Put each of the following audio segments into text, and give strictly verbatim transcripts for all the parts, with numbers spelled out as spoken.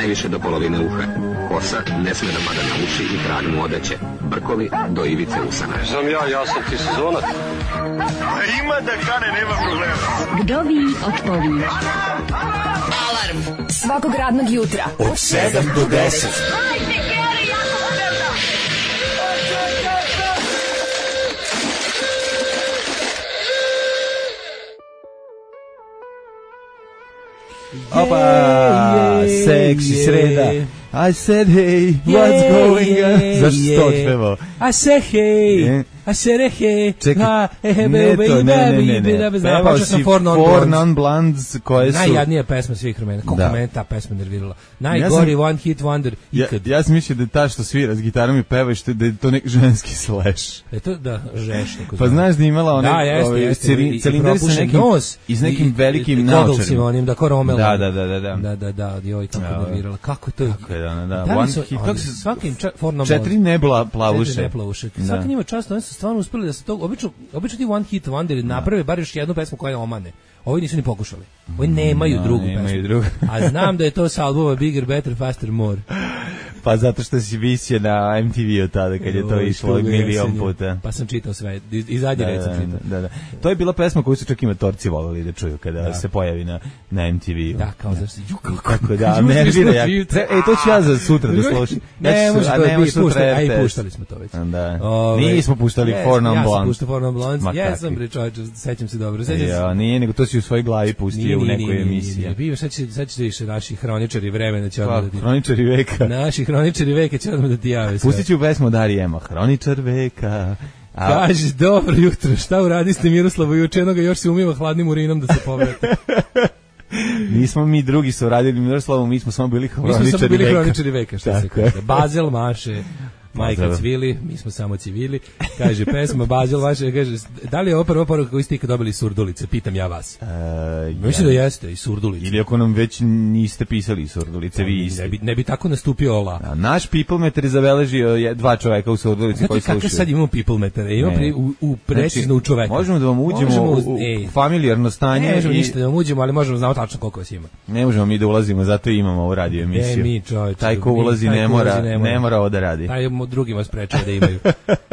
najviše do polovine uha. Kosa ne sme da pada na uši i krag mu odeće. Brkovi do ivice usana. Znam ja, ja sam ti sezonac. Ima da kane, nema problema. Vdovi odpovi. Alarm svakog radnog jutra od sedam do deset. Opa, seksi sreda. I said hey, what's going on? Zašto si to otpevao? I said hey, I said hey. Čekaj, ne to, ne, ne, ne, ne. Pevao si Four Non Blondes koje su... Najjadnija pesma svih vremena. Koliko mene ta pesma nervirala. Najgori one hit wonder ikad. Ja sam mislio da je ta što svira s gitarom i peva i što da je to neki ženski slash. Je to da, žeš. Pa znaš da imala one cilindri sa nekim i s nekim velikim naočarima. Onim da ko Romel. Da, da, da, da. Da, da, da, joj kako nervirala. Kako to je? Kako je, da, da. Da, kako se svakim četiri nebla plavuše. Četiri neplavuše. Svaki njima čast, oni su stvarno uspeli da se to, obično, obično ti one hit wonder naprave bar još jednu pesmu koja je omane. Ovi nisu ni pokušali. Ovi nemaju drugu pesmu. A znam da je to sa albuma Bigger, Better, Faster, More. Pa zato što si visio na M T V-u tada kad je to išlo milion puta. Pa sam čitao sve, i zadnji red sam čitao. Da, da. To je bila pesma koju su čak i matorci volili da čuju kada da. se pojavi na, na M T V-u. Da, kao zašto. Kako da, nervira ja. E, to ću ja za sutra da slušam. Ne, može to je puštali, a i puštali smo to već. Da. Nismo puštali Four Non Blondes. Ja sam puštao Four Non Blondes, ja sam bre čovječe, sećam se dobro. Ja, nije, nego to si u svojoj glavi pustio u nekoj emisiji. Bio, sad ćete više naši hroničari vremena će odmah da ti... Hroničari veka. Naši hroničari veka će odmah da ti jave sve. Pustit ću pesmu Darije Ema, Hroničar veka. Kaži, dobro jutro, šta uradiste Miroslavu juče, jednoga još se umiva hladnim urinom da se povrati. Nismo mi drugi su radili Miroslavu, mi smo samo bili hroničari veka. Mi smo samo bili hroničari veka, šta se kaže. Bazel maše. Majka cvili, mi smo samo civili, kaže pesma Bazel vaše, kaže, da li je ovo prva poruka koju ste ikad dobili iz Surdulice, pitam ja vas. E, Mislim ja. da jeste, iz Surdulice. Ili ako nam već niste pisali iz Surdulice, vi isti. Ne bi, ne bi tako nastupio ola. A, naš people meter je zabeležio dva čoveka u Surdulici Znate koji slušaju. Znate kako sad imamo people meter? Imamo pri, u, u precizno znači, u čoveka. Možemo da vam uđemo možemo, u, u e, familijarno stanje. Ne možemo i... ništa da vam uđemo, ali možemo znamo tačno koliko vas ima. Ne možemo mi da ulazimo, zato imamo ovu radio emisiju. Ne, mi čovječ. Taj ko ulazi ne mora, ne mora ovo da radi. Taj drugima sprečava da imaju.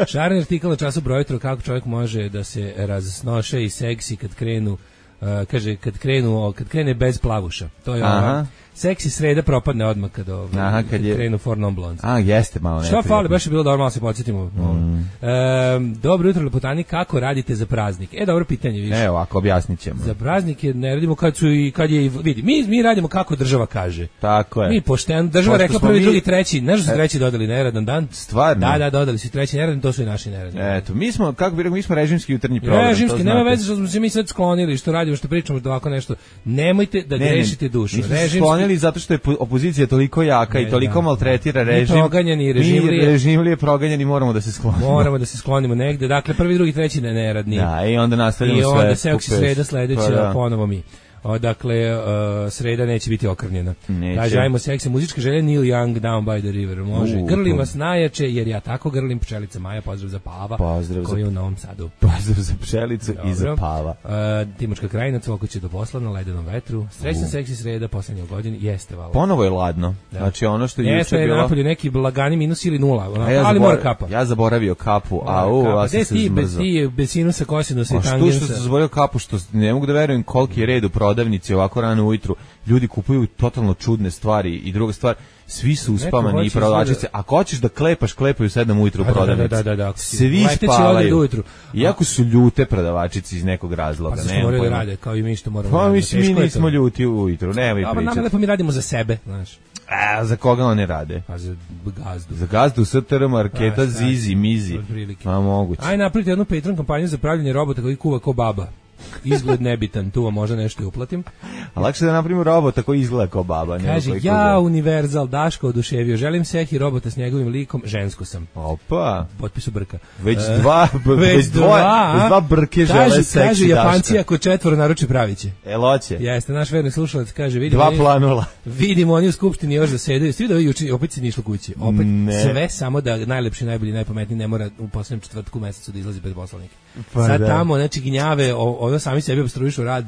Šarni artikal na času broj jutro kako čovjek može da se razsnoše i seksi kad krenu, uh, kaže kad krenu, kad krene bez plavuša. To je ova seksi sreda propadne odmah kad, ovaj, Aha, kad, kad je... krenu Four Non Blondes. A, jeste malo neprijatno. Šta fali, baš je bilo dobro, malo se podsjetimo. Mm. E, dobro jutro, lepotani, kako radite za praznik? E, dobro pitanje, više. Evo, ako objasnit ćemo. Za praznike ne radimo kad su i kad je, vidi, mi, mi radimo kako država kaže. Tako je. Mi pošteno, država rekla prvi, mi... drugi, treći, znaš da su treći dodali neradan dan? Stvarno? Da, da, dodali su treći neradan, to su i naši neradni. Eto, mi smo, kako bi rekao, mi smo režimski jutarnji program. Režimski, nema veze što smo se mi sad sklonili, što radimo, što pričamo, što ovako nešto. Nemojte da ne, grešite dušu. Mi smo se sklonili zato što je opozicija je toliko jaka ne, i toliko da. maltretira režim. Mi proganjani, režimlije. Mi režimlije proganjani moramo da se sklonimo. Moramo da se sklonimo negde. Dakle, prvi, drugi, treći ne neradni. Da, i onda nastavljamo sve. I onda se oksi sreda sledeća, pa, da. ponovo mi. O, dakle, uh, sreda neće biti okrnjena. Kaže, ajmo seksi, muzička želja Neil Young, Down by the River. Može, uh, grlim vas najjače, jer ja tako grlim, pčelica Maja, pozdrav za Pava, pozdrav koji za... je u Novom Sadu. Pozdrav za pčelicu i za Pava. Uh, Timočka krajina, cvoko će do posla na ledenom vetru. Srećna uh. seksi sreda, poslednje u godini, jeste vala. Ponovo je ladno. Da. Znači, ono što je juče bilo... Jeste, napolju neki blagani minus ili nula, ono, ja ali zabora... mora kapa. Ja zaboravio kapu, a u, a sam se zmrzao. Ti, bez sinusa, kosinusa i tangensa. A što što sam zaboravio kapu, što ne mogu da verujem koliki je red u prodavnici ovako rano ujutru, ljudi kupuju totalno čudne stvari i druga stvar, svi su uspavani i prodavačice. Ako hoćeš da klepaš, klepaju sedam ujutru u prodavnici. Da, da, da, da. Svi spavaju. Iako su ljute prodavačice iz nekog razloga. Pa ne moraju rade, kao i mi što moramo. Pa mislim, mi nismo ljuti ujutru, nemoj pričati. Pa nama lepo mi radimo za sebe, znaš. A za koga oni rade? Pa za gazdu. Za gazdu, S T R, Marketa, Zizi, Mizi. Ma moguće. Aj napravite jednu Patreon kampanju za pravljenje robota koji kuva ko baba. Izgled nebitan, tu vam možda nešto i uplatim. A lakše da napravimo robota koji izgleda kao baba. Kaže, ja Univerzal, Daško oduševio, želim sehi robota s njegovim likom, žensko sam. Opa. Potpisu Brka. Već dva, uh, već dva, dva brke žele kaže, seksi kaže, Daška. Japanci ako četvoro naruči praviće. Eloće. Jeste, naš verni slušalac kaže, vidimo, dva oni, planula. Vidimo oni u skupštini još zasedaju, svi da ovi juči, opet se nije išlo kući. Opet ne. Sve samo da najlepši, najbolji, najpametniji ne mora u poslednjem četvrtku mesecu da izlazi bez poslanika. Pa sad da. Tamo, znači, gnjave, ono sami sebi obstruišu rad,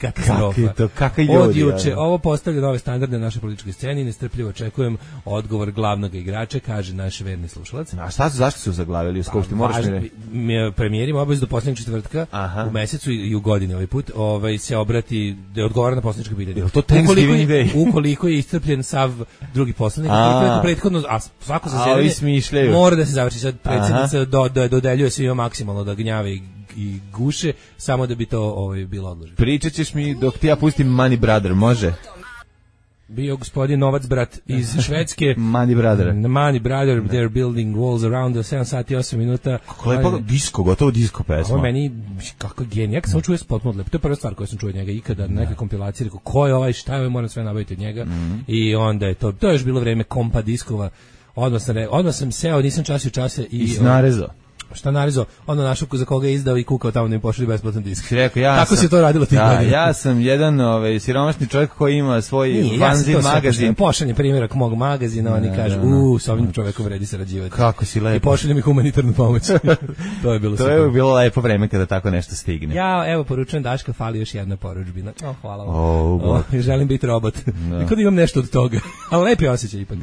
katastrofa. Kako je to, kakaj ljudi. Od juče, ovo postavlja nove standarde na našoj političkoj sceni, nestrpljivo očekujem odgovor glavnog igrača, kaže naš verni slušalac. A šta su, zašto su zaglavili u Skupštini? Moraš mi premijer ima obavezu do poslednjeg četvrtka u mesecu i u godini ovaj put, ovaj se obrati da odgovara na poslanička pitanja. Je to Thanksgiving Day? Ukoliko je iscrpljen sav drugi poslanik, ukoliko je prethodno, a svako zasedanje mora da se završi. Sad predsjednica do, do, dodeljuje svima maksimalno da gnjave i, i guše, samo da bi to ovaj, bilo odloženo. Pričat ćeš mi dok ti ja pustim Money Brother, može? Bio gospodin Novac brat iz Švedske. Money Brother. Money Brother, they're building walls around sedam sati i osam minuta. Kako lepo, disko, gotovo disko pesma. Ovo meni, kako genij, ja kad sam čuo potpuno lepo, to je prva stvar koju sam čuo od njega ikada, na neke kompilacije, rekao, ko je ovaj, šta je ovaj, moram sve nabaviti od njega. Mm-hmm. I onda je to, to je još bilo vreme kompa diskova, odmah sam, odmah sam seo, nisam časio čase i... I snarezo. Šta narezo, ono našao za koga je izdao i kukao tamo da mi pošli besplatan disk. Rekao, ja Tako sam, se to radilo tih da, godina. Ja sam jedan ovaj, siromašni čovjek koji ima svoj Nije, vanzin ja magazin. Pošaljem primjerak mog magazina, oni kažu, uuu, s ovim čovjekom vredi sarađivati. Kako si lepo. I pošaljem mi humanitarnu pomoć. To je bilo to super. je bilo lepo vreme kada tako nešto stigne. Ja, evo, poručujem Daška, fali još jedna poručbina. O, hvala vam. Oh, o, želim biti robot. No. Nikad imam nešto od toga. Ali lepi osjećaj ipak.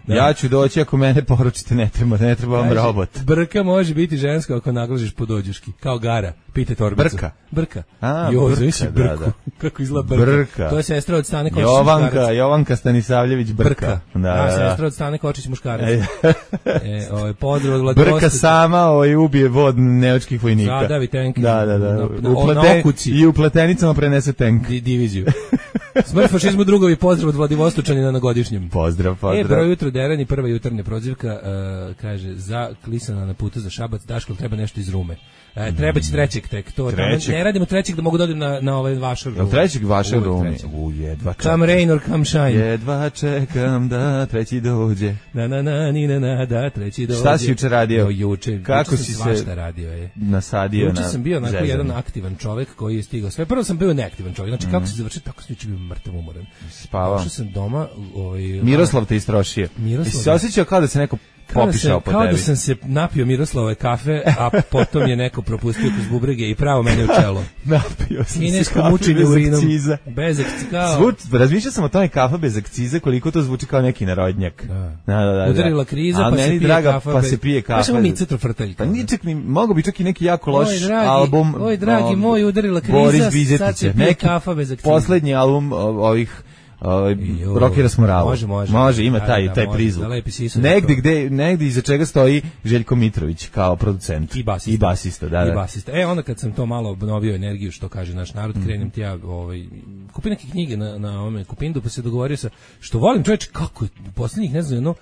Da. Ja ću doći ako mene poručite, ne treba, ne treba vam robot. Brka može biti ženska ako naglažiš podođuški, kao Gara, pite torbicu. Brka. Brka. A, jo, brka, da, da. Kako izgleda Brka. Brka. To je sestra od Stane Kočić Jovanka, muškarac. Jovanka Stanisavljević Brka. Brka. Da, da, da. sestra od Stane Kočić muškarac. e, ovaj pozdrav od Brka Kostić. Sama ovaj ubije vod nemačkih vojnika. Zadavi tank. Da, da, da. Na, na, Uplete, na okuci. I u pletenicama prenese tank. Di, diviziju. Smrt fašizmu drugovi, pozdrav od Vladivostočanina na godišnjem. Pozdrav, pozdrav. E, broj jutro derani, prva jutarnja prozivka, uh, kaže, za klisana na putu za Šabac, Daško, treba nešto iz Rume. E, treba će trećeg tek, to trećeg. Ne radimo trećeg da mogu da odem na, na ovaj vašar Rume. Trećeg vašar Rume. U, jedva čekam. Come rain or come shine. Jedva čekam da treći dođe. Na, na, na, ni, na, na, da treći dođe. Šta si juče radio? No, juče. Kako juče si se radio je. nasadio juče na sam bio onako zezanje. jedan aktivan čovjek koji je stigao sve. Prvo sam bio neaktivan čovjek. Znači, mm. kako se završio, tako sam juče bio mrtav umoran. Spavao. Došao sam doma. Ovaj, Miroslav te istrošio. Miroslav. Jesi se osjećao kao da se neko popišao po kao tebi? Kao da sam se napio Miroslavove kafe, a potom je neko propustio kroz bubrege i pravo mene u čelo. Napio sam Kinesko se kafe mučenje bez urinom. akciza. Bez akciza. Zvuč, razmišljao sam o tome kafa bez akciza, koliko to zvuči kao neki narodnjak. Da. Da, da, da, udarila kriza, a pa se pije draga, kafa. Pa se pije kafa. Pa samo mi citrofrtaljka. Pa nije čak ni, mogo bi čak i neki jako loš oj, dragi, album. Oj, dragi um, moj, udarila kriza, sad se pije kafa bez akciza. Poslednji album ovih Uh, Rokera Smorava. Može, može. Može, ima taj, da, taj može, prizvuk. Da negde, gde, negde iza čega stoji Željko Mitrović kao producent. I basista. I basista, da, da. I basista. E, onda kad sam to malo obnovio energiju, što kaže naš narod, mm. krenem ti ja, ovaj, kupi neke knjige na, na ovome Kupindu, pa se dogovorio sa, što volim čovječ, kako je, u posljednjih, ne znam, jedno,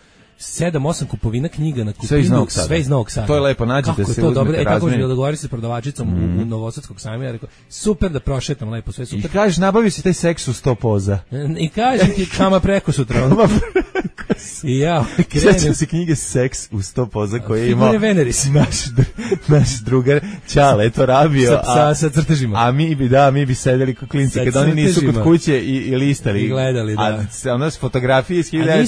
sedam osam kupovina knjiga na Kupindu, sve iz Novog Sada. Sve iz Novog Sada. To je lepo, nađete kako se, to dobro. E, tako razmeni. je dogovorio se s prodavačicom mm. u, u Novosadskog sajma, ja rekao, super da prošetam lepo, sve super. I kažeš, nabavi si taj seks u sto poza. I kažem ti, kama preko sutra. Ono. I ja, krenem. Sjećam se knjige Seks u sto poza koje je imao Figure Veneris. Naš, naš drugar Ćale to rabio. Sa, sa, sa crtežima. A mi bi, da, mi bi sedeli kao klinci, kad oni nisu kod kuće i, i listali. I gledali, da. A ono s fotografije iz hiljadu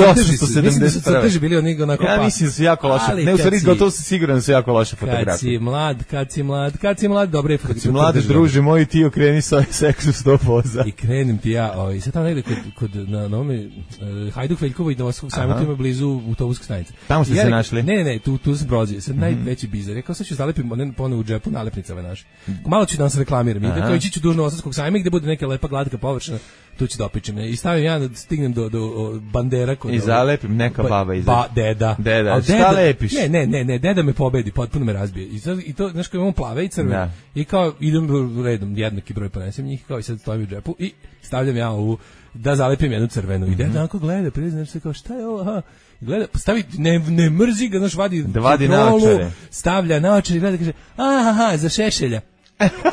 osamsto sedamdeset prve. Crteži bili oni onako ja pa. mislim da su jako loše. Ne, u stvari, gotovo sam siguran da su jako loše fotografije. Kad si mlad, kad si mlad, kad si mlad, dobre fotografije. Kad si mlad, druže moj, ti okreni svoj Seks u sto poza. I krenem ti ja, o, i sad tamo negde kod, kod na nome, uh, Hajduk Veljkovo i Novosadskog sajma, tu ima blizu autobuske stanice. Tamo ste ja, se našli? Ne, ne, ne, tu, tu sam prozio. Sad mm-hmm. najveći bizar. Rekao, sad ću zalepim one ponovo u džepu nalepnicama naše. Malo ću da vam se reklamiram. I kao ići ću do Novosadskog sajma gde bude neka lepa glatka površina, tu ću da opičem. I stavim ja da stignem do, do, do bandera. Kod I zalepim neka baba iza. Ba, deda. Deda, šta deda, lepiš? Ne, ne, ne, ne, deda me pobedi, potpuno me razbije. I, sad, i to, znaš, kao imamo plave i crvene. Da. I kao, idem redom, jednaki broj ponesem njih, kao i sad stavim u džepu i stavljam ja ovu, da zalepim jednu crvenu. I deda onako gleda, priznaš se kao, šta je ovo, aha. Gleda, stavi, ne, ne mrzi ga, znaš, vadi, da vadi naočare. Stavlja naočare i gleda, kaže, aha, za Šešelja.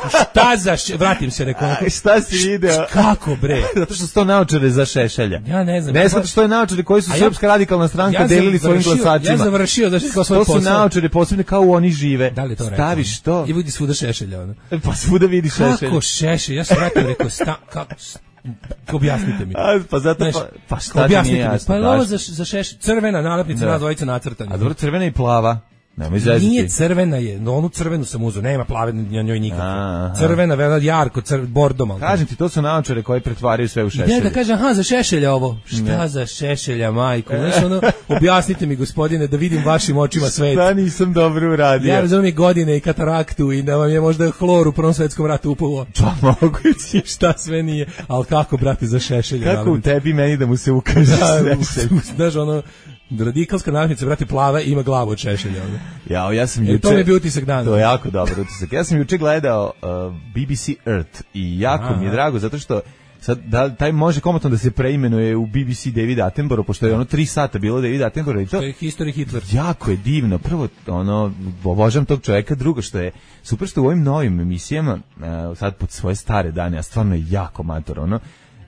Šta za še... vratim se rekao. Šta si video? Kako bre? Zato što su to naočare za Šešelja. Ja ne znam. Ne zato što je naočare koji su ja, Srpska radikalna stranka ja delili svojim glasačima. Ja završio da kao svoj posao. To su naočare posebne kao u oni žive. Da li to rekao? Staviš to. I vidi svuda Šešelja ona. Pa svuda vidi Šešelja. Kako Šešelj? Ja sam vratio rekao sta kako objasnite mi. A, pa zato Znaš, pa, pa šta ti nije jasno? Pa je ovo za, za Šešelj. Crvena nalepnica, na dvojica nacrtana. A dobro, crvena i plava. Nije crvena je, no onu crvenu sam uzeo, nema plave na njoj nikako. Crvena, vela jarko, crv, bordo malo. Kažem ti, to su naočare koji pretvaraju sve u šešelje. Ne, da kažem, aha, za šešelja ovo. Šta ne. Za šešelja, majko? Znaš, ono, objasnite mi, gospodine, da vidim vašim očima svet. Šta nisam dobro uradio? Ja razumijem godine i kataraktu i da vam je možda hlor u Prvom svetskom ratu upalo. Pa moguće. Šta sve nije, ali kako, brate, za šešelja? Kako u tebi meni da mu se ukaže šešelj? Znaš, ono, radikalska nalepnica, brate, plava, ima glavu od šešelja. Ja, ja sam juče... E, to mi je bio utisak dana. To je jako dobar utisak. Ja sam juče gledao uh, B B C Earth i jako Aha. mi je drago, zato što sad, da, taj može komotno da se preimenuje u B B C David Attenborough, pošto je ono tri sata bilo David Attenborough i to... To je History Hitler. Jako je divno. Prvo, ono, obožavam tog čovjeka, drugo što je super što u ovim novim emisijama, uh, sad pod svoje stare dane, a stvarno je jako mator, ono,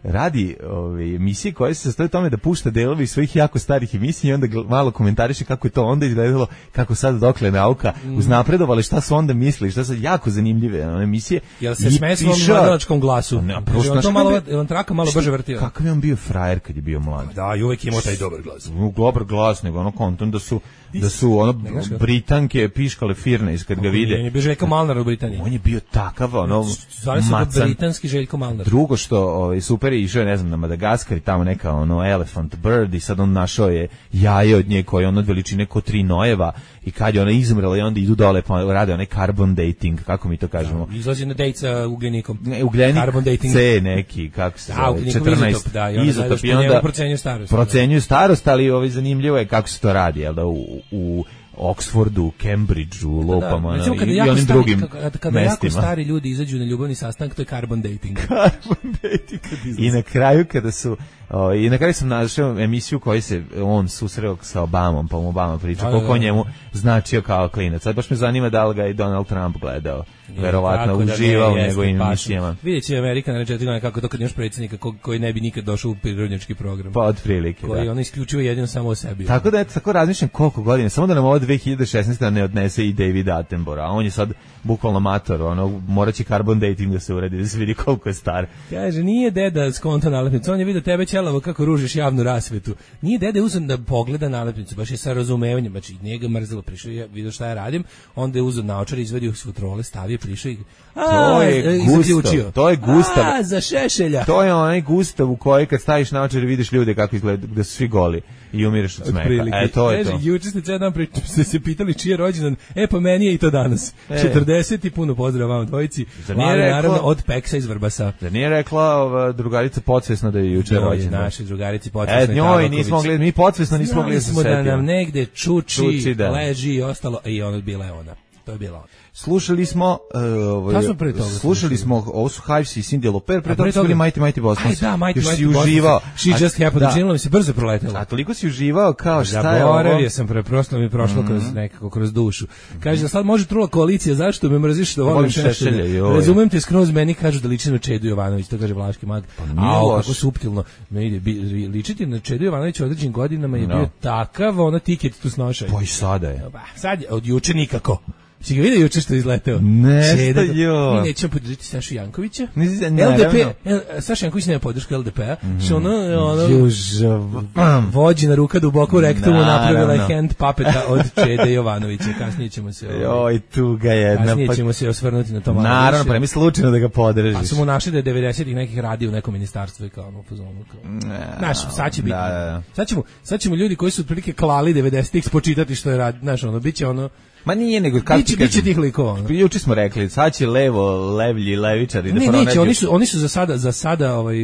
radi ove emisije koje se sastoje tome da pušta delove iz svojih jako starih emisija i onda malo komentariše kako je to onda izgledalo, kako sad dokle nauka mm. uznapredovala, šta su onda mislili, šta su jako zanimljive one emisije. Jel se sme svom mladačkom glasu? Ne, prosto, to malo, je on traka malo brže vrtio. Kakav je on bio frajer kad je bio mlad? Da, i uvek imao taj dobar glas. Dobar glas, nego ono konton da su da su ono Britanke piškale firne iz kad ga vide. On je bio Željko Malnar u Britaniji. On je bio takav, ono macan. Britanski Željko Malnar. Drugo što ovaj super je išao, ne znam, na Madagaskar i tamo neka ono elephant bird i sad on našao je jaje od nje koje on od veličine ko tri nojeva i kad je ona izmrela i onda idu dole pa rade onaj carbon dating, kako mi to kažemo. Da, izlazi na date sa ugljenikom. Ne, ugljenik carbon dating. C neki, kako se zove, četrnaest. Izotop, da, i onda, izotop, i onda procenjuju starost. Procenjuju starost, ali ovaj zanimljivo je kako se to radi, jel da, u, u Oxfordu, Cambridgeu, lopama da, da. i, i onim stari, drugim kada, kada mestima. Jako stari ljudi izađu na ljubavni sastanak, to je carbon dating. Carbon dating. I na kraju kada su o, i na kraju sam našao emisiju koji se on susreo sa Obamom, pa mu Obama priča koliko njemu značio kao klinac. Sad baš me zanima da li ga i Donald Trump gledao. Verovatno uživao u njegovim emisijama. Vidjet će Amerika na četiri godine kako to kad imaš predsjednika ko, koji ne bi nikad došao u prirodnjački program. Pa od prilike, koji da. on isključivo jedino samo o sebi. Tako da, eto, tako razmišljam koliko godina, samo da nam ovo dve hiljade šesnaeste ne odnese i David Attenborough, a on je sad bukvalno mator, ono, morat će carbon dating da se uredi, da se vidi koliko je star. Kaže, nije deda skonto nalepnicu, on je vidio tebe ćelavo kako ružiš javnu rasvetu. Nije deda uzeo da pogleda nalepnicu, baš je sa razumevanjem, znači nije ga mrzelo, prišao je, vidio šta ja radim, onda je uzeo naočar, izvadio s futrole, stavio, prišao i a, to je Gustav, to je Gustav. A, za šešelja. To je onaj Gustav u koji kad staviš naočar vidiš ljude kako izgledaju, da su svi goli i umireš od smeha. E, to je to. Juče ste cijel dan pričali, ste se pitali čiji je rođendan, e pa meni je i to danas. E. četrdeset i puno pozdrav vam dvojici. Ali naravno od Peksa iz Vrbasa. Da nije rekla ova drugarica podsvesno da je juče rođendan. Naši drugarici podsvesno. E, njoj nismo gledali, mi podsvesno nismo gledali. Smo da nam negde čuči, čuči da. Leži i ostalo, i ono bila je ona. To je bila ona. Slušali smo uh, ovaj, slušali smo ovo su Hives i Cyndi Lauper, pre toga su bili Mighty Mighty Boston. Aj da, Mighty Mighty Boston. Uživao. She a, just happened, da. Činilo mi se brzo proletelo. A toliko si uživao kao šta je ovo? Zaboravio sam, preprosto mi je prošlo mm -hmm. kroz nekako kroz dušu. Kaže da sad može trula koalicija, zašto me mrziš da volim Šešelja? Razumem te skroz, meni kažu da liči na Čedu Jovanović, to kaže Vlaški mag. Pa a kako suptilno. Ne ide ličiti na Čedu Jovanović u određenim godinama je no. bio takav, ona tiket tu snošaj. Pa i sada je. Sad je od juče nikako. Si ga vidio juče što je izleteo? Nesta jo. Mi nećemo podržiti Sašu Jankovića. Ne, ne, L D P, Saša Janković nema podršku L D P-a. Mm. Što ono, ono vođina ruka duboko u rektumu napravila je hand papeta od Čede Jovanovića. Kasnije ćemo se... Joj, tu ga jedna. Kasnije ćemo pa... se osvrnuti na to malo. Naravno, pre mi slučajno da ga podržiš. A su mu našli da je devedesetih nekih radio u nekom ministarstvu i kao ono pozvonu. Znaš, sad će biti. Da, da, da. Sad, ćemo, sad ćemo ljudi koji su otprilike klali devedesetih spočitati što je radi. Znaš, ono, bit će ono... Ma nije nego kako ti kažeš. Biće tih likova. Juče smo rekli, sad će levo, levlji, levičari da pronađu. Ne, neće, oni su oni su za sada za sada ovaj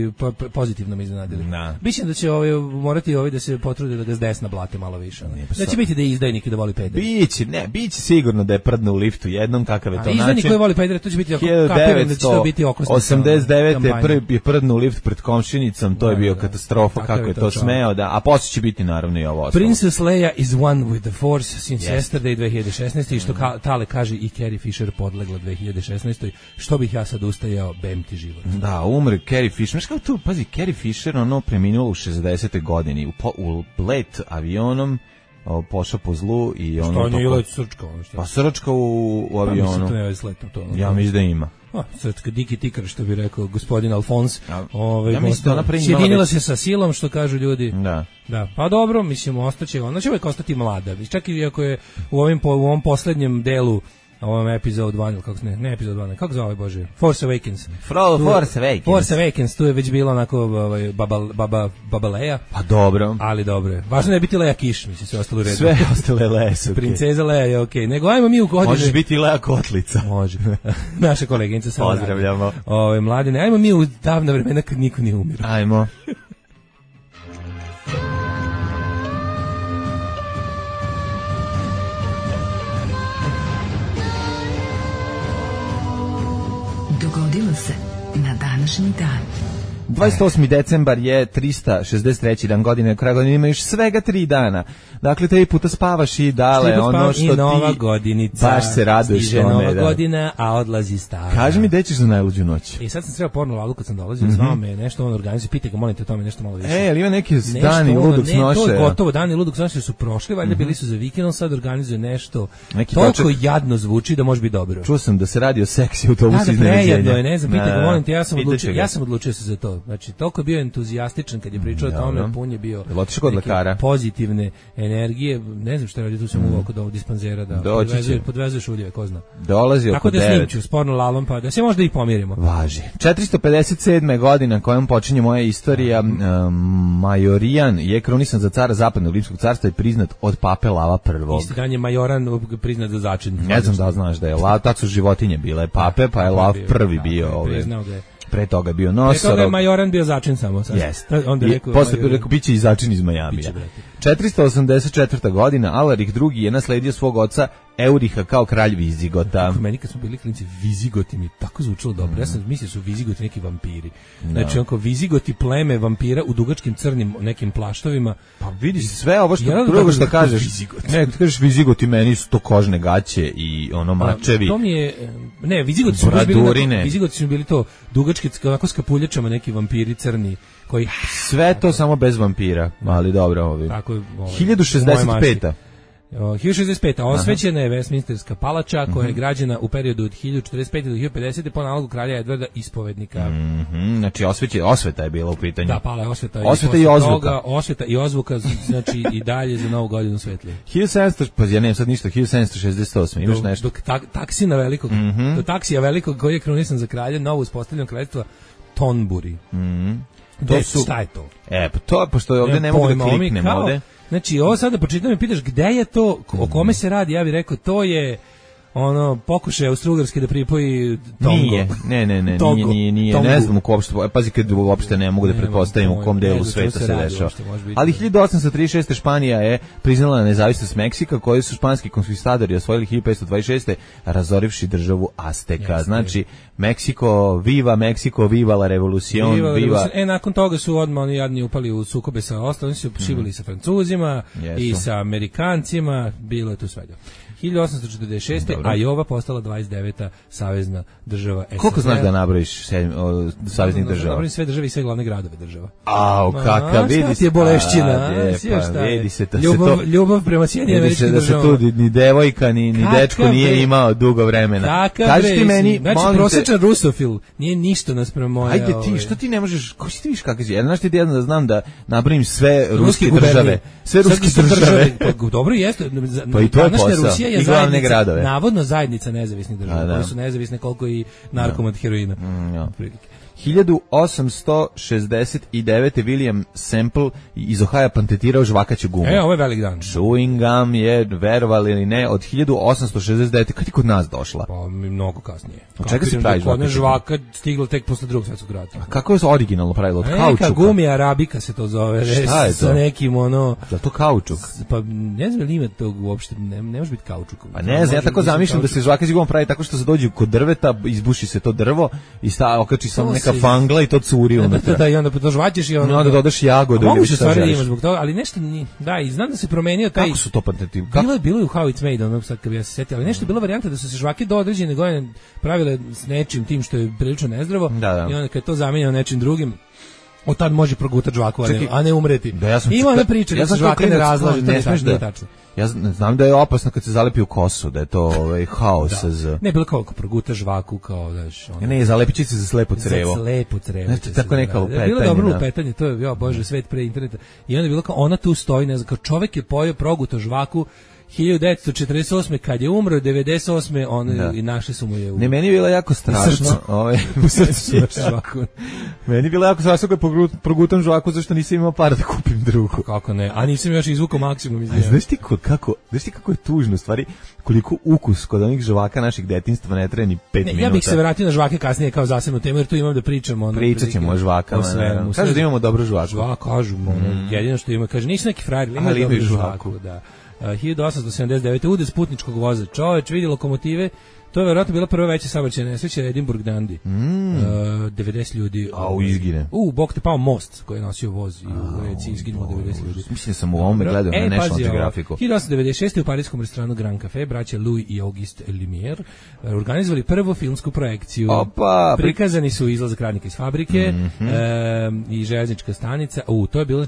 pozitivno me iznenadili. Biće da će ovaj morati ovaj da se potrude da ga s desna blate malo više. Da će biti da je izdajnik i da voli pedere. Biće, ne, biće sigurno da je prdne u liftu jednom kakav je to način. Izdajnik koji voli pedere, to će biti kapiram da će to biti okosnica. osamdeset devete prvi je prdne u lift pred komšinicom, to je bio katastrofa kako je to smeo da, a posle će biti naravno i ovo. Princess Leia is one with the Force since yesterday dve hiljade šesnaeste i što ka, Tale kaže i Carrie Fisher podlegla dve hiljade šesnaeste što bih ja sad ustajao, bem ti život. Da, umre Carrie Fisher. Znaš kao tu, pazi, Carrie Fisher ono preminula u šezdesetoj godini u, po, u let avionom o, pošao po zlu i ono... Što on je ili srčka? Ono pa srčka u, u avionu. Pa mislim to ne je sletno to. Ono, ja mislim da ima. O, crtka Diki Tikar, što bi rekao gospodin Alfons. Ovaj, ja mislim da ona pre sjedinila se sa silom, što kažu ljudi. Da. Da, pa dobro, mislim, ostaće, ona će uvijek ostati mlada. Čak i ako je u, ovim, u ovom poslednjem delu, ovom epizod dva, kako ne, ne epizod dva, kako zove, Bože, Force Awakens. Fro, tu, Force Awakens. Force Awakens, tu je već bilo onako ovaj, baba, baba, baba Leia. Pa dobro. Ali dobro je. Važno je biti Leia Kiš, mislim, sve ostalo u redu. Sve ostale Leia su okej. Princeza Leia je okej. Okay. Nego ajmo mi u godine. Možeš biti Leia Kotlica. Može. Naša koleginica sa Pozdravljamo. Ove, mladine, ajmo mi u davna vremena kad niko nije umirao. Ajmo. Dogodilo se na današnji dan. dvadeset osmi decembar je trista šezdeset treći dan godine, kraj godine ima još svega tri dana. Dakle, tri puta spavaš i dale ono što i nova ti godinica, baš se raduješ. Stiže nova da. godina, a odlazi stara. Kaži mi gde ćeš za najluđu noć? I sad sam sreo porno lalu kad sam dolazio, mm -hmm. zvao me nešto on organizuje, pitaj ga, molim te o tome nešto malo više. E, ali ima neki dani ludog snoše? Ne, to je gotovo, dani ludog snoše su prošli, valjda mm -hmm. bili su za vikendom, sad organizuje nešto. Neki toliko poček... jadno zvuči da može biti dobro. Čuo sam da se radi o seksi autobusu da, iznenađenja. Da, ne znam, pitaj ga, molim te, ja sam odlučio, ja sam odlučio se za to. Znači, toliko je bio entuzijastičan kad je pričao o tome, pun je bio neke pozitivne energije. Ne znam šta radi, tu sam uvao kod ovog dispanzera da podvezuje, podvezuješ uljeve, ko zna. Dolazi oko tako da snimću s porno lalom, pa da se možda i pomirimo. Važi. četiristo pedeset sedme godina kojom počinje moja istorija, um, Majorijan je krunisan za cara Zapadnog Rimskog carstva i priznat od pape Lava prvog. Isti dan je Majoran priznat za začin. Ne znam da znaš da je Lav, tako su životinje bile pape, pa je Lav prvi bio ovdje. Pre toga je bio Nosorog. Pre toga je Majoran bio začin samo. Jeste. I posle rekao, bit će i začin iz Majamija. četiristo osamdeset četvrta godina, Alarih drugi je nasledio svog oca Euriha kao kralj Vizigota. Meni kad smo bili klinci, Vizigoti mi tako zvučilo dobro. Mm. Ja sam mislio su Vizigoti neki vampiri. Znači, no. onko Vizigoti pleme vampira u dugačkim crnim nekim plaštovima. Pa vidiš sve ovo što drugo što kažeš. Vizigoti. Ne, kažeš Vizigoti, meni su to kožne gaće i ono mačevi. To mi je, ne, Vizigoti su bili, Vizigoti su bili to dugački, onako s kapuljačama neki vampiri crni. Koji... Sve to samo bez vampira, ali dobro ovi. Tako, ovaj, hiljadu šezdeset peta hiljadu šezdeset peta osvećena je Westminsterska palača koja je građena u periodu od hiljadu četrdeset pete do hiljadu pedesete po nalogu kralja Edvarda Ispovednika. Mm -hmm. Znači osveće, osveta je bila u pitanju. Da, pala je osveta. Osveta i, i ozvuka. Toga, osveta i ozvuka, znači i dalje za novu godinu svetlije. hiljadu sedamsto, pa ja nemam sad ništa, hiljadu sedamsto šezdeset osme imaš dok, nešto? Dok tak, taksina velikog, mm -hmm. do taksija velikog koji je krunisan za kralja, novo uspostavljeno kraljevstvo Tonburi. Mhm. To su, šta je to? E, pa to, pošto ovdje ne, ne mogu da kliknem kao, ovdje. Znači, ovo sada počitam i pitaš gde je to, o kome se radi, ja bih rekao, to je ono, pokušaj Austro-Ugarske da pripoji Tongo. Nije, ne, ne, ne, Togo, nije, nije, nije, ne znam u kom uopšte, pazi kad uopšte ne mogu da pretpostavim u kom delu sveta se dešava. Ali hiljadu osamsto trideset šeste Španija je priznala nezavisnost Meksika, koju su španski konkvistadori osvojili hiljadu petsto dvadeset šeste razorivši državu Azteka. Yes, znači, Meksiko, viva Meksiko, viva la revolucion, viva. viva... E, nakon toga su odmah oni jadni upali u sukobe sa ostalim, su šibali mm. sa Francuzima yes, i sa Amerikancima, bilo je tu svega. hiljadu osamsto četrdeset šeste Dobro. A Jova postala dvadeset deveta savezna država S S S R. Koliko znaš da nabrojiš saveznih država? Da nabrojim sve države i sve glavne gradove država. Au, kakav, vidi se. Ti je bolešćina. A, pa, vidi se da ljubav, se to... Ljubav prema Sjedinjenim Američkim Državama. Vidi se da se tu ni devojka, ni, ni dečko nije bre. imao dugo vremena. Kaži ti meni, znači, prosječan te... rusofil nije ništa naspram moja... Ajde ti, ovaj... što ti ne možeš, ko si ti viš kakav si? Ja znaš ti jedno da znam da nabrojim sve ruske države. Sve ruske države. Pa dobro jeste. Pa i to je posao. I glavne gradove. Navodno zajednica nezavisnih država, koje su nezavisne koliko i narkomat heroina. Mm, ja. hiljadu osamsto šezdeset devete William Semple iz Ohaja patentirao žvakaću gumu. E, ovo je velik dan. Chewing gum je, verovali ili ne, od hiljadu osamsto šezdeset devete Kad je kod nas došla? Pa, mnogo kasnije. Od čega se pravi žvakaću? Žvaka stigla tek posle drugog svjetskog rata. A kako je originalno pravilo? Od e, kaučuka? Neka gumi arabika se to zove. Šta je to? Sa nekim ono... Da to kaučuk? Pa ne znam li ima tog uopšte, ne, ne može biti kaučuk. Pa ne znam, ja tako zamišljam da se žvakaću guma pravi tako što se dođe kod drveta, izbuši se to drvo i sta, okači samo neka fangla i to curi unutra. Da, i onda požvaćeš i onda... I onda dodaš jagodu. Mogu se stvari da ima zbog toga, ali nešto ni... Da, i znam da se promenio taj... Kako su to patenti? Bilo je, bilo je u How It's Made, onog sad kad bi ja se setio, ali nešto je bila varijanta da su se žvake do određene godine pravile s nečim tim što je prilično nezdravo da, da. I onda kad je to zamenjeno nečim drugim, Od tad može progutati žvaku, a ne, a ne umreti. Da, ja sam ima ona priča da se žvaka ne razlaže, ne smeš da tačno. Ja znam da je opasno kad se zalepi u kosu, da je to ovaj haos da. z. Ne bilo koliko proguta žvaku kao daš. Ono... Ne, zalepići se za slepo crevo. Za slepo crevo. Znači tako neka lupetanja. Bilo dobro lupetanje, to je ja bože svet pre interneta. I onda je bilo kao ona tu stoji, ne znam, kao čovjek je pojeo proguto žvaku hiljadu devetsto četrdeset osme kad je umro, devedeset osme on da. I našli su mu je u... Ne, meni je bilo jako strašno. Ovaj u srcu žvaku. Meni je bilo jako strašno kad progutam žvaku zašto nisam imao para da kupim drugu. Kako ne? A nisam još izvukao maksimum iz nje. Znaš ti kako, znaš ti kako je tužno stvari, koliko ukus kod onih žvaka naših detinjstva ne traje ni pet ne, minuta. Ja bih se vratio na žvake kasnije kao zasebnu temu jer tu imam da pričamo ono. Pričat ćemo o žvakama. Kažu da imamo dobru žvaku. Žvaka, kažu, ono, jedino što ima, kaže nisu neki frajeri, ima dobru žvaku, da. Uh, hiljadu osamsto sedamdeset devete udes putničkog voza. Čoveč vidi lokomotive. To je verovatno bila prva veća saobraćajna nesreća Edinburgh Dundee. Mm. Uh, devedeset ljudi. A u izgine. U, bok te pao most koji je nosio voz i u reci izginulo devedeset ljudi. Mislim sam u ovome gledao na National Geographicu. hiljadu osamsto devedeset šeste u parijskom restoranu Grand Café braća Louis i Auguste Lumière organizovali prvu filmsku projekciju. Opa, prikazani su izlazak radnika iz fabrike mm-hmm. e, i železnička stanica. U, to je bilo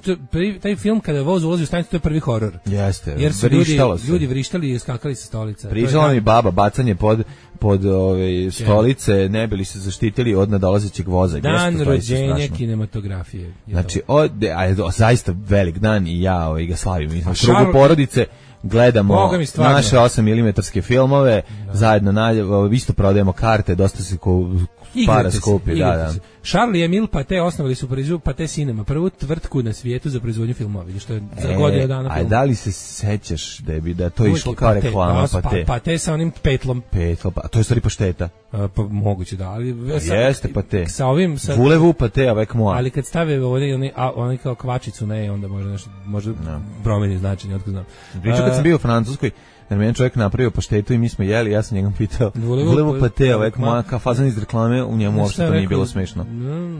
taj film kada voz ulazi u stanicu, to je prvi horor. Jeste. Jer su ljudi, ljudi vrištali i skakali sa stolica. Pričala mi baba bacanje pod pod ove stolice, ne bili se zaštitili od nadolazećeg voza. Dan Jeste, rođenja kinematografije. Znači, od, a, zaista velik dan i ja ovaj, ga slavim. Mi smo krugu porodice, gledamo naše osam milimetarske filmove, da. Zajedno na, isto prodajemo karte, dosta se ko, para skupi. Da, da. Charlie Emile Pathé osnovali su Parizu Pathé Cinema, prvu tvrtku na svijetu za proizvodnju filmova, vidiš, što je za e, godinu dana film. A da li se sećaš da bi da to išlo kao Pathé, reklama Pathé? Pa, Pathé sa onim petlom. Petlo, pa to je stvari pašteta. A, pa moguće da, ali sa, jeste Pathé. Sa ovim sa Voulez-vous Pathé avec moi. Ali kad stave ovdje oni oni kao kvačicu ne, onda može nešto može no. promeni značenje, otkud znam. Pričao kad sam bio u Francuskoj, jer meni čovjek napravio paštetu i mi smo jeli, ja sam njegom pitao Voulez-vous Pathé avec moi, kao fazan iz reklame, u njemu uopšte to nije bilo smešno.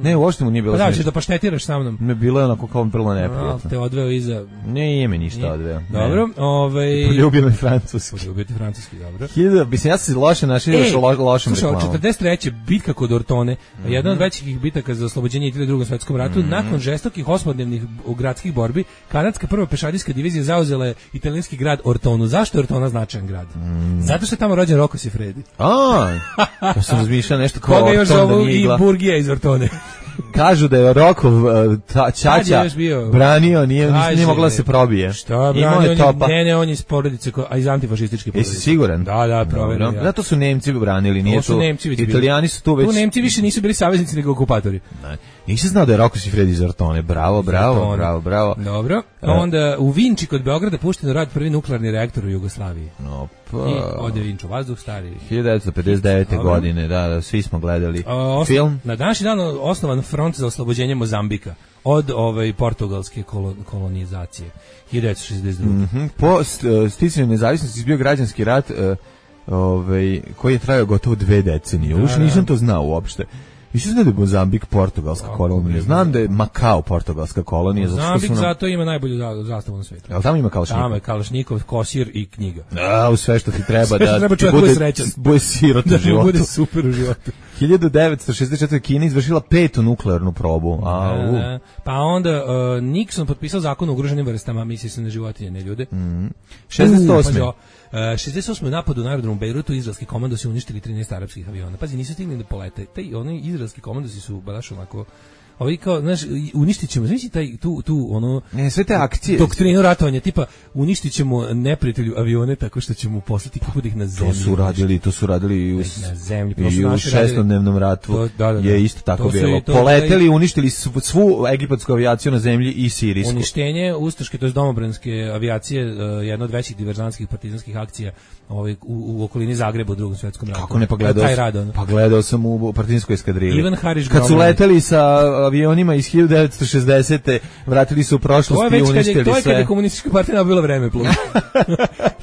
Ne, uopšte mu nije bilo smešno. Pa da, će da paštetiraš sa mnom. Ne, bilo je onako kao vrlo neprijatno. Te odveo iza... Ne, ime ništa odveo. Dobro, ovaj... Poljubio me francuski. Poljubio ti francuski, dobro. Hiljada, mislim, ja sam se loše našao još lo, lošem reklamom. Slušaj, četrdeset treće bitka kod Ortone, mm-hmm. jedna od većih bitaka za oslobođenje Italije u Drugom svjetskom ratu, mm-hmm. nakon žestokih osmodnevnih gradskih borbi, kanadska prva pešadijska divizija zauzela je italijanski grad Ortonu. Zašto je Ortona značajan grad? Mm. Zato što je tamo rođen Rocco Siffredi. A, ja sam razmišljao nešto kao Orton. Koga još zovu i Burgija iz Ortone. Kažu da je Rokov ćaća branio, nije, nije mogla se probije. Šta branio? On, ne, ne, on je iz porodice, a iz antifašističke porodice. Jesi siguran? Da, da, proverio. Ja. Zato su Nemci branili, nije to. Su Nemci već Italijani su tu već. Tu Nemci više nisu bili saveznici nego okupatori. Ne. Nisam znao da je Rocco Siffredi iz Ortone. Bravo, bravo, Ortone. bravo, bravo. Dobro. A onda u Vinči kod Beograda pušten u rad prvi nuklearni reaktor u Jugoslaviji. Opa. I ode Vinču vazduh stari. hiljadu devetsto pedeset devete. godine, da, da, svi smo gledali o, film. Na današnji dan osnovan front za oslobođenje Mozambika od ovaj portugalske kolonizacije hiljadu devetsto šezdeset druge. Mm-hmm. Po sticanju nezavisnosti izbio građanski rat uh, ovaj, koji je trajao gotovo dve decenije. Uš nisam to znao uopšte. Mislim da je Mozambik portugalska kolonija. Znam da je Makao portugalska kolonija. Mozambik zato, nam... zato ima najbolju zastavu na svijetu. Ali tamo ima Kalašnikov? Tamo je Kalašnikov, kosir i knjiga. A, u sve što ti treba da treba ti bude, bude sirot da u životu. Da bude super u životu. hiljadu devetsto šezdeset četvrte. Kina izvršila petu nuklearnu probu. A, da, pa onda uh, Nixon potpisao zakon o ugroženim vrstama, misli se na životinje, ne ljude. Mm. šezdeset osme. Uh, šezdeset osme. u napadu na aerodromu Bejrutu izraelski komandosi uništili trinaest arapskih aviona. Pazi, nisu stigli da polete. Taj oni izraelski komandosi su baš onako ovi kao, znaš, uništit ćemo, znači taj, tu, tu, ono... Ne, sve te akcije... Doktrinu ratovanja, tipa, uništit ćemo neprijatelju avione tako što ćemo poslati kako da ih na zemlji. To su radili, to su radili i u, na zemlji, i u šestodnevnom ratu to, da, da, da. je isto tako to bilo. To, Poleteli, uništili svu, svu egipatsku avijaciju na zemlji i sirijsku. Uništenje ustaške, to je domobranske avijacije, uh, jedna od većih diverzantskih partizanskih akcija ovaj, u, u okolini Zagreba u Drugom svjetskom ratu. Kako ne, pa gledao, sam, pa gledao sam u partizanskoj eskadrili. Ivan Hariš kad su leteli sa avionima iz hiljadu devetsto šezdesete. vratili su u prošlost i uništili sve. To je kad je komunistička partija nabila vreme plus.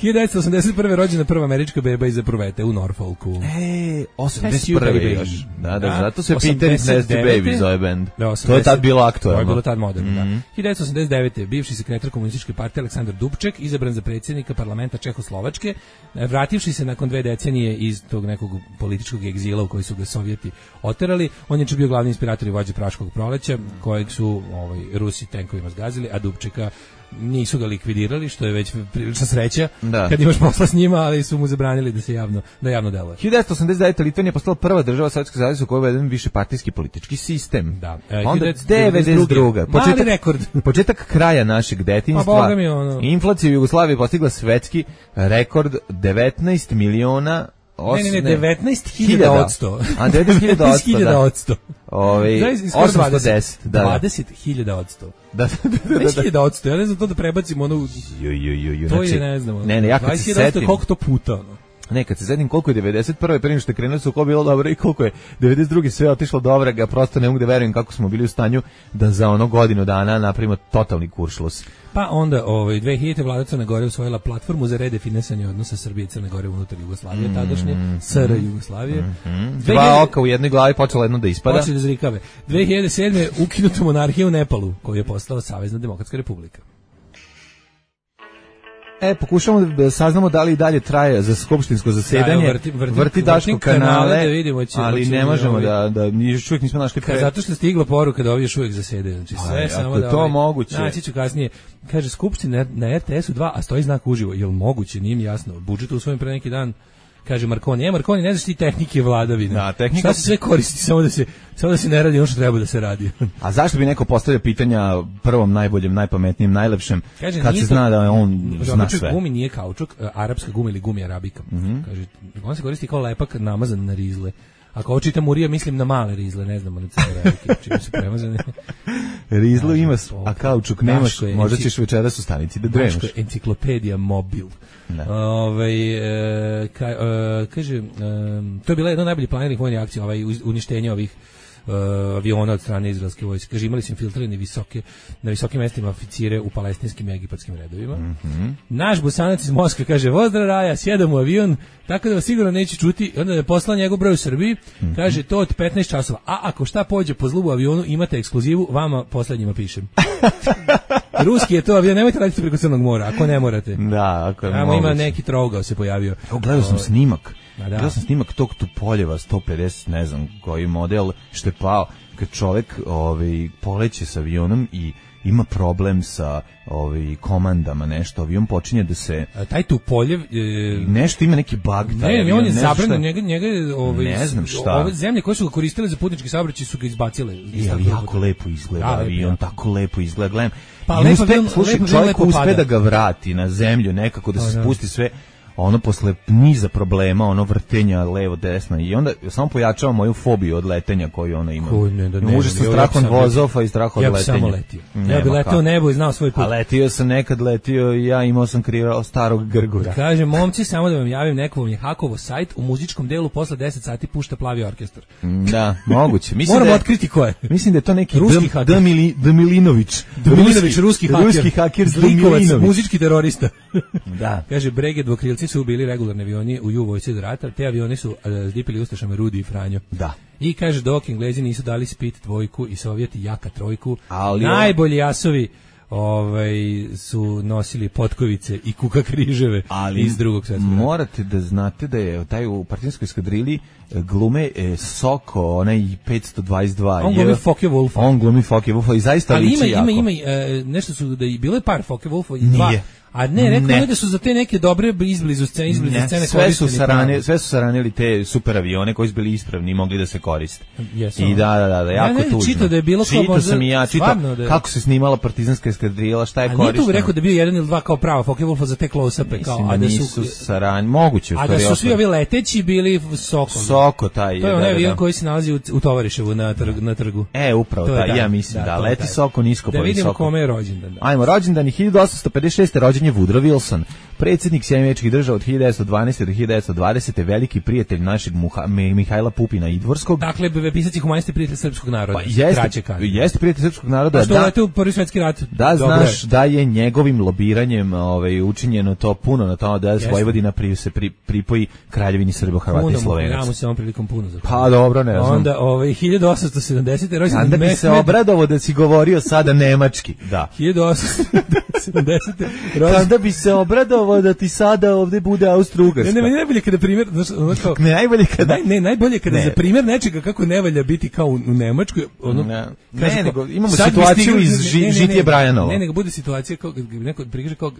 hiljadu devetsto osamdeset prve. rođena prva američka beba iz Eprovete u Norfolku. E, osamdeset prve. još. Da, da, zato se Peter is Nasty Baby zove band. Da, to je tad bilo aktualno. To je bilo tad moderno, mm-hmm. da. hiljadu devetsto osamdeset devete. bivši sekretar komunističke partije Aleksandar Dubček izabran za predsjednika parlamenta Čehoslovačke, vrativši se nakon dve decenije iz tog nekog političkog egzila u koji su ga Sovjeti oterali. On je bio glavni inspirator i vođa praškog arapskog proleća, kojeg su ovaj, Rusi tenkovima zgazili, a Dubčeka nisu ga likvidirali, što je već prilična sreća da. Kad imaš posla s njima, ali su mu zabranili da se javno, da javno deluje. hiljadu devetsto osamdeset devete. Litvanija postala prva država Sovjetskog saveza u kojoj je uveden višepartijski politički sistem. Da. E, onda devedeset druga. Početak, rekord. početak kraja našeg detinjstva. Pa, ono. Inflacija u Jugoslaviji postigla svetski rekord devetnaest miliona Ne, ne, ne, devetnaest hiljada odsto. A devetnaest hiljada odsto. Ove, osamsto deset. Da, dvadeset hiljada odsto. Da, da, da. deset hiljada odsto. Ja ne znam to da prebacimo ono... Jo, jo, jo, jo. To znači, je, ne znam. Ne, ne, ja kad se setim... Koliko to puta, ono? Ne, kad se sedim koliko je devedeset prve pre nego što je krenulo su ko bilo dobro i koliko je devedeset druge sve otišlo dobro, ga prosto ne mogu da verujem kako smo bili u stanju da za ono godinu dana napravimo totalni kuršlus. Pa onda ovaj dve hiljadite vlada Crne Gore usvojila platformu za redefinisanje odnosa Srbije i Crne Gore unutar Jugoslavije, tadašnje S R Jugoslavije. Mm -hmm. Dva oka u jednoj glavi počelo jedno da ispada. Počeli da zrikave. dve hiljade sedme ukinuta monarhija u Nepalu, koju je postala Savezna demokratska republika. E, pokušamo da saznamo da li i dalje traje za skupštinsko zasedanje. Da, vrti, vrti, vrti Daško kanale, da vidimo, će, ali će, ne možemo ovaj, da, da još uvijek nismo našli pre... Zato što stigla poruka da ovi još uvijek zasedaju. Znači, sve Aj, samo ako da... to ovaj, moguće... Naći ću kasnije. Kaže, skupština na R T S-u dva, a stoji znak uživo. Jel moguće? Nije mi jasno. Budžet usvojen pre neki dan. Kaže Markoni, je Markoni, ne znaš ti tehnike vladavine. Da, tehnika... Šta se sve koristi, samo da se, samo da se ne radi ono što treba da se radi. A zašto bi neko postavio pitanja prvom, najboljem, najpametnijem, najlepšem, kaže, kad se to, zna da je on zna sve? Gumi nije kaučuk, arapska guma ili gumi arabika. Mm -hmm. Kaže, on se koristi kao lepak namazan na rizle. Ako ovo čitam Murija, mislim na male rizle, ne znam, ali crne velike, čime su premazane. Rizlu ima, a kaučuk nemaš, možda ćeš večeras u stanici da dremaš. Daško je enciklopedija mobil. Ove, e, ka, e, kaže, e, to je bila jedna od najboljih planiranih vojnih akcija, ovaj, uništenje ovih Uh, aviona od strane izraelske vojske. Kaže, imali su infiltrirane visoke, na visokim mestima oficire u palestinskim i egipatskim redovima. Mm -hmm. Naš Bosanac iz Moskve kaže, vozdra raja, sjedam u avion, tako da vas sigurno neće čuti. Onda je poslao njegov broj u Srbiji, mm -hmm. kaže, to od petnaest časova. A ako šta pođe po zlu u avionu, imate ekskluzivu, vama poslednjima pišem. Ruski je to avion, nemojte raditi preko Crnog mora, ako ne morate. Da, ako je Tamo ima neki trogao se pojavio. Evo, gledao sam snimak. Da. Gledao sam snimak tog Tupoljeva sto pedeset, ne znam koji model, što je pao, kad čovek ovaj, poleće sa avionom i ima problem sa ovaj, komandama, nešto, avion počinje da se... A taj Tupoljev... E, nešto ima neki bug. Ne, taj avion, on je zabranjen, njega, njega ovaj, ne znam šta. Ove zemlje koje su ga koristile za putnički saobraćaj su ga izbacile. I, ali jako lepo izgleda da, avion, lepo, tako lepo izgleda, gledam. Pa lepo, uspe, lepo, slušaj, lepo, čovjek lepo uspe pada. Da ga vrati na zemlju nekako, da se da. spusti sve... ono posle niza problema, ono vrtenja levo desno i onda samo pojačava moju fobiju od letenja koju ona ima. Ko, ne, da, ne, Može sa strahom vozova i strahom ja od letenja. Ja bi samo letio. Nema ja bi letio u nebo i znao svoj put. A letio sam nekad, letio i ja imao sam kriva starog Grgura. Kaže, momci, samo da vam javim, neko vam je hakovo sajt, u muzičkom delu posle deset sati pušta Plavi orkestar. Da, moguće. Mislim Moramo da je, otkriti ko je. Mislim da je to neki ruski haker. Damili, Damilinović. Damilinović, ruski haker. Ruski haker Zlikovac, muzički terorista. Da. Kaže, Brege dvokrilci su bili regularni avioni u ju vojsci do rata, te avioni su uh, zdipili ustašama Rudi i Franjo. Da. I kaže, dok Englezi nisu dali Spit dvojku i Sovjeti Jaka trojku, ali najbolji jasovi ovaj, su nosili potkovice i kuka križeve ali iz drugog svjetskog rata. Morate da znate da je taj u partizanskoj eskadrili glume e, Soko, onaj petsto dvadeset dva. On glumi Focke Wulfa. On glumi Focke Wulfa i zaista ali liči jako. Ali ima, ima, e, nešto su, da je bilo je par Focke Wulfa i dva. Nije. A ne, rekao ne da su za te neke dobre izblizu scene, izblizu scene sve su sarane, sve su saranili te super avione koji su bili ispravni i mogli da se koriste. Jesu. I da, da, da, da jako ja ne, tužno. Čito da je bilo kao možda sam i ja, čito da kako se snimala partizanska eskadrila, šta je korišteno. A nije tu rekao da je bio jedan ili dva kao prava Focke Wulfa za te close-upe, kao, a da su sarani, moguće. A da su svi ovi leteći bili Soko. Soko taj. To je onaj avion koji se nalazi u, u Tovariševu na, trg, na trgu. E, upravo taj, ja mislim, da, leti Soko nisko po visoko. Da vidimo kome je rođendan. Ajmo, rođendan hiljadu osamsto pedeset šeste. rođen je Woodrow Wilson. Predsjednik Sjedinjenih Američkih Država od hiljadu devetsto dvanaeste. do hiljadu devetsto dvadesete. veliki prijatelj našeg Muha, Mihajla Pupina Idvorskog. Dakle, pisac i humanist prijatelj srpskog naroda. Pa jeste, jeste prijatelj srpskog naroda. A što da, u Prvi svjetski rat? Da, znaš da je njegovim lobiranjem ovaj, učinjeno to puno na tome da je Vojvodina pri, se pri, pripoji Kraljevini Srbo, Hrvata i Slovenaca. Ja mu se ovom prilikom puno zahvaljujem. Pa dobro, ne znam. Onda ovaj, hiljadu osamsto sedamdesete. rođendan Onda bi Mehmed... se obradovao da si govorio sada nemački. Da. hiljadu osamsto sedamdesete. Onda bi se obradovao gotovo da ti sada ovde bude Austro-Ugarska. Ne, ne, meni najbolje kada primjer, znaš, ono kao, ne, najbolje kada... Naj, ne, najbolje kada ne. Za primjer nečega kako ne valja biti kao u, u Nemačkoj, ono... Ne, ne nego imamo situaciju stigli, iz ži, ne, ne, Žitije Brajanova. Ne, nego bude situacija kao, neko prikaže kao,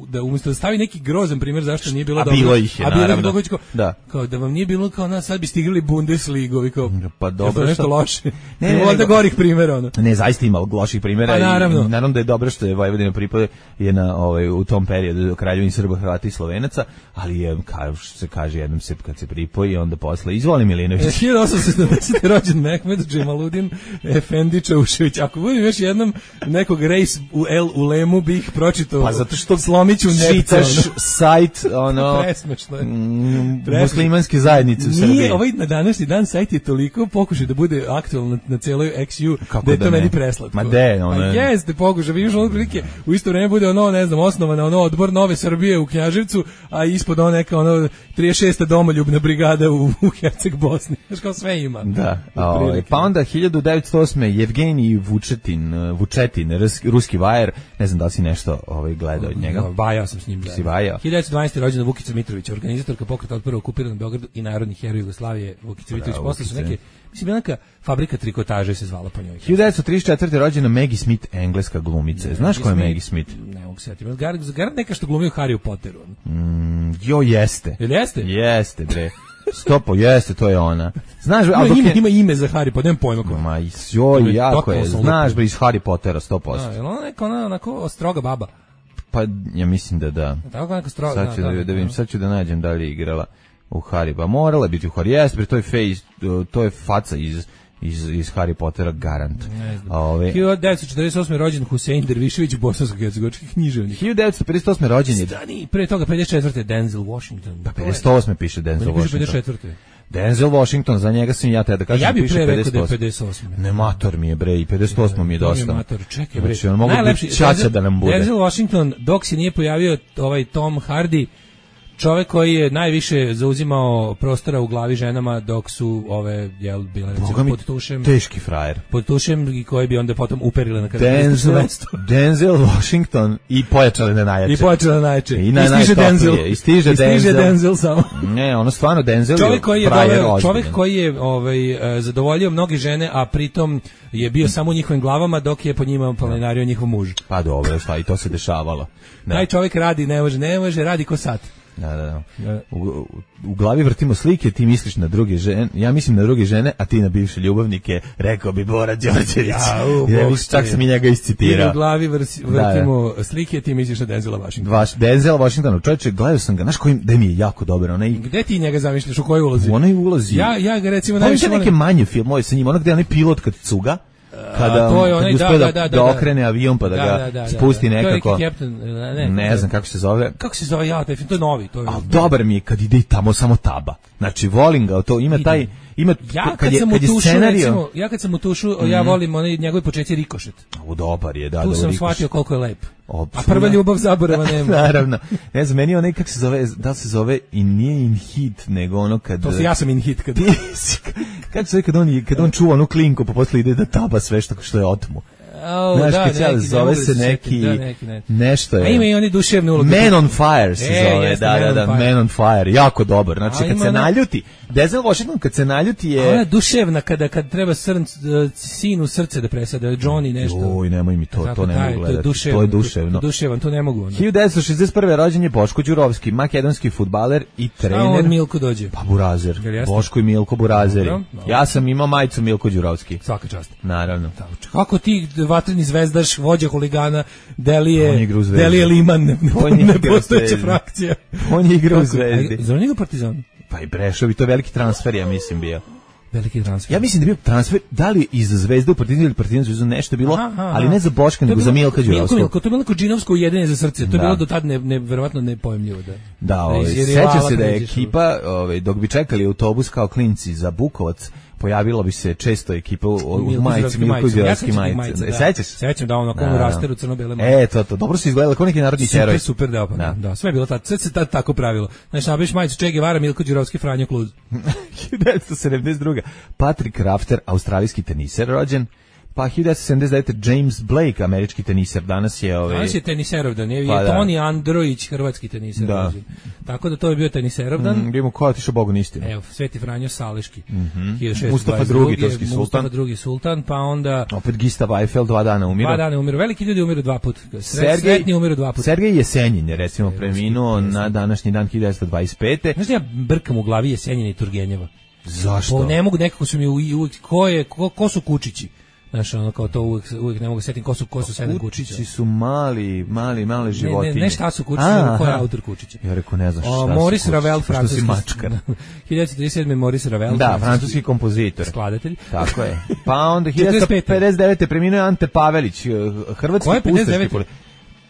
da umjesto da stavi neki grozan primjer zašto nije bilo a dobro. Bilo ih je, a bilo naravno. Ih kao, da. Kao da vam nije bilo kao nas, sad bi stigli Bundesligovi kao. Pa dobro, nešto što... loše. Ne, ne, ne, ne, gorih primjera ono. Ne, zaista ima loših primjera pa, naravno. I naravno da je dobro što je Vojvodina pripada je na ovaj u tom periodu Kraljevini Srba, Hrvata i Slovenaca, ali je kao što se kaže jednom se kad se pripoji onda posle izvoli Milinović. hiljadu osamsto sedamdesete rođen Mehmed Džemaludin Efendi Čaušević. Ako budem još jednom nekog rejs u El Ulemu bih pročitao. Pa zato što slomiću nepca. Sajt ono presmešno je. Mm, muslimanske zajednice u Srbiji. Nije, ovaj na današnji dan sajt je toliko pokušaj da bude aktualan na, na celoj X U da je to da meni preslatko. Ma de, ono. Pa jeste pokušaj, vidiš ono prilike, u isto vreme bude ono, ne znam, osnovana ono odbor Nove Srbije u Knjaževcu, a ispod ono neka ono trideset šesta domoljubna brigada u, u Herceg Bosni. Znaš kao sve ima. Da. O, pa onda hiljadu devetsto osme Jevgenij Vučetin, Vučetin, ruski vajer, ne znam da li si nešto ovaj gledao od njega. Vajao sam s njim. Si vajao. hiljadu devetsto dvanaeste rođena Vukica Mitrović, organizatorka pokreta otpora okupiranog Beogradu i narodni heroj Jugoslavije. Vukica Mitrović posle su neke, mislim neka fabrika trikotaže se zvala po njoj. hiljadu devetsto trideset četvrte rođena Maggie Smith, engleska glumica. Znaš ko je Maggie Smith? Ne mogu se setiti. Gar neka što glumi u Harry Potteru. Mm, jo jeste. Jel jeste? Jeste bre. Stopo, jeste, to je ona. Znaš, ima, ime, ima ime za Harry Potter, nemam pojma ko. Ma, joj, jako je. Znaš bre, iz Harry Pottera sto posto. Da, je ona neka ona onako stroga baba? Pa, ja mislim da da. Tako neka stroga. Sad ću da, da, da, da vidim, sad ću da nađem da li je igrala u Harry. Pa morala biti u Harry. Jeste, bre, to je face, to je faca iz iz iz Harry Pottera garant. Ove hiljadu devetsto četrdeset osme rođen Husein Dervišević, bosansko-hercegovački književnik. hiljadu devetsto pedeset osme rođen je Stani, pre toga pedeset četvrte Denzel Washington. Pa pedeset osme piše Denzel Washington. pedeset četvrte Denzel Washington, za njega sam ja te da kažem, ja piše pedeset osme. Ja bih pre rekao da je pedeset osme. Ne, mator mi je bre, i pedeset osmo mi je dosta. Ne, mator, čekaj bre. Znači, on mogu biti čača da nam bude. Denzel Washington, dok se nije pojavio ovaj Tom Hardy, čovjek koji je najviše zauzimao prostora u glavi ženama dok su ove jel bile recimo pod tušem, teški frajer pod tušem i koji bi onda potom uperile na Denzel, Denzel Washington i pojačali na najjače i pojačali na najjače i, na i stiže Denzel i stiže Denzel, Denzel samo ne ono stvarno Denzel čovjek koji je doveo, čovjek koji je ovaj zadovoljio mnoge žene a pritom je bio samo u njihovim glavama dok je po njima planinario njihov muž. Pa dobro, šta i to se dešavalo. Da. Taj čovjek radi, ne može, ne može, radi ko sat. Da, da, da. U, u, u glavi vrtimo slike, ti misliš na druge žene, ja mislim na druge žene, a ti na bivše ljubavnike, rekao bi Bora Đorđević. Ja, u, ja čak sam i njega iscitirao. U glavi vrsi, vrtimo da, da. slike, ti misliš na Denzela Washingtona. Vaš, Denzel Washington, čovječe, gledao sam ga, znaš kojim, da mi je jako dobro. Onaj, gde ti njega zamišljaš, u kojoj ulazi? U onoj ulazi. Ja, ja ga recimo najviše volim. Neke manje filmove sa njim, ono gde je onaj pilot kad cuga, kada to je onaj, kad da, da, da, da, da okrene avion pa da, da ga da, da, spusti da, da. nekako. To je Captain, ne, ne, ne znam kako se zove. Kako se zove, ja, taj film, to je novi. To je... A dobar mi je kad ide tamo samo taba. Znači, volim ga, to ima taj... Ima, ja kad, kad je, sam kad je utušu, scenario... recimo, ja kad sam u tušu, mm-hmm. ja volim onaj njegov početak Rikošet. U dobar je, da, tu da, sam Rikošet. Shvatio koliko je lep. O, a prva ljubav zaborava nema. Naravno. Ne znam, meni onaj kako se zove, da se zove i nije in hit, nego ono kad... To se ja sam in hit kad... kad se kad on, kad on čuva onu klinku, pa posle ide da taba sve što, što je otmu. Oh, znaš, da, kad neki, zove se neki, da, neki, neki nešto je. A ima i oni duševne uloge. Man on Fire se e, zove, jeste, da, da, da, Man, Man on Fire, jako dobar. Znači, a kad se ona... naljuti, Denzel Washington kad se naljuti je... Ona duševna, kada, kad treba srnc, uh, sinu srce da presada, Johnny nešto. Oj, nemoj mi to, zato, to ne mogu gledati, to, duševno, to je duševno. To, duševan, to ne mogu. Onda. hiljadu devetsto šezdeset prve rođen je Boško Đurovski, makedonski fudbaler i trener. A on Milko dođe. Pa Burazer, Boško i Milko Burazeri. Dobro, dobro. Ja sam imao majicu Milko Đurovski. Svaka čast. Naravno. Kako ti vatreni zvezdaš, vođa huligana, Delije, Delije Liman, ne, ne postojeća frakcija. On je igra u Zvezdi. Zar njega Partizan? Pa i Brešovi, to je veliki transfer, ja mislim, bio. Veliki transfer. Ja mislim da je bio transfer, da li iz Zvezde u Partizan ili Partizan Zvezdu nešto bilo, aha, aha, ali ne za Boška, nego za Milka Đurovskog. Milko, Milko, to je Milko Džinovsko ujedinje za srce, to je da. bilo do tad ne, ne, verovatno nepojemljivo. Da, da ovaj, seća se da je ekipa, ovaj, dok bi čekali autobus kao klinci za Bukovac, pojavilo bi se često ekipa u majici Milko Đurovski majice. Sećaš? Sećam da ono kao u rasteru crno-bele majice. E, to, to, dobro se izgledalo kao neki narodni heroj. Super, super, da, da, da, sve je bilo tad, sve se tad tako pravilo. Znači, nabiš majicu Che Guevara, Milko Đurovski, Franjo Kluz. hiljadu devetsto sedamdeset druge. Patrick Rafter, australijski teniser rođen. Pa hiljadu devetsto sedamdeset devete. James Blake, američki teniser, danas je... Ove... Danas je teniserovdan, je, pa, je Toni Androjić, hrvatski teniser. Da. Tako da to je bio teniserovdan. Mm, Vidimo ko je otišao Bogu istinu. Evo, Sveti Franjo Sališki. Mm-hmm. Mustafa drugi, turski sultan. Mustafa drugi sultan, pa onda... Opet Gistav Eiffel, dva dana umiru. Dva dana umiru, veliki ljudi umiru dva puta. Sret, Sretni umiru dva puta. Sergej Jesenjin je recimo preminuo na današnji dan hiljadu devetsto dvadeset pete. Znaš da ja brkam u glavi Jesenjina i Turgenjeva? Zašto? Po, ne mogu, nekako su mi uvijek, ko, je, ko, ko su Kučići? Znaš, ono kao to uvijek, uvijek ne mogu setim ko su, ko su sedam Kučića. Kučići su mali, mali, male životinje. Ne, ne, ne šta su Kučići, nego ko je autor Kučića. Ja rekao, ne znaš šta o, su Maurice Ravel, francuski. mačkar. hiljadu devetsto trideset sedme. Maurice Ravel. Da, francuski kompozitor. Skladatelj. Tako je. Pa onda hiljadu devetsto pedeset devete. preminuo Ante Pavelić, hrvatski ustaški politik.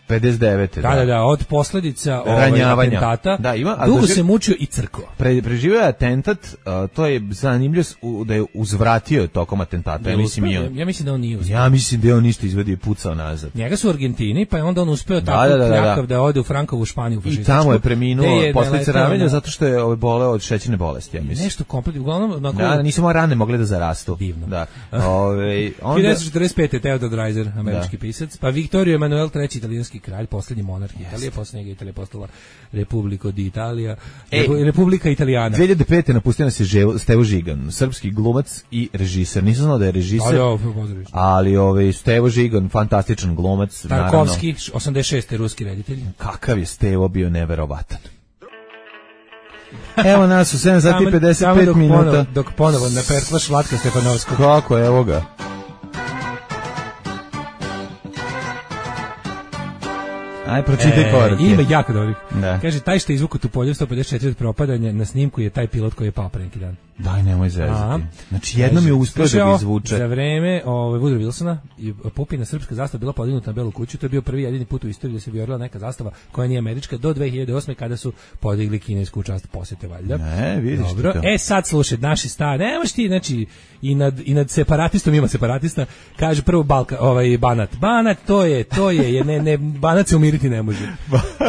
pedeset devete. Da, da, da, od posljedica ranjavanja atentata. Da, ima, dugo doživ... se mučio i crkao. Pre, preživio je atentat, uh, to je zanimljivo da je uzvratio tokom atentata. Ja mislim, ja, ja mislim da on nije uspio. Ja mislim da je on isto izvedio i pucao nazad. Njega su u Argentini, pa je onda on uspeo tako da, da, da, plakav da ode u Frankovu Španiju. I tamo je preminuo posljedice ranjavanja zato što je ove boleo od šećerne bolesti, ja mislim. Nešto kompletno, uglavnom... Onako... Da, nisu rane mogle da zarastu. Divno. Da. Ove, onda... hiljadu devetsto četrdeset pete. Theodor Dreiser, američki da. pisac, pa Viktorio Emanuel treći. italijanski kralj, posljednji monarh Italije, posle njega Italija postala Republiko di Italija, e, Republika Italijana. dve hiljade pete. napustio nas je Stevo Žigan, srpski glumac i režiser. Nisam znao da je režiser, ali, ali ovaj, Stevo Žigan, fantastičan glumac. Tarkovski, osamdeset šeste. ruski reditelj. Kakav je Stevo bio neverovatan. Evo nas u sedam sati i pedeset pet minuta. Ponovo, dok ponovo ne pertlaš Vlatka Stefanovskog. Kako, evo ga. Aj, pročitaj e, poruke. Ima jako dobrih. Da. Kaže, taj što je izvuku tu polju sto pedeset četiri od propadanja, na snimku je taj pilot koji je pao pre neki dan. Daj, nemoj zezati. Znači, jednom je uspio da ga izvuče. Za vreme ovaj, Woodrow Wilsona i Pupina srpska zastava bila podignuta na Belu kuću. To je bio prvi jedini put u istoriji da se vijorila neka zastava koja nije američka do dve hiljade osme. kada su podigli kinesku čast posete, valjda. Ne, vidiš Dobro. to. E, sad slušaj, naši stari, nemaš ti, znači, i nad, i nad separatistom ima separatista, kaže prvo Balka, ovaj, Banat. Banat, to je, to je, je ne, ne, Banat se umiriti ne može.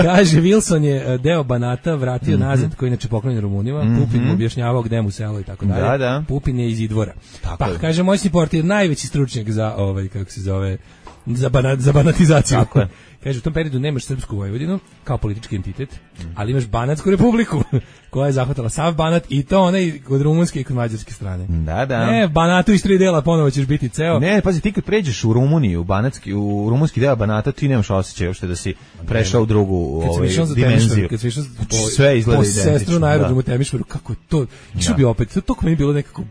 Kaže, Wilson je deo Banata vratio mm-hmm. nazad, koji inače poklonjen Rumunima, mm-hmm. Pupin mu objašnjavao gde mu selo i tako dalje. Da, da. Pupin je iz Idvora. Tako pa, je. kaže, moj si portir najveći stručnjak za, ovaj, kako se zove, za, banat, za banatizaciju. Tako je. Kaže, u tom periodu nemaš srpsku Vojvodinu kao politički entitet, ali imaš Banatsku republiku, koja je zahvatala sav Banat i to onaj kod rumunske i kod mađarske strane. Da, da. Ne, Banatu iz tri dela ponovo ćeš biti ceo. Ne, pazi, ti kad pređeš u Rumuniju, u, Banatski, u rumunski deo Banata, ti nemaš osjećaj uopšte da si prešao u drugu ovaj, dimenziju. Kad si išao po, sve izgleda po identično. sestru na aerodromu Temišvaru, kako je to, išao bi opet, to, to meni bilo nekako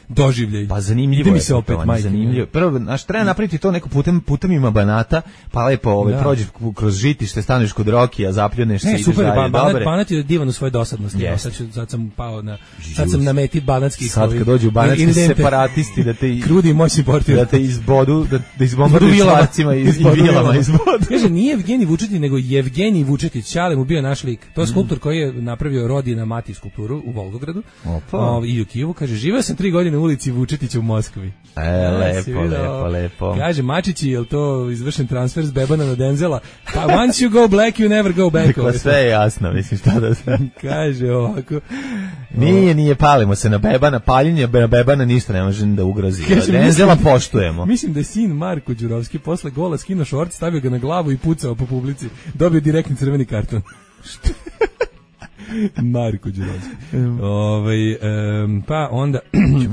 doživljaj. Pa zanimljivo mi je se opet, majke. Zanimljivo. Prvo, znaš, treba napraviti to neko putem, putem ima Banata, pa lepo ovaj, prođeš kroz žitište, staneš kod Rokija, zapljuneš se i ideš super, dalje. Ba, Banat, Banat je divan u svojoj dosadnosti. Yes. Sad, ću, sad sam pao na, sad sam na meti banatskih. Sad kad dođu banatski separatisti da te krudi moj portir, da te izbodu, da, da izbombarduju čvarcima i vilama izbodu. Kaže, nije Evgenij Vučetić, nego Jevgenij Vučetić, Ćale mu bio naš lik. To je skulptor koji je napravio Rodina Mati skulpturu u Volgogradu. O, i u Kijevu. Kaže, živeo sam tri godine u ulici Vučetića u Moskvi. E, lepo, lepo, lepo. Kaže, Mačići, je li to izvršen transfer s Bebana na Denzela? Pa once you go black, you never go back. Dakle, sve je jasno, mislim, šta da sam. Kaže ovako. Nije, nije, palimo se na Bebana, paljenje na Bebana ništa ne može da ugrozi. Kaže, Denzela mislim, poštujemo. Mislim da je sin Marko Đurovski posle gola skinuo šort, stavio ga na glavu i pucao po publici. Dobio direktni crveni karton. Marko Đurovski. Ovaj um, pa onda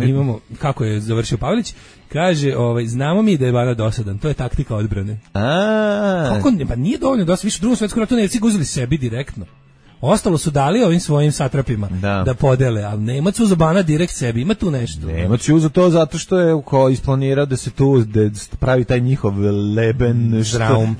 imamo kako je završio Pavelić. Kaže, ovaj znamo mi da je Banat dosadan. To je taktika odbrane. A. Kako ne, pa nije dovoljno dosta, više u Drugom svetskom ratu Nemci uzeli sebi direktno. Ostalo su dali ovim svojim satrapima da, da podele, ali Nemac uzo Banat direkt sebi, ima tu nešto. Nemac je uzo to zato što je ko isplanirao da se tu da pravi taj njihov Leben Zraum.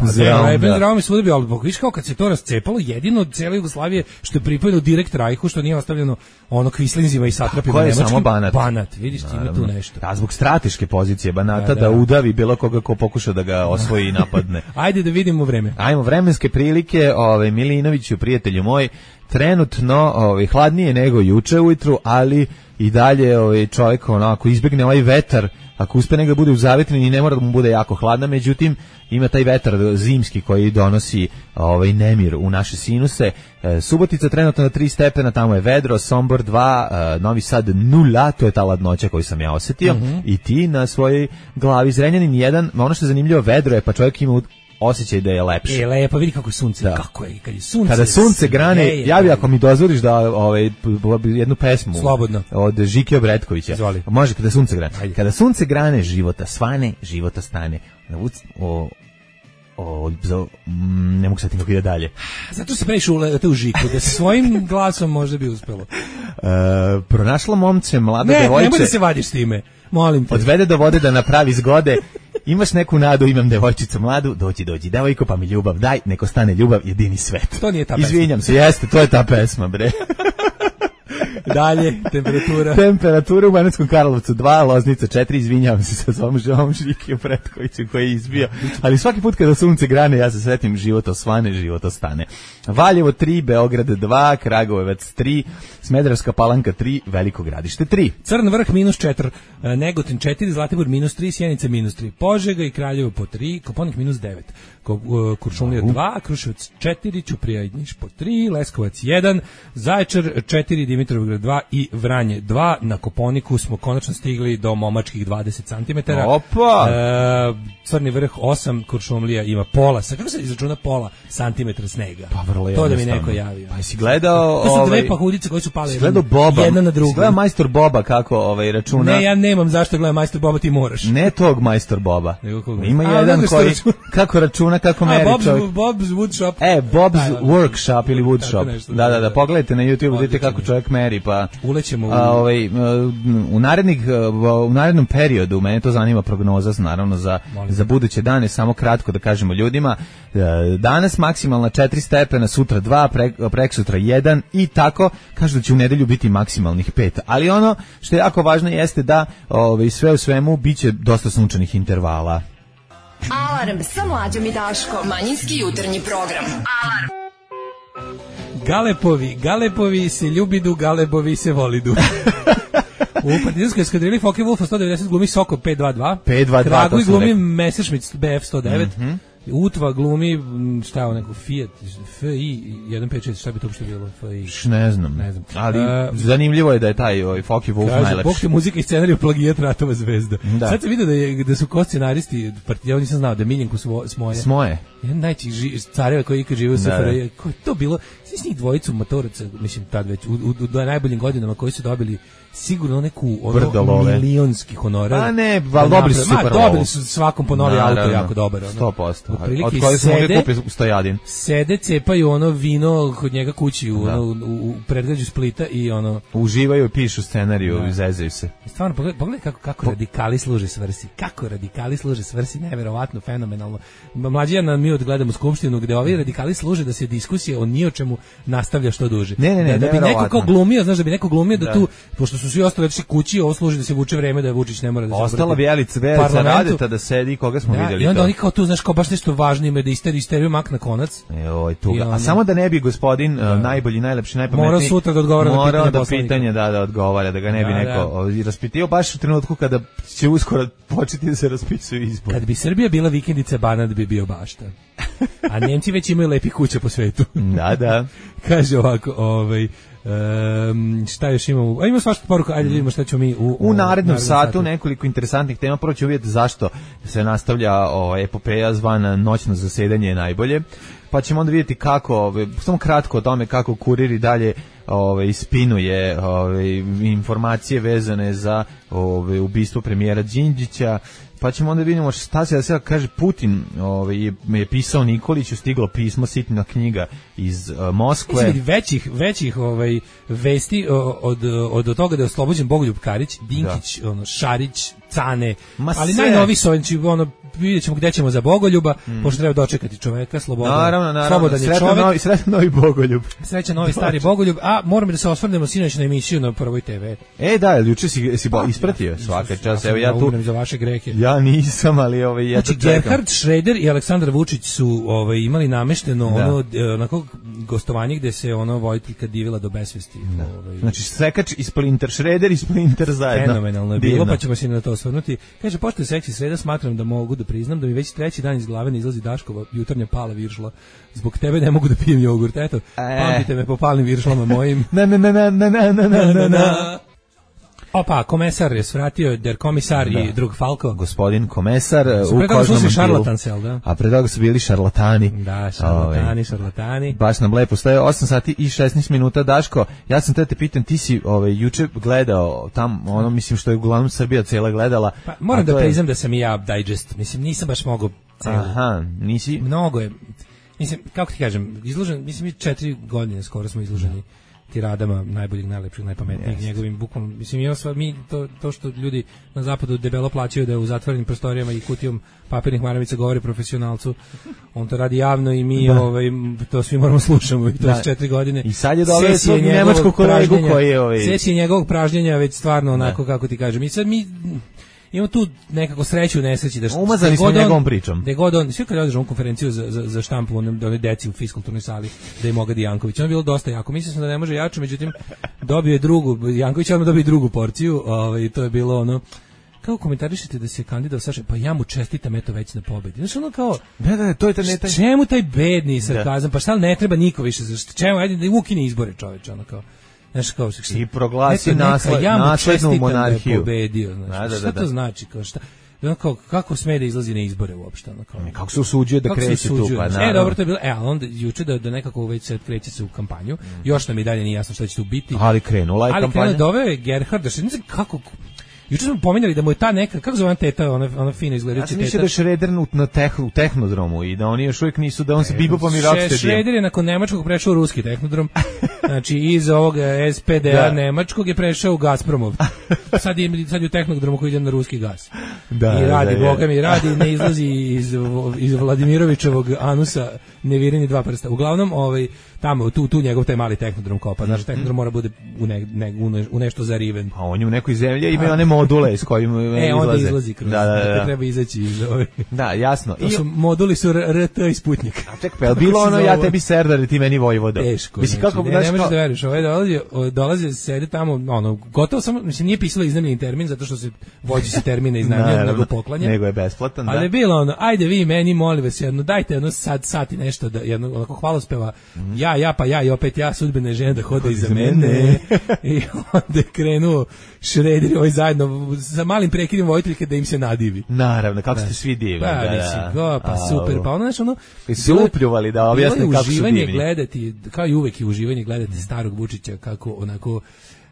Leben Zraum je svuda bio, ali viš kao kad se to rascepalo, jedino od cijele Jugoslavije što je pripojeno direkt Rajhu, što nije ostavljeno ono kvislinzima i satrapima nemačkim. Samo Banat. Banat, vidiš ti ima tu nešto. A zbog strateške pozicije Banata da, da. da udavi bilo koga ko pokuša da ga osvoji i napadne. Ajde da vidimo vreme. Ajmo, vremenske prilike, ovaj Milinoviću, prijatelju moj, trenutno ovaj hladnije nego juče ujutru, ali i dalje ovaj čovjek onako izbegne ovaj vetar, ako uspe negde bude u zavetrini i ne mora da mu bude jako hladna, međutim ima taj vetar zimski koji donosi ovaj nemir u naše sinuse. E, Subotica trenutno na tri stepena, tamo je vedro, Sombor dva, e, Novi Sad nula, to je ta ladnoća koju sam ja osetio, mm-hmm. i ti na svojoj glavi. Zrenjanin jedan, ono što je zanimljivo, vedro je, pa čovjek ima osjećaj da je lepše. E, lepo, vidi kako je sunce, da. Kako je, kad je sunce. Kada sunce grane, je, ja bi ako mi dozvoliš da ovaj, jednu pesmu slobodno od Žike Obretkovića. Izvoli. Može, kada sunce grane. Ajde. Kada sunce grane, života svane, života stane. O, o, o ne mogu sad kako ide dalje. Zato se previše ulete u Žiku, da svojim glasom možda bi uspelo. E, pronašla momce, mlada ne, devojče. Ne, nemoj da se vadiš s time. Molim te. Odvede do vode da napravi zgode. Imaš neku nadu, imam devojčicu mladu, dođi, dođi, devojko, pa mi ljubav daj, neko stane ljubav, jedini svet. To nije ta pesma. Izvinjam se, jeste, to je ta pesma, bre. Dalje, temperatura. Temperatura u Banatskom Karlovcu dva, Loznica četiri, izvinjavam se sa svom želom Žike Pretkoviću koji je izbio, ali svaki put kada sunce grane ja se setim život osvane, život ostane. Valjevo tri, Beograd dva, Kragujevac tri, Smederevska Palanka tri, Veliko Gradište tri. Crn vrh minus četiri, Negotin četiri, Zlatibor minus tri, Sjenica minus tri, Požega i Kraljevo po tri, Koponik minus devet, Kuršumlija dva, Kruševac četiri, Ćuprija i Niš po tri, Leskovac jedan, Zaječar četiri, Dimitrovgrad dva i Vranje dva. Na Koponiku smo konačno stigli do momačkih dvadeset centimetara. Opa! E, Crni vrh osam, Kuršumlija ima pola. Sad kako se izračuna pola santimetra snega? Pa vrlo to da mi neko javio. Pa si gledao... To su ovaj, dve pahuljice koje su pale jedan, Boba, jedna na drugu. Gledao majstor Boba kako ovaj, računa... Ne, ja nemam zašto gledam majstor Boba, ti moraš. Ne tog majstor Boba. Ima A, jedan koji kako računa, kako meri Bob's, čovjek. Bob's Woodshop. E, Bob's Workshop ili Woodshop. Da, da, da, pogledajte na YouTube, vidite kako čovjek meri, pa... Ulećemo u... A, ovaj, u, narednih, u narednom periodu, mene to zanima prognoza, naravno, za, za buduće dane, samo kratko da kažemo ljudima, danas maksimalna četiri stepena, sutra dva, pre, preksutra jedan i tako, kažu da će u nedelju biti maksimalnih pet. Ali ono što je jako važno jeste da ovaj, sve u svemu biće dosta sunčanih intervala. Alarm sa Mlađom i Daškom. Manjinski jutarnji program. Alarm. Galepovi, Galepovi se ljubidu, Galebovi se volidu. U partizanskoj eskadrili Focke Wulfa sto devedeset glumi Soko pet dva dva. pet dva dva. Kragujevcu glumi Messerschmitt B F sto devet. Mm-hmm. Utva glumi, šta je ovo neko, Fiat, F I jedan pet šest, šta bi to uopšte bilo? F I. Š ne znam, ne znam. Ali uh, zanimljivo je da je taj ovaj, Focke Wulf najlepši. Bog te muzika i scenariju plagijat Ratova zvezda. Da. Sad sam vidio da, je, da su ko scenaristi, ja nisam znao, da Miljenko Smoje. Smoje. Jedan najčih careva koji ikad žive u S F R J. Ko je to bilo? Svi njih dvojicu motoraca, mislim tad već, u, u, u najboljim godinama koji su dobili sigurno neku ono, milionski honorar. A ne, ali dobili su super lovu. Dobili su svakom po novi auto jako dobar. Ono. sto posto. Od koje su mogli kupiti u Stojadin. Sede, cepaju ono vino kod njega kući u, ono, u, u predgrađu Splita i ono... Uživaju i pišu scenariju i zezaju se. Stvarno, pogledaj, pogledaj kako, kako po... radikali služe svrsi. Kako radikali služe svrsi, neverovatno, fenomenalno. Mlađija nam mi odgledamo skupštinu gde ovi radikali služe da se diskusija o ni o čemu nastavlja što duže. Ne, ne, ne, da, da bi neko kao glumio, znaš, da bi neko glumio da, da tu, pošto su svi ostali otišli kući, ovo služi da se vuče vreme da Vučić ne mora da se ostala Bjelica, Bjelica Radeta da sedi, koga smo da, vidjeli. I onda to. Oni kao tu, znaš, kao baš nešto važno ime da isteri, isteriju mak na konac. Joj, tuga. Onda, a samo da ne bi gospodin da. uh, najbolji, najlepši, najpametniji mora sutra da odgovara na pitanje da pitanje, da, da odgovara, da ga ne bi da, neko da. raspitio baš u trenutku kada će uskoro početi da se raspisuju izbori. Kad bi Srbija bila vikendica, Banat bi bio bašta. A Nemci već imaju lepi kuće po svetu. Da, da. Kaže ovako, ovaj... Um, šta još imamo? A ima svašta poruka, ajde vidimo šta ćemo mi u, u narednom satu, satu nekoliko interesantnih tema. Prvo ću vidjeti zašto se nastavlja o, epopeja zvana noćno zasedanje najbolje, pa ćemo onda vidjeti kako, ove, samo kratko o tome kako Kurir i dalje ove, ispinuje ove, informacije vezane za ove, ubistvo premijera Đinđića. Pa ćemo onda vidimo šta se da se kaže. Putin ovaj, je, je pisao Nikoliću, stiglo pismo, sitna knjiga iz uh, Moskve. Mislim, većih, većih ovaj, vesti od, od, od toga da je oslobođen Bogoljub Karić, Dinkić, ono, Šarić, Cane, Ma ali najnoviji su ono, vidjet ćemo gde ćemo za Bogoljuba, mm. pošto treba dočekati čoveka, slobodan, naravno, naravno. slobodan je sretan čovek. Novi, sretan novi Bogoljub. Srećan novi stari Bogoljub, a moramo da se osvrnemo sinoć na emisiju na Prvoj te ve. E, da, juče si, si pa, ispratio svaka čast, evo ja tu... za vaše grehe. Ja nisam, ali ovaj, ja znači, Gerhard Schröder i Aleksandar Vučić su ovaj, imali namešteno da. ono, onako, gostovanje gde se ono Vojtiljka divila do besvesti. Da. Ovaj. Znači, Sekač i Splinter, Schröder i Splinter zajedno. Fenomenalno je bilo, pa ćemo se na to osvrnuti. Kaže, pošto je seksi sreda, smatram da mogu da priznam da mi već treći dan iz glave ne izlazi Daškova jutarnja pala viršla. Zbog tebe ne mogu da pijem jogurt. Eto, e. pamtite me po palnim viršlama mojim. Na na na na na na na na na. Opa, komesar je svratio, der komisar da. i drug Falko. Gospodin komesar su u kožnom šarlatansel, da. A pre toga su bili šarlatani. Da, šarlatani, Ove, šarlatani. Baš nam lepo staje osam sati i šesnaest minuta. Daško, ja sam te te pitam, ti si ovaj, juče gledao tam, ono mislim što je uglavnom Srbija cijela gledala. Pa, moram da je... priznam da sam i ja digest, mislim nisam baš mogao celu. Aha, nisi? Mnogo je, mislim, kako ti kažem, izložen, mislim mi četiri godine skoro smo izloženi tiradama najboljih, najlepših, najpametnijih, yes. njegovim bukvalno, mislim, ja sva, mi, to, to što ljudi na zapadu debelo plaćaju da je u zatvorenim prostorijama i kutijom papirnih maramica govori profesionalcu, on to radi javno i mi da. ovaj, to svi moramo slušamo i to da. s četiri godine. I sad je dole svog nemačkog kolegu koji je ovaj... Sesije njegovog pražnjenja već stvarno onako, da. kako ti kažem, i sad mi... Imamo tu nekako sreću u nesreći da što umazani smo njegovom pričom. Da god on, sve kad održao konferenciju za za za štampu onom da deci u fiskulturnoj sali da je Mogadi Janković. Ono je bilo dosta jako. Mislio sam da ne može jače, međutim dobio je drugu Janković odmah dobio drugu porciju, ovaj to je bilo ono kako komentarišete da se kandidat Saša, pa ja mu čestitam eto već na pobedi. Znači ono kao da da to je ta neta. Čemu taj bedni sarkazam? Pa šta ne treba niko više za čemu ajde da ukine izbore čoveče ono kao. Znaš kao što i proglasi nasled, ja naslednu monarhiju. Da je pobedio, znači. Da, da, da, šta to da. znači kao šta? Kako kako sme da izlazi na izbore uopšte ono kao. Kako se usuđuje da kreće tu pa naravno. E dobro to je bilo. E al onda juče da da nekako već se kreće se u kampanju. Mm. Još nam i dalje nije jasno šta će tu biti. Ali krenula je ali kampanja. Ali krenula doveo je Gerhard, da se ne znam kako juče smo pominjali da mu je ta neka, kako zove teta, ona, ona fina izgledajuća teta. Ja sam mislio da je Schröder na teh, u tehnodromu i da oni još uvijek nisu, da on se bibopom i rocksteady. Schröder je nakon nemačkog prešao u ruski tehnodrom, znači iz ovog es pe de a da. nemačkog je prešao u Gazpromov. Sad je, sad je u tehnodromu koji ide na ruski gas. Da, I radi, da, boga mi radi, ne izlazi iz, iz Vladimirovićevog anusa nevireni dva prsta. Uglavnom, ovaj, tamo, tu, tu njegov taj mali tehnodrom kopa. Znači, tehnodrom mora bude u, ne, ne, u nešto zariven. A on je u nekoj zemlji ima one module s kojim e, izlaze. Onda izlazi kroz. Da, da, da. Dakle, treba izaći iz ove. Da, jasno. To su, moduli su R T i Sputnik. A čekaj, je li bilo ono, ja tebi Serdar i ti meni Vojvoda? Teško. Mislim, kako, ne, ne možeš da veriš. Ovaj dolazi, dolazi, sede tamo, ono, gotovo samo, mislim, nije pisalo iznajmljeni termin, zato što se vođi se termine iznajmljeni, nego poklanja. Nego je besplatan, da. Ali je bilo ono, ajde vi meni, molim vas, jedno, dajte jedno sad, sati nešto, da, jedno, onako hvalospeva, mm. ja, ja, pa ja i opet ja, sudbene žene da hode iza mene. I onda je krenuo Schröder, ovaj zajedno, sa malim prekidom Vojtiljke da im se nadivi. Naravno, kako da. ste svi divni. Pa, da, da. Go, pa super, pa ono, znaš, ono... I su upljuvali da objasne kako su divni. Gledati, kao i uvek i uživanje gledati mm. starog Vučića kako onako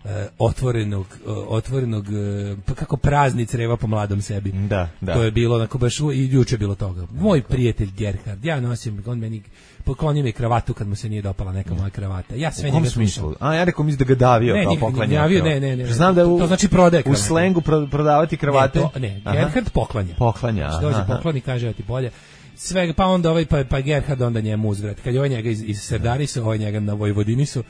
Uh, otvorenog, uh, otvorenog uh, pa kako praznic reva po mladom sebi. Da, da. To je bilo onako baš i juče je bilo toga. Moj prijatelj Gerhard, ja nosim, on meni poklonio mi kravatu kad mu se nije dopala neka moja kravata. Ja sve njega slušam. A ja rekao mislim da ga davio ne, kao poklanja. Ne, ne, ne, ne. Znam da u, to znači prodaje u slengu prodavati kravate. Ne, to, ne Gerhard poklanja. Poklanja. Znači, dođe pokloni, kaže ja ti bolje. Sve, pa onda ovaj, pa, pa Gerhard onda njemu uzvrat. Kad je ovaj njega iz, iz Serdarisu, ovaj njega na Vojvodinisu,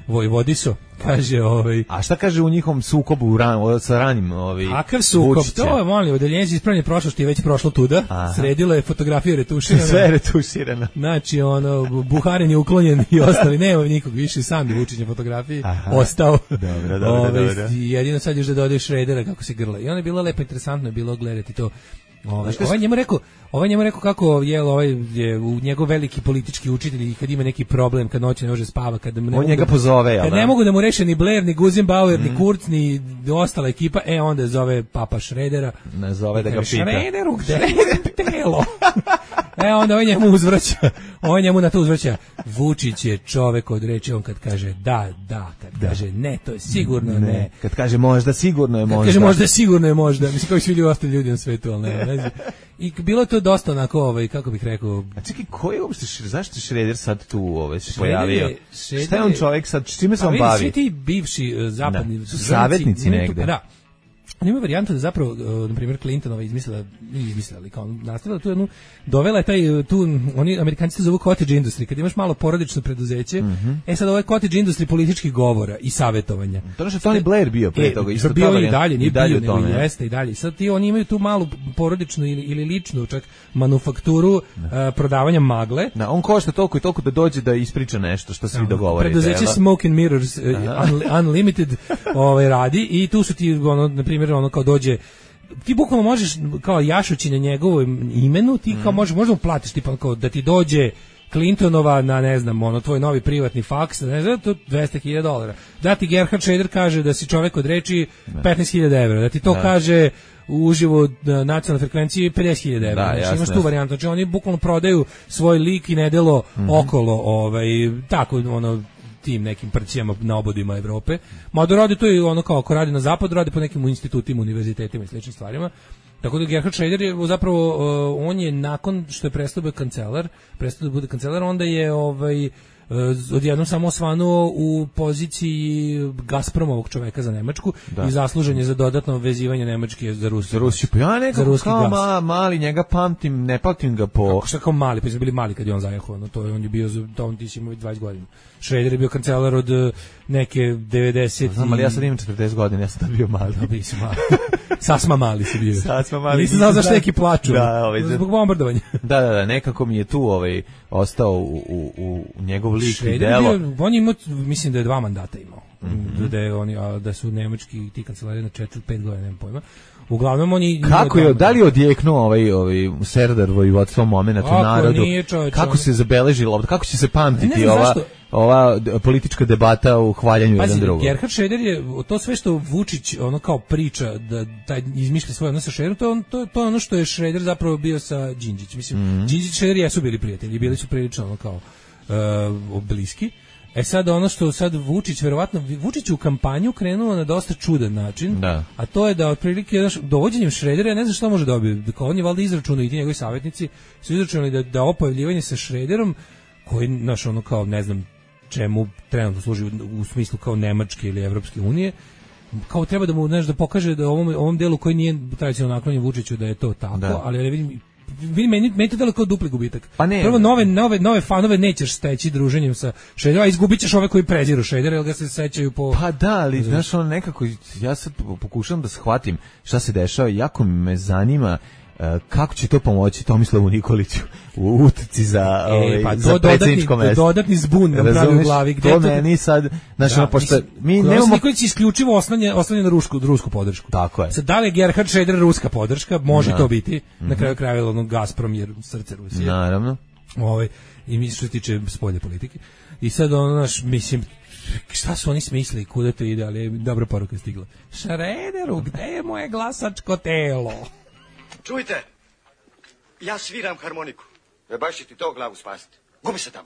Vojvodisu, kaže ovaj. A šta kaže u njihovom sukobu u ran, sa ranim ovaj? Kakav sukob? Vučića. To je molim, odeljenje za ispravljanje prošlosti je već prošlo tuda. Aha. Sredilo je fotografije retuširane. Sve retuširano. Znači ono Buharin je uklonjen i ostali nema nikog više, sam je Vučić na fotografiji. Aha. Ostao. Dobro, dobro, Ove, dobro. Jedino sad još da dodaješ Schrödera kako se grla. I ono je bilo lepo interesantno je bilo gledati to. Ovaj ovaj njemu rekao, ovaj njemu rekao kako je ovaj je u njegov veliki politički učitelj i kad ima neki problem, kad noći ne može spava, kad ne on njega pozove, ja. Kad ne mogu da mu reše ni Blair, ni Guzenbauer, mm. ni Kurz, ni ostala ekipa, e onda zove papa Schrödera. Ne zove da ga pita. Schröderu, gde je telo? E onda on njemu uzvraća. On njemu na to uzvraća. Vučić je čovek od reči, on kad kaže da, da, kad da. kaže ne, to je sigurno ne. ne. Kad kaže možda, sigurno je možda. Kad kaže možda, sigurno je možda. Mislim kao i svi ljudi ostali ljudi na svetu, ali ne, ne. I bilo to dosta onako, ovaj, kako bih rekao... A čekaj, ko je uopšte, zašto je Schröder sad tu ovaj, se pojavio? Schröder, šta je on čovjek sad, s čime se on bavi? Svi ti bivši uh, zapadni... Da. Su savjetnici negde. Da. on ima varijantu da zapravo, na primjer, Clintonova izmislila, nije izmislila, ali kao nastavila tu jednu, dovela je taj, tu, oni, Amerikanci se zovu cottage industry, kad imaš malo porodično preduzeće, mm-hmm. e sad ovo je cottage industry političkih govora i savjetovanja. To je Tony Blair bio pre e, toga, isto bio i dalje, nije i dalje bio, nego jeste i dalje. Sad ti, oni imaju tu malu porodičnu ili, ili ličnu čak manufakturu uh, prodavanja magle. Da, on košta toliko i toliko da dođe da ispriča nešto što svi dogovorite. Preduzeće Smoke and Mirrors uh, Unlimited ovaj, radi i tu su ti, ono, na primjer, ono kao dođe ti bukvalno možeš kao jašući na njegovom imenu, ti kao možeš, možda mu platiš tipa kao da ti dođe Clintonova na, ne znam, ono, tvoj novi privatni faks, ne znam, to dvesta hiljada dolara. Da ti Gerhard Schröder kaže da si čovek od reči petnaest hiljada evra, da ti to da. kaže uživo na nacionalnoj frekvenciji pedeset hiljada evra. Da, znači, imaš tu varijantu. Znači, oni bukvalno prodaju svoj lik i nedelo mm-hmm. okolo, ovaj, tako, ono, tim nekim prcijama na obodima Evrope. Mada radi to i ono kao ako radi na zapadu, radi po nekim institutima, univerzitetima i sličnim stvarima. Tako da Gerhard Schröder je zapravo, uh, on je nakon što je prestao biti kancelar, prestao da bude kancelar, onda je ovaj, uh, odjednom samo osvanuo u poziciji Gazpromovog čoveka za Nemačku da. I zaslužen je za dodatno vezivanje Nemačke za Rusiju. Za Rusiju, pa ja nekako kao ma, mali, njega pamtim, ne pamtim ga po... Kako šta kao mali, pa su bili mali kad je on zajehao, no to je, on je bio, to on ti si imao dvadeset godina. Schröder je bio kancelar od neke devedeset. Znam, ali ja sad imam četrdeset godina, ja sam tad bio mali. Da, bi si mali. Sasma mali si bio. Sasma mali. Nisam znao zašto neki plaču. Da, ovaj, zbog bombardovanja. Da, da, da, nekako mi je tu ovaj, ostao u, u, u njegov lik i delo. Bio, on je imao, mislim da je dva mandata imao. Mm-hmm. Da, je oni, a, da su nemački ti kancelari na četiri pet godina, nemam pojma. Uglavnom oni kako je, da li je odjeknuo ovaj ovaj Serdar vojvodstvo momenat u narodu? Nije, čovječ, kako se zabeležilo, kako će se pamtiti ova zašto? ova politička debata u hvaljanju Pazi, jedan drugog? Gerhard Schröder je to sve što Vučić ono kao priča da taj izmišlja svoje odnose sa Schröderom, to on to to ono što je Schröder zapravo bio sa Đinđićem. Mislim, mm-hmm. Đinđić i Schröder jesu bili prijatelji, bili su prilično ono kao uh, bliski. E sad ono što sad Vučić verovatno Vučić u kampanju krenuo na dosta čudan način, da. A to je da otprilike dovođenjem Schrödera, ja ne znam šta može dobiti, kao on je valjda izračunao i ti njegovi savjetnici su izračunali da da ovo pojavljivanje sa Schröderom koji naš ono kao ne znam čemu trenutno služi u, u smislu kao Nemačke ili Evropske unije, kao treba da mu znaš da pokaže da ovom ovom delu koji nije tradicionalno naklonjen Vučiću da je to tako, da. Ali ja vidim vidi meni meni to delo kao dupli gubitak. Pa ne, prvo nove nove nove fanove nećeš steći druženjem sa Schröderom, a izgubićeš ove koji preziru Schrödera, jer ga se sećaju po. Pa da, ali znaš on nekako ja sad pokušavam da shvatim šta se dešava, jako me zanima kako će to pomoći Tomislavu Nikoliću u utrci za, e, ovaj, pa za predsjedničko mesto. Dodatni zbun nam pravi u glavi. Gde to meni sad, znači, da, pošto mi nemamo... Nikolić isključivo oslanja, oslanja na rusku, rusku podršku. Tako je. Sad, da li je Gerhard Schröder ruska podrška? Može da. To biti. Mm-hmm. Na kraju krajeva ono Gazprom jer srce Rusije. Naravno. Ovaj, i mi što se tiče spoljne politike. I sad ono, naš, mislim, šta su oni smislili, kuda to ide, ali dobra poruka stigla. Schröderu, gde je moje glasačko telo? Čujte, ja sviram harmoniku. E baš će ti to glavu spasiti. Gubi se tamo.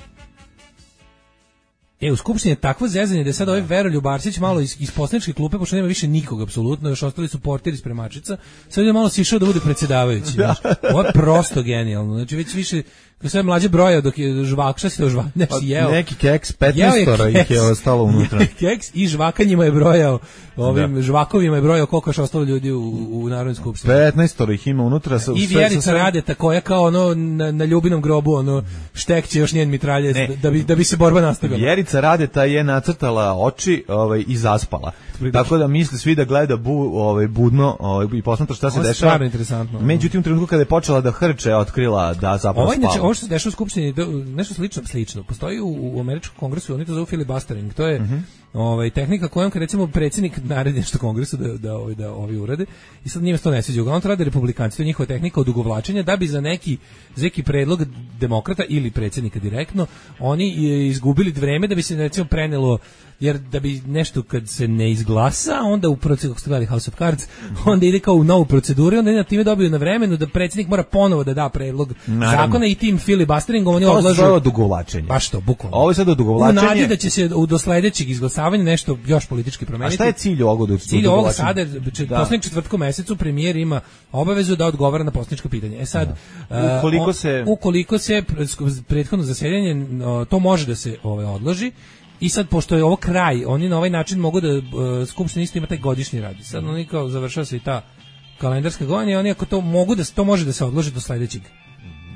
E, u Skupštini je takvo zezanje da je sad ovaj Veroljub Arsić malo iz, iz poslaničke klupe, pošto nema više nikog apsolutno, još ostali su portiri spremačica, sad je malo sišao da bude predsjedavajući. Znaš. Ovo je prosto genijalno. Znači već više, kako sve mlađe broja dok je žvak, šta si to žvak, ne si jeo. Neki keks, petnaestora ih je ostalo unutra. Keks i žvakanjima je brojao, ovim da. Žvakovima je brojao koliko je ostalo ljudi u, u Narodnoj skupštini. petnaestora ih ima unutra. Sa, I Vjerica sve... Radeta koja kao ono na, na ljubinom grobu ono štekće još njen mitraljez da bi, da bi se borba nastavila. Vjerica Radeta je nacrtala oči ovaj, i zaspala. Tako da misli svi da gleda bu, ovaj, budno ovaj, i posmatra šta se dešava. Ovo je stvarno interesantno. Međutim, u trenutku kada je počela da hrče, otkrila da zapravo ovo, spava. Ovo što se dešava u Skupštini, nešto slično, slično. Postoji u, u američkom kongresu, oni to zovu filibustering. To je mm-hmm. ovaj, tehnika kojom kad recimo predsjednik naredi nešto kongresu da, da, ovaj, da ovi urade i sad njima to ne sviđa. Uglavnom to rade republikanci, to je njihova tehnika odugovlačenja da bi za neki, za neki predlog demokrata ili predsjednika direktno oni izgubili vreme da bi se recimo prenelo, jer da bi nešto kad se ne izglasa, onda u proceduru, kako ste gledali House of Cards, onda ide kao u novu proceduru, onda na time dobiju na vremenu da predsjednik mora ponovo da da predlog Naravno. zakona i tim filibusteringom oni odlažu. To je odugovlačenje. Pa što, bukvalno. Ovo je sad odugovlačenje. U nadi da će se do sledećeg izglasavanja nešto još politički promeniti. A šta je cilj ovog odugovlačenja? Cilj ovog sada, poslednjeg četvrtkom mesecu premijer ima obavezu da odgovara na poslanička pitanja. E sad, da. ukoliko, uh, se... ukoliko se prethodno zasedanje, to može da se ovaj, odloži, I sad, pošto je ovo kraj, oni na ovaj način mogu da, uh, Skupština isto ima taj godišnji rad. Sad oni kao završava se i ta kalendarska godina i oni ako to mogu da to može da se odloži do sledećeg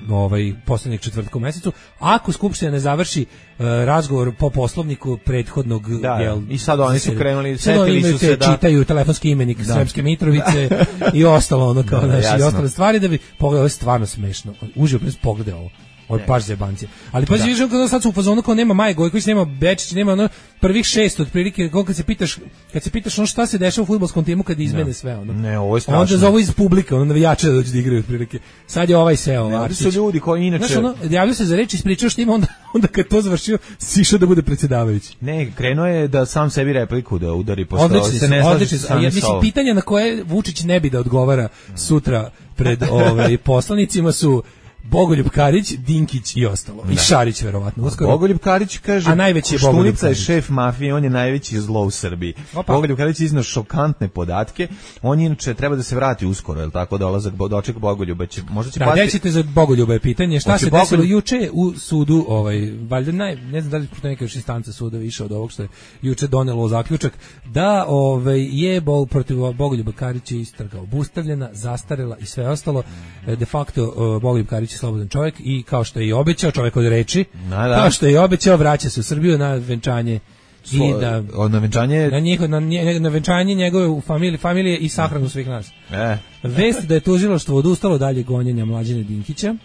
ovaj poslednjeg četvrtka u mesecu, ako Skupština ne završi uh, razgovor po poslovniku prethodnog, da, jel, i sad oni su krenuli, setili su se da čitaju telefonski imenik da. Sremske Mitrovice i ostalo ono kao da, naši i ostale stvari da bi pogledao, ovo je stvarno smešno. Uživo pres pogleda ovo. Ovo je baš zebancije. Ali pa vidiš kako sad su u fazonu kao nema Maje Gojković, nema Bečić, nema ono prvih šest otprilike, kad se pitaš, kad se pitaš ono šta se dešava u fudbalskom timu kad izmene ne. sve ono. Ne, ovo je strašno. Onda zovu iz publike, ono navijače da dođu da igraju otprilike. Sad je ovaj seo, Arsić. Su ljudi koji inače znaš, ono, javljaju se za reč, ispričao što ima, onda, onda kad to završio, sišao da bude predsjedavajući. Ne, krenuo je da sam sebi repliku da udari pošto odlični se ne slaže. Ja mislim, pitanja na koje Vučić ne bi da odgovara sutra pred ovaj poslanicima su Bogoljub Karić, Dinkić i ostalo. Da. I Šarić verovatno. Uskoro. Bogoljub Karić kaže, a najveći je Bogoljub Koštunica je šef mafije, on je najveći zlo u Srbiji. Opa. Bogoljub Karić iznao šokantne podatke. On inače treba da se vrati uskoro, je l' tako, dolazak doček Bogoljuba će možda će da, pasti. Da, ćete za Bogoljuba je pitanje šta Oće se desilo Bogoljub... juče u sudu, ovaj valjda naj ne znam da li je neka još instanca suda više od ovog što je juče donelo zaključak da ovaj je bol protiv Bogoljuba Karića istraga obustavljena, zastarela i sve ostalo. De facto Bogoljub Karić je slobodan čovjek i kao što je i obećao, čovjek od reči, da, da. Kao što je i obećao, vraća se u Srbiju na venčanje Svo, i da na venčanje na njihovo na, na venčanje njegove u familiji familije i sahranu svih nas. E. Vest da je tužilaštvo odustalo dalje gonjenja Mlađana Dinkića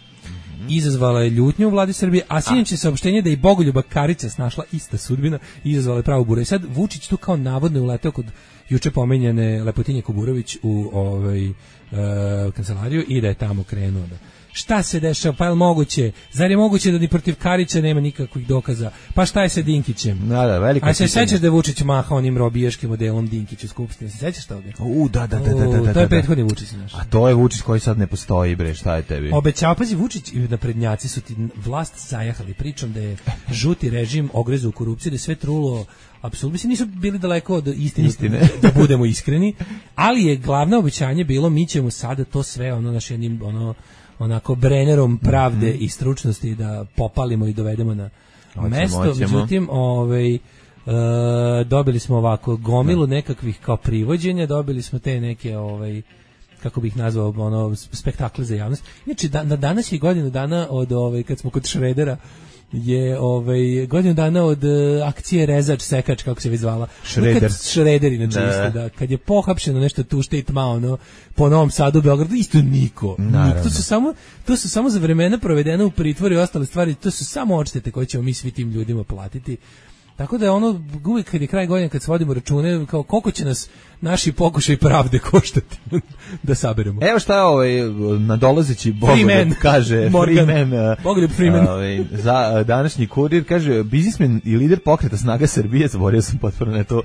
izazvala je ljutnju u vladi Srbije, a sinoć je saopštenje da i Bogoljuba Karića snašla ista sudbina i izazvala je pravu buru. I sad Vučić tu kao navodno uleteo kod juče pomenjene Lepotinje Kuburović u ovaj uh, kancelariju i da je tamo krenuo da šta se dešava, pa je li moguće? Zar je moguće da ni protiv Karića nema nikakvih dokaza? Pa šta je sa Dinkićem? Da, da, veliko. A se sećaš da je Vučić mahao onim robijaškim modelom Dinkić u Skupštini? Se sećaš toga? U, da, da, da, da, da, da. To je prethodni Vučić naš. A to je Vučić koji sad ne postoji, bre, šta je tebi? Obećao, pazi, Vučić i naprednjaci su ti vlast zajahali pričom da je žuti režim ogrezu u korupciju, da je sve trulo apsolutno, mislim, nisu bili daleko od istine, istine. Da budemo iskreni, ali je glavno obećanje bilo mi ćemo sada to sve ono naš jednim ono onako brenerom pravde mm-hmm. i stručnosti da popalimo i dovedemo na oćemo, mesto. Oćemo. Međutim, ovaj, e, dobili smo ovako gomilu da. nekakvih kao privođenja, dobili smo te neke ovaj, kako bih nazvao ono spektakle za javnost. Inače, da, na danas je godinu dana od ovaj, kad smo kod Šredera je ovaj godinu dana od uh, akcije Rezač Sekač, kako se već zvala. Šreder. Šreder inače isto, da. Kad je pohapšeno nešto tu šte i tma, ono, po Novom Sadu, Beogradu, isto niko. niko. To su samo, to su samo za vremena provedena u pritvoru i ostale stvari, to su samo odštete koje ćemo mi svi tim ljudima platiti. Tako da je ono, uvijek kad je kraj godine, kad svodimo račune, kao koliko će nas naši pokušaj pravde koštati da saberemo. Evo šta je ovaj nadolazeći Bogoljub kaže, Morgan, Freeman, Bogoljub Freeman. Ovaj, za današnji kurir, kaže, biznismen i lider pokreta Snaga Srbije, zaborio sam potpuno na to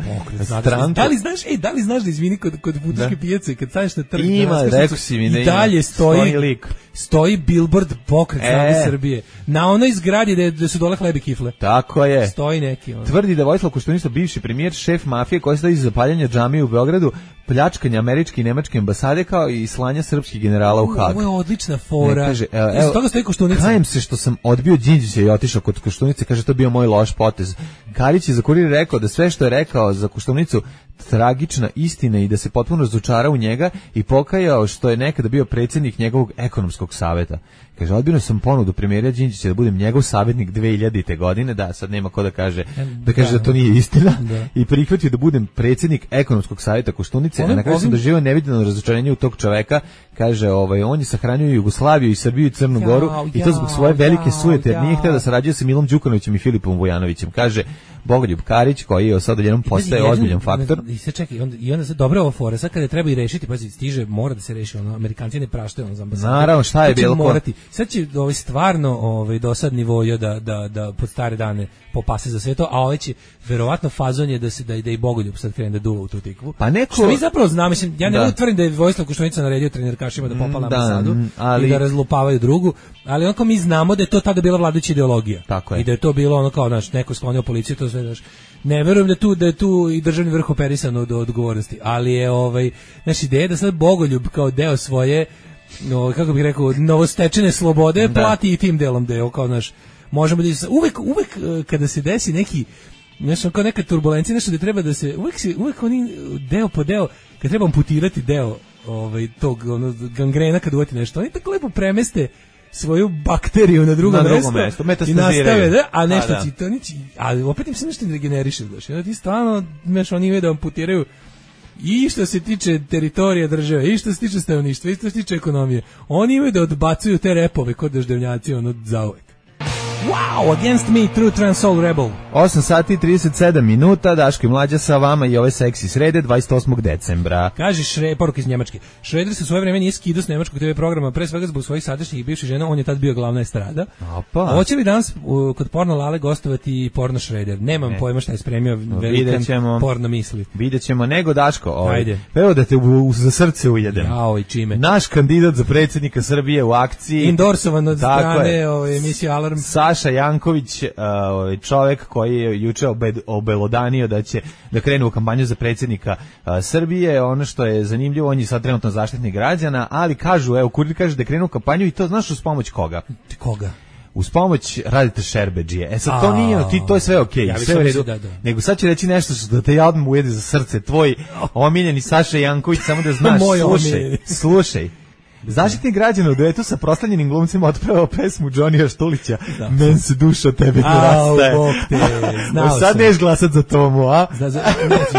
stranku. Da li znaš, ej, da li znaš da izvini kod, kod Buduške pijace, kad staneš na trg, ima, rekao si mi, ne, i dalje stoji, stoji lik. Stoji billboard pokret Snage e. Srbije. Na onoj zgradi gde, gde su dole hleb i kifle. Tako je. Stoji neki. On. Tvrdi da Vojislav Koštunica, bivši premijer, šef mafije koji stoji iza zapaljanja džamije u Beogradu, pljačkanja američke i nemačke ambasade kao i slanja srpskih generala u Hag. Ovo je odlična fora. Ne, kaže, evo, evo, toga stoji Koštunica. Kajem se što sam odbio Đinđića i otišao kod Koštunice, kaže to bio moj loš potez. Karić je za kurir rekao da sve što je rekao za Koštunicu tragična istina i da se potpuno razočarao u njega i pokajao što je nekada bio predsjednik njegovog ekonomskog saveta. Kaže, odbio sam ponudu premijera Đinđića da budem njegov savjetnik dve hiljadite godine, da, sad nema ko da kaže da kaže da, da to nije istina, da. I prihvatio da budem predsjednik ekonomskog savjeta Koštunice, a na kraju sam doživio neviđeno razočarenje u tog čoveka, kaže, ovaj, on je sahranio Jugoslaviju i Srbiju i Crnu Goru ja, i to zbog svoje velike sujete, jer nije htio da sarađuje sa Milom Đukanovićem i Filipom Vujanovićem, kaže Bogoljub Karić, koji je sad odjednom postaje ozbiljan faktor. I se čekaj, onda, i onda se dobro ovo fora, sad kada treba i rešiti, pa stiže, mora da se reši, ono, Amerikanci ne praštaju ono za ambasadu. Naravno, šta je bilo morati. Sad će ovaj stvarno ovaj dosadni vojo da da da pod stare dane popase za sve to, a ovaj će verovatno fazon je da se da i da i Bogoljub sad krene da duva u tu tikvu. Pa neko što mi zapravo znamo, mislim, ja ne utvrdim da je Vojislav Koštunica naredio trenerkašima da popale ambasadu ali... i da razlupavaju drugu, ali onako mi znamo da je to tada bila vladajuća ideologija. Tako je. I da je to bilo ono kao naš neko sklonio policiju, to sve daš. Ne verujem da tu da je tu i državni vrh operisan od odgovornosti, ali je ovaj naša ideja da sad Bogoljub kao deo svoje, no, kako bih rekao, novostečene slobode da. Plati i tim delom deo kao naš možemo da uvek uvek kada se desi neki nešto kao neka turbulencija, nešto da treba da se, uvek se, uvek oni deo po deo, kad treba amputirati deo ovaj, tog ono, gangrena kad uvati nešto, oni tako lepo premeste svoju bakteriju na drugo, na drugo mesto, mesto i nastave, da, a nešto a, ti to niči, ali opet im se nešto ne regeneriše, daš, ja ti stvarno, znaš, oni imaju da amputiraju i što se tiče teritorija države, i što se tiče stanovništva, i što se tiče ekonomije, oni imaju da odbacuju te repove kod daždevnjaci, ono, zauvek. Wow, Against Me, True Trans Soul Rebel. osam sati i trideset sedam minuta, Daško i Mlađa sa vama i ove seksi srede, dvadeset osmog decembra. Kaže Šre, poruka iz Njemačke. Šreder se u svoje vreme nije skidao s nemačkog te ve programa, pre svega zbog svojih sadašnjih i bivših žena, on je tad bio glavna estrada. Opa. Hoće li danas uh, kod Porno Lale gostovati Porno Šreder? Nemam ne. pojma šta je spremio velikan ćemo, porno misli. Vidjet ćemo, nego Daško, ovaj, ajde. Evo da te u, u, za srce ujedem. Jao, i čime? Naš kandidat za predsjednika Srbije u akciji. Endorsovan od strane ove, emisije Alarm. Saša Janković, ovaj čovjek koji je juče obelodanio da će da krene u kampanju za predsjednika a, Srbije. Ono što je zanimljivo, on je sad trenutno zaštitnik građana, ali kažu, evo, Kurir kaže da krenu u kampanju i to znaš uz pomoć koga? Koga? Uz pomoć radite Šerbedžije. E sad to nije, ti to je sve okej, okay, sve u redu. Da, da. Nego sad će reći nešto što da te ja odmah ujede za srce, tvoj omiljeni Saša Janković, samo da znaš, slušaj, slušaj. Zaštitnik građana u duetu sa proslavljenim glumcima otpevao pesmu Džonija Štulića da. Men se duša od tebe rastaje. Au, bok te, znao sad neš glasat za Tomu, a? Zna, za,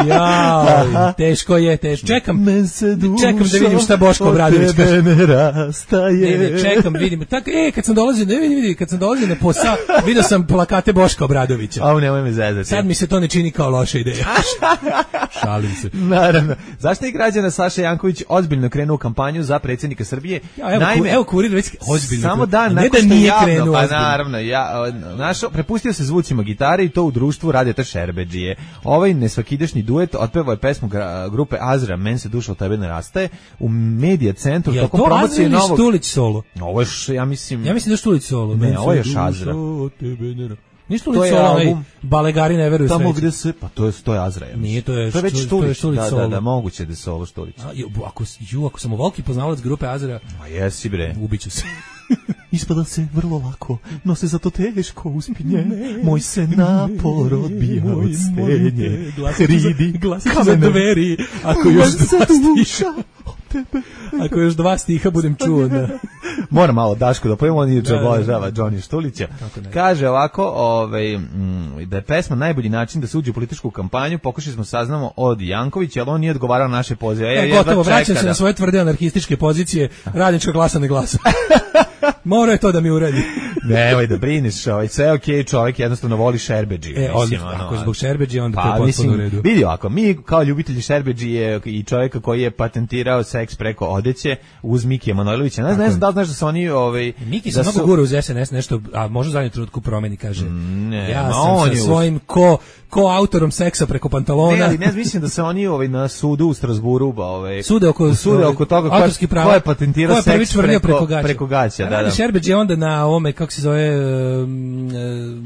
jao, teško je, teško. Čekam, Men se duša čekam da vidim šta Boško Obradović kaže. Od tebe ne rastaje. Ne, ne, čekam, vidim. Tako, e, kad sam dolazio, ne vidi, vidi, kad sam dolazio na posao, vidio sam plakate Boška Obradovića. Au, nemoj me zezati. Sad mi se to ne čini kao loša ideja. Šalim se. Naravno. Zaštitnik građana Saša Janković ozbiljno krenuo u kampanju za predsjednika Srbije. Ja, evo, Naime, evo Kurir već ozbiljno. Samo dan ne da nije krenuo. Pa naravno, ja našo prepustio se zvucima gitare i to u društvu Radeta Šerbedžije. Ovaj nesvakidašnji duet otpevao je pesmu grupe Azra, Men se duša od tebe ne rastaje, u Medija centru ja, tokom promocije novog. Je to Štulić solo? Ovo je, ja mislim... Ja mislim da je Štulić solo. Ne, ovo je još Azra. Ništa li solo, onaj Balegari ne veruju tamo gde se, pa to je, to je Azra. Ja nije, to je, to je već Štulić, Štulić da, da, da, moguće da je solo Štulić. A, ako, ju, ako sam volki poznavalac grupe Azra, ma jesi bre. Ubiću se. Ispada se vrlo lako, no se zato teško uspinje. Moj se napor odbija od stenje. Hridi, glasit za dveri, ako još dva stiha. Ako još dva stiha budem čuo. Da. Moram malo Daško da pojemo, on je obožava Džoni Štulića. Kaže ovako, ovaj, da je pesma najbolji način da se uđe u političku kampanju, pokušali smo saznamo od Jankovića, ali on nije odgovarao na naše pozive. E, gotovo, vraćam se da... na svoje tvrde anarhističke pozicije, radnička glasa ne glasa. Mora je to da mi uredi. Nemoj da brineš, ovaj, sve okej, okay, čovjek jednostavno voli Šerbedžiju. E, mislim, ono, ako je zbog Šerbedžije, onda pa, to je potpuno u redu. Vidi ovako, mi kao ljubitelji Šerbedžije i čovjeka koji je patentirao seks preko odeće uz Mikija Manojlovića, ne, ne znam da li znaš da su oni... Ovaj, Miki se mnogo gura uz es en es nešto, a može u zadnjem trenutku promeni, kaže. Ne, ja sam sa svojim ko... ko autorom seksa preko pantalona. Ne, ali ne mislim da se oni ovaj na sudu u Strasburu, ovaj sude oko sude oko toga autorski prava. Ko je patentirao ko je seks preko preko gaća. Preko gaća, da, da. Šerbeđ je onda na ome kako se zove um,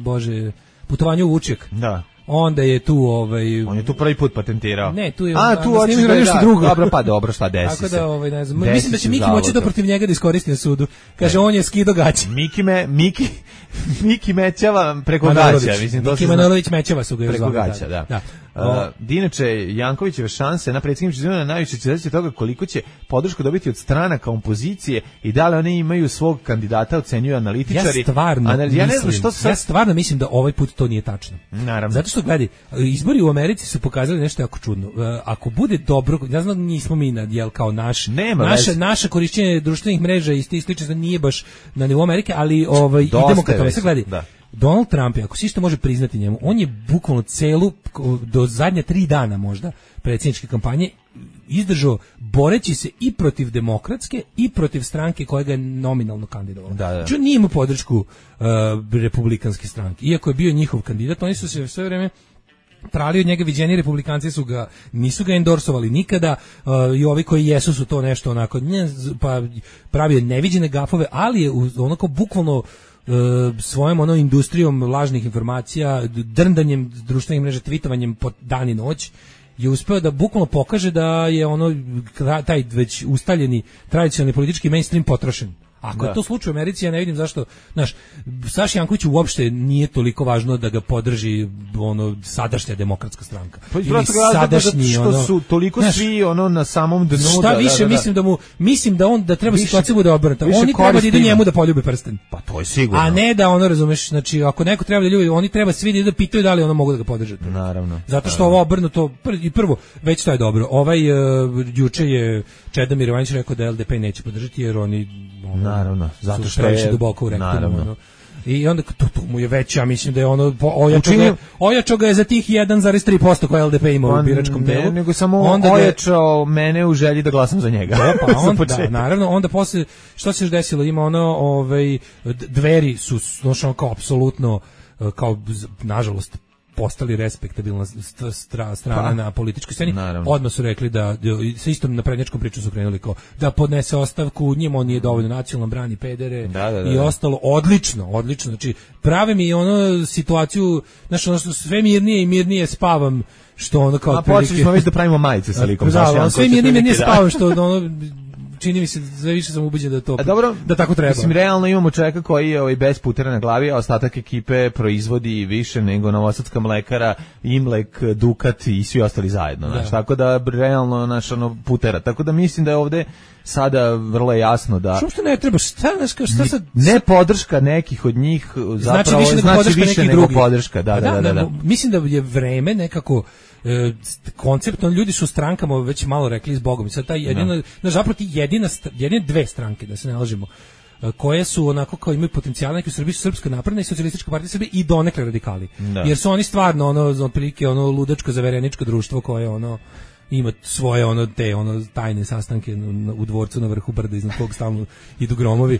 bože, putovanju u Vučjak. Da. Onda je tu ovaj on je tu prvi put patentirao. Ne, tu je a tu hoće da nešto drugo. Dobro, pa dobro, šta desi. Tako da ovaj ne znam. Mislim da će Miki moći da protiv njega da iskoristi na sudu. Kaže on je skido gaće. Miki me Miki Miki mećava preko gaća, mislim to Miki Manojlović mećava su ga preko gaća, da. da. Uh, Dinače Jankovićeve šanse na predsjedničkim izborima najviše će zavisi od toga koliko će podršku dobiti od stranaka opozicije i da li one imaju svog kandidata, ocenjuju analitičari. Ja stvarno, Anal... ja ne znam što sad... ja stvarno mislim da ovaj put to nije tačno. Naravno. Zato što gledaj, izbori u Americi su pokazali nešto jako čudno. Uh, ako bude dobro, ja znam da nismo mi na jel kao naš, Nema naše već. naše korišćenje društvenih mreža i slično nije baš na nivou Amerike, ali ovaj idemo ka tome. Sad gledaj. Da. Donald Trump, ako se isto može priznati njemu, on je bukvalno celu, do zadnje tri dana možda, predsjedničke kampanje, izdržao boreći se i protiv demokratske i protiv stranke koja ga je nominalno kandidovala. Da, da. Znači, on nije imao podršku uh, republikanske stranke. Iako je bio njihov kandidat, oni su se sve vreme trali od njega, viđeni republikanci su ga, nisu ga endorsovali nikada, uh, i ovi koji jesu su to nešto onako, nje, pa pravio neviđene gafove, ali je onako bukvalno Uh, svojom ono industrijom lažnih informacija, drndanjem društvenih mreža, tvitovanjem po dan i noć je uspeo da bukvalno pokaže da je ono taj već ustaljeni tradicionalni politički mainstream potrošen. Ako da. je to slučaj u Americi, ja ne vidim zašto, znaš, Saši Jankoviću uopšte nije toliko važno da ga podrži ono sadašnja demokratska stranka. Pa ili sadašnji što ono, su toliko znaš, svi ono na samom dnu. Šta da, više da, da, mislim da mu mislim da on da treba više, situacija bude obrnuta. Oni treba da idu njemu da poljube prsten. Pa to je sigurno. A ne da ono razumeš, znači ako neko treba da ljubi, oni treba svi da idu da pitaju da li ono mogu da ga podrže. Naravno. Zato što ovo obrnuto i prvo već to je dobro. Ovaj uh, juče je Čedomir Jovanović rekao da L D P neće podržati jer oni ono, naravno, zato što je duboko u rektoru. Ono. I onda to, to mu je već, ja mislim da je ono ojačao Učinio... ga, ojačao ga je za tih jedan zarez tri posto koje L D P ima u biračkom telu. Ne, nego samo onda ojačao ga... mene u želji da glasam za njega. Da, pa onda, da, naravno, onda posle, što se još desilo, ima ono, ovaj, Dveri su, znači, kao apsolutno, kao, nažalost, postali respektabilna stra, strana pa, na političkoj sceni. Naravno. Odmah su rekli da, sa istom naprednjačkom priču su krenuli kao da podnese ostavku, njima on nije dovoljno nacionalno, brani pedere da, da, da, i ostalo. Odlično, odlično. Znači, prave mi ono situaciju, znači, ono što sve mirnije i mirnije spavam, što ono kao... A počeli smo već da pravimo majice sa likom. Da, ono, sve mirnije i mirnije spavam, što ono... čini mi se, sve više sam ubeđen da to, dobro, da tako treba. Mislim, realno imamo čovjeka koji je ovaj, bez putera na glavi, a ostatak ekipe proizvodi više nego Novosadska mlekara, Imlek, Dukat i svi ostali zajedno. Znaš, tako da, realno, naš, ono, putera. Tako da mislim da je ovde sada vrlo jasno da... Što ne treba, šta, šta, šta sad... Ne podrška nekih od njih, zapravo, znači više nego znači podrška, više nekih nego drugih. podrška. Da, da, da, da, da. Mislim da je vreme nekako... E, konceptno, ljudi su strankama već malo rekli s Bogom i sad taj jedina, no. zapravo ti jedina, jedine dve stranke, da se ne lažemo, koje su onako kao imaju potencijal neki u Srbiji su Srpska napredna i Socijalistička partija Srbije i donekle radikali. Da. Jer su oni stvarno ono otprilike ono ludačko zavereničko društvo koje ono ima svoje ono te ono tajne sastanke u dvorcu na vrhu brda iznad kog stalno idu gromovi.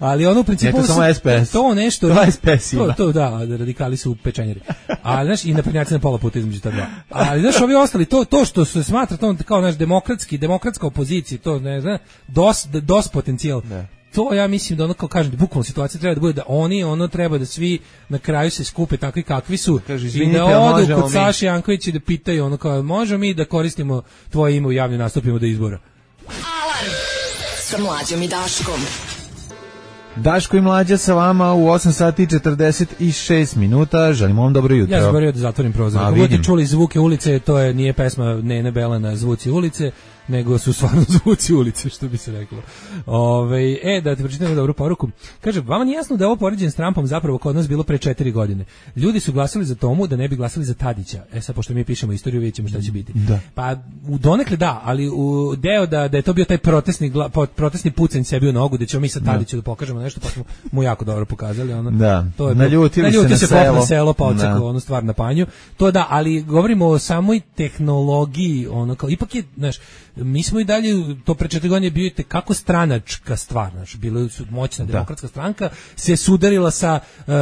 Ali ono u principu ne, to, samo S P S. To nešto to, S P S to, to da, radikali su pečenjeri. Ali znaš i naprednjaci na pola puta između ta dva. Ali znaš ovi ostali to to što se smatra to kao naš demokratski demokratska opozicija, to ne znam, dos dos potencijal. Ne. To ja mislim da ono kao kažem, bukvalno situacija treba da bude da oni ono treba da svi na kraju se skupe takvi kakvi su Kaži, i da odu kod Saše Jankovića da pitaju ono kao možemo mi da koristimo tvoje ime u javnim nastupima do izbora. Alarm sa Mlađom i Daškom. Daško i Mlađa sa vama u osam sati i četrdeset šest minuta. Želimo vam dobro jutro. Ja zaboravio da zatvorim prozor. Ako budete čuli zvuke ulice, to je nije pesma Nene Belana Zvuci ulice, nego su stvarno zvuci ulice, što bi se reklo. Ove, e, da te pročitam dobru poruku. Kaže, vama nije jasno da je ovo poređenje s Trumpom zapravo kod nas bilo pre četiri godine. Ljudi su glasali za Tomu da ne bi glasali za Tadića. E sad, pošto mi pišemo istoriju, vidjet ćemo šta će biti. Da. Pa, u donekle da, ali u deo da, da je to bio taj protestni, protestni pucanj sebi u nogu, da ćemo mi sa Tadiću da, da pokažemo nešto, pa smo mu jako dobro pokazali. Ono, da, to je, naljutili, naljutili se, se na selo. Na selo pa odsekao onu stvar na panju. To da, ali govorimo o samoj tehnologiji, ono kao, ipak je, znaš, mi smo i dalje, to pre četiri godine bio je kako stranačka stvar, znaš, bila su moćna da. demokratska stranka, se sudarila sa uh,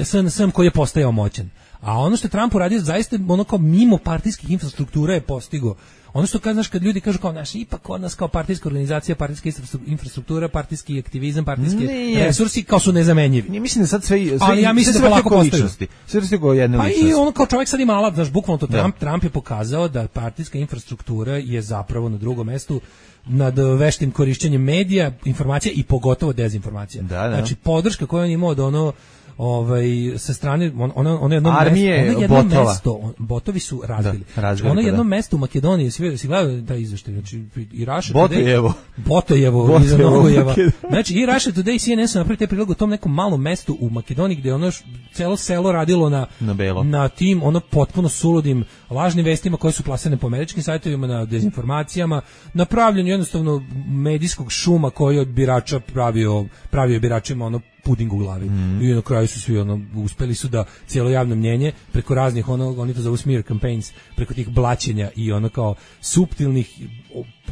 S N S-om koji je postajao moćan. A ono što je Trump uradio, zaista ono kao mimo partijskih infrastruktura je postigo. Ono što kad, znaš, kad ljudi kažu kao naš, ipak kod nas kao partijska organizacija, partijska infrastruktura, partijski aktivizam, partijski Nije. resursi kao su nezamenjivi. Ne mislim da sad sve, sve ali ja mislim sve da polako postaju. Sve sve kao jedne pa ličnosti. I ono kao čovjek sad ima alat, znaš, bukvalno to Trump, da. Trump je pokazao da partijska infrastruktura je zapravo na drugom mestu nad veštim korišćenjem medija, informacija i pogotovo dezinformacija. Da, da. Znači podrška koju on imao od ono ovaj sa strane on ono ono jedno Armije, mesto, ono jedno botova. mesto, on, botovi su razbili. Da, razbili ono jedno da. mesto u Makedoniji, svi si gledao taj izveštaj, znači i Russia Botojevo. Botojevo, Botojevo iza Novojeva. Znači i Russia Today i C N N su napravili taj prilog o tom nekom malom mestu u Makedoniji gdje ono celo selo radilo na na, belo. na tim ono potpuno suludim lažnim vestima koje su plasirane po američkim sajtovima, na dezinformacijama, na pravljenju jednostavno medijskog šuma koji od birača pravio pravio biračima ono puding u glavi. Mm. I na kraju su svi ono uspeli su da cijelo javno mnjenje preko raznih ono oni to zovu smear campaigns, preko tih blaćenja i ono kao suptilnih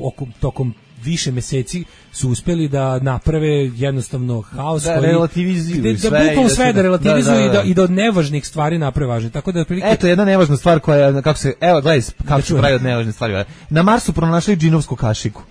okom, tokom više meseci su uspeli da naprave jednostavno haos da, koji relativizuju da, sve, da bukvalno sve da relativizuju da, da, da. I, da, i da od nevažnih stvari naprave važne. Tako da prilike... Eto jedna nevažna stvar koja kako se evo gledaj kako se pravi od nevažne stvari. Na Marsu pronašli džinovsku kašiku.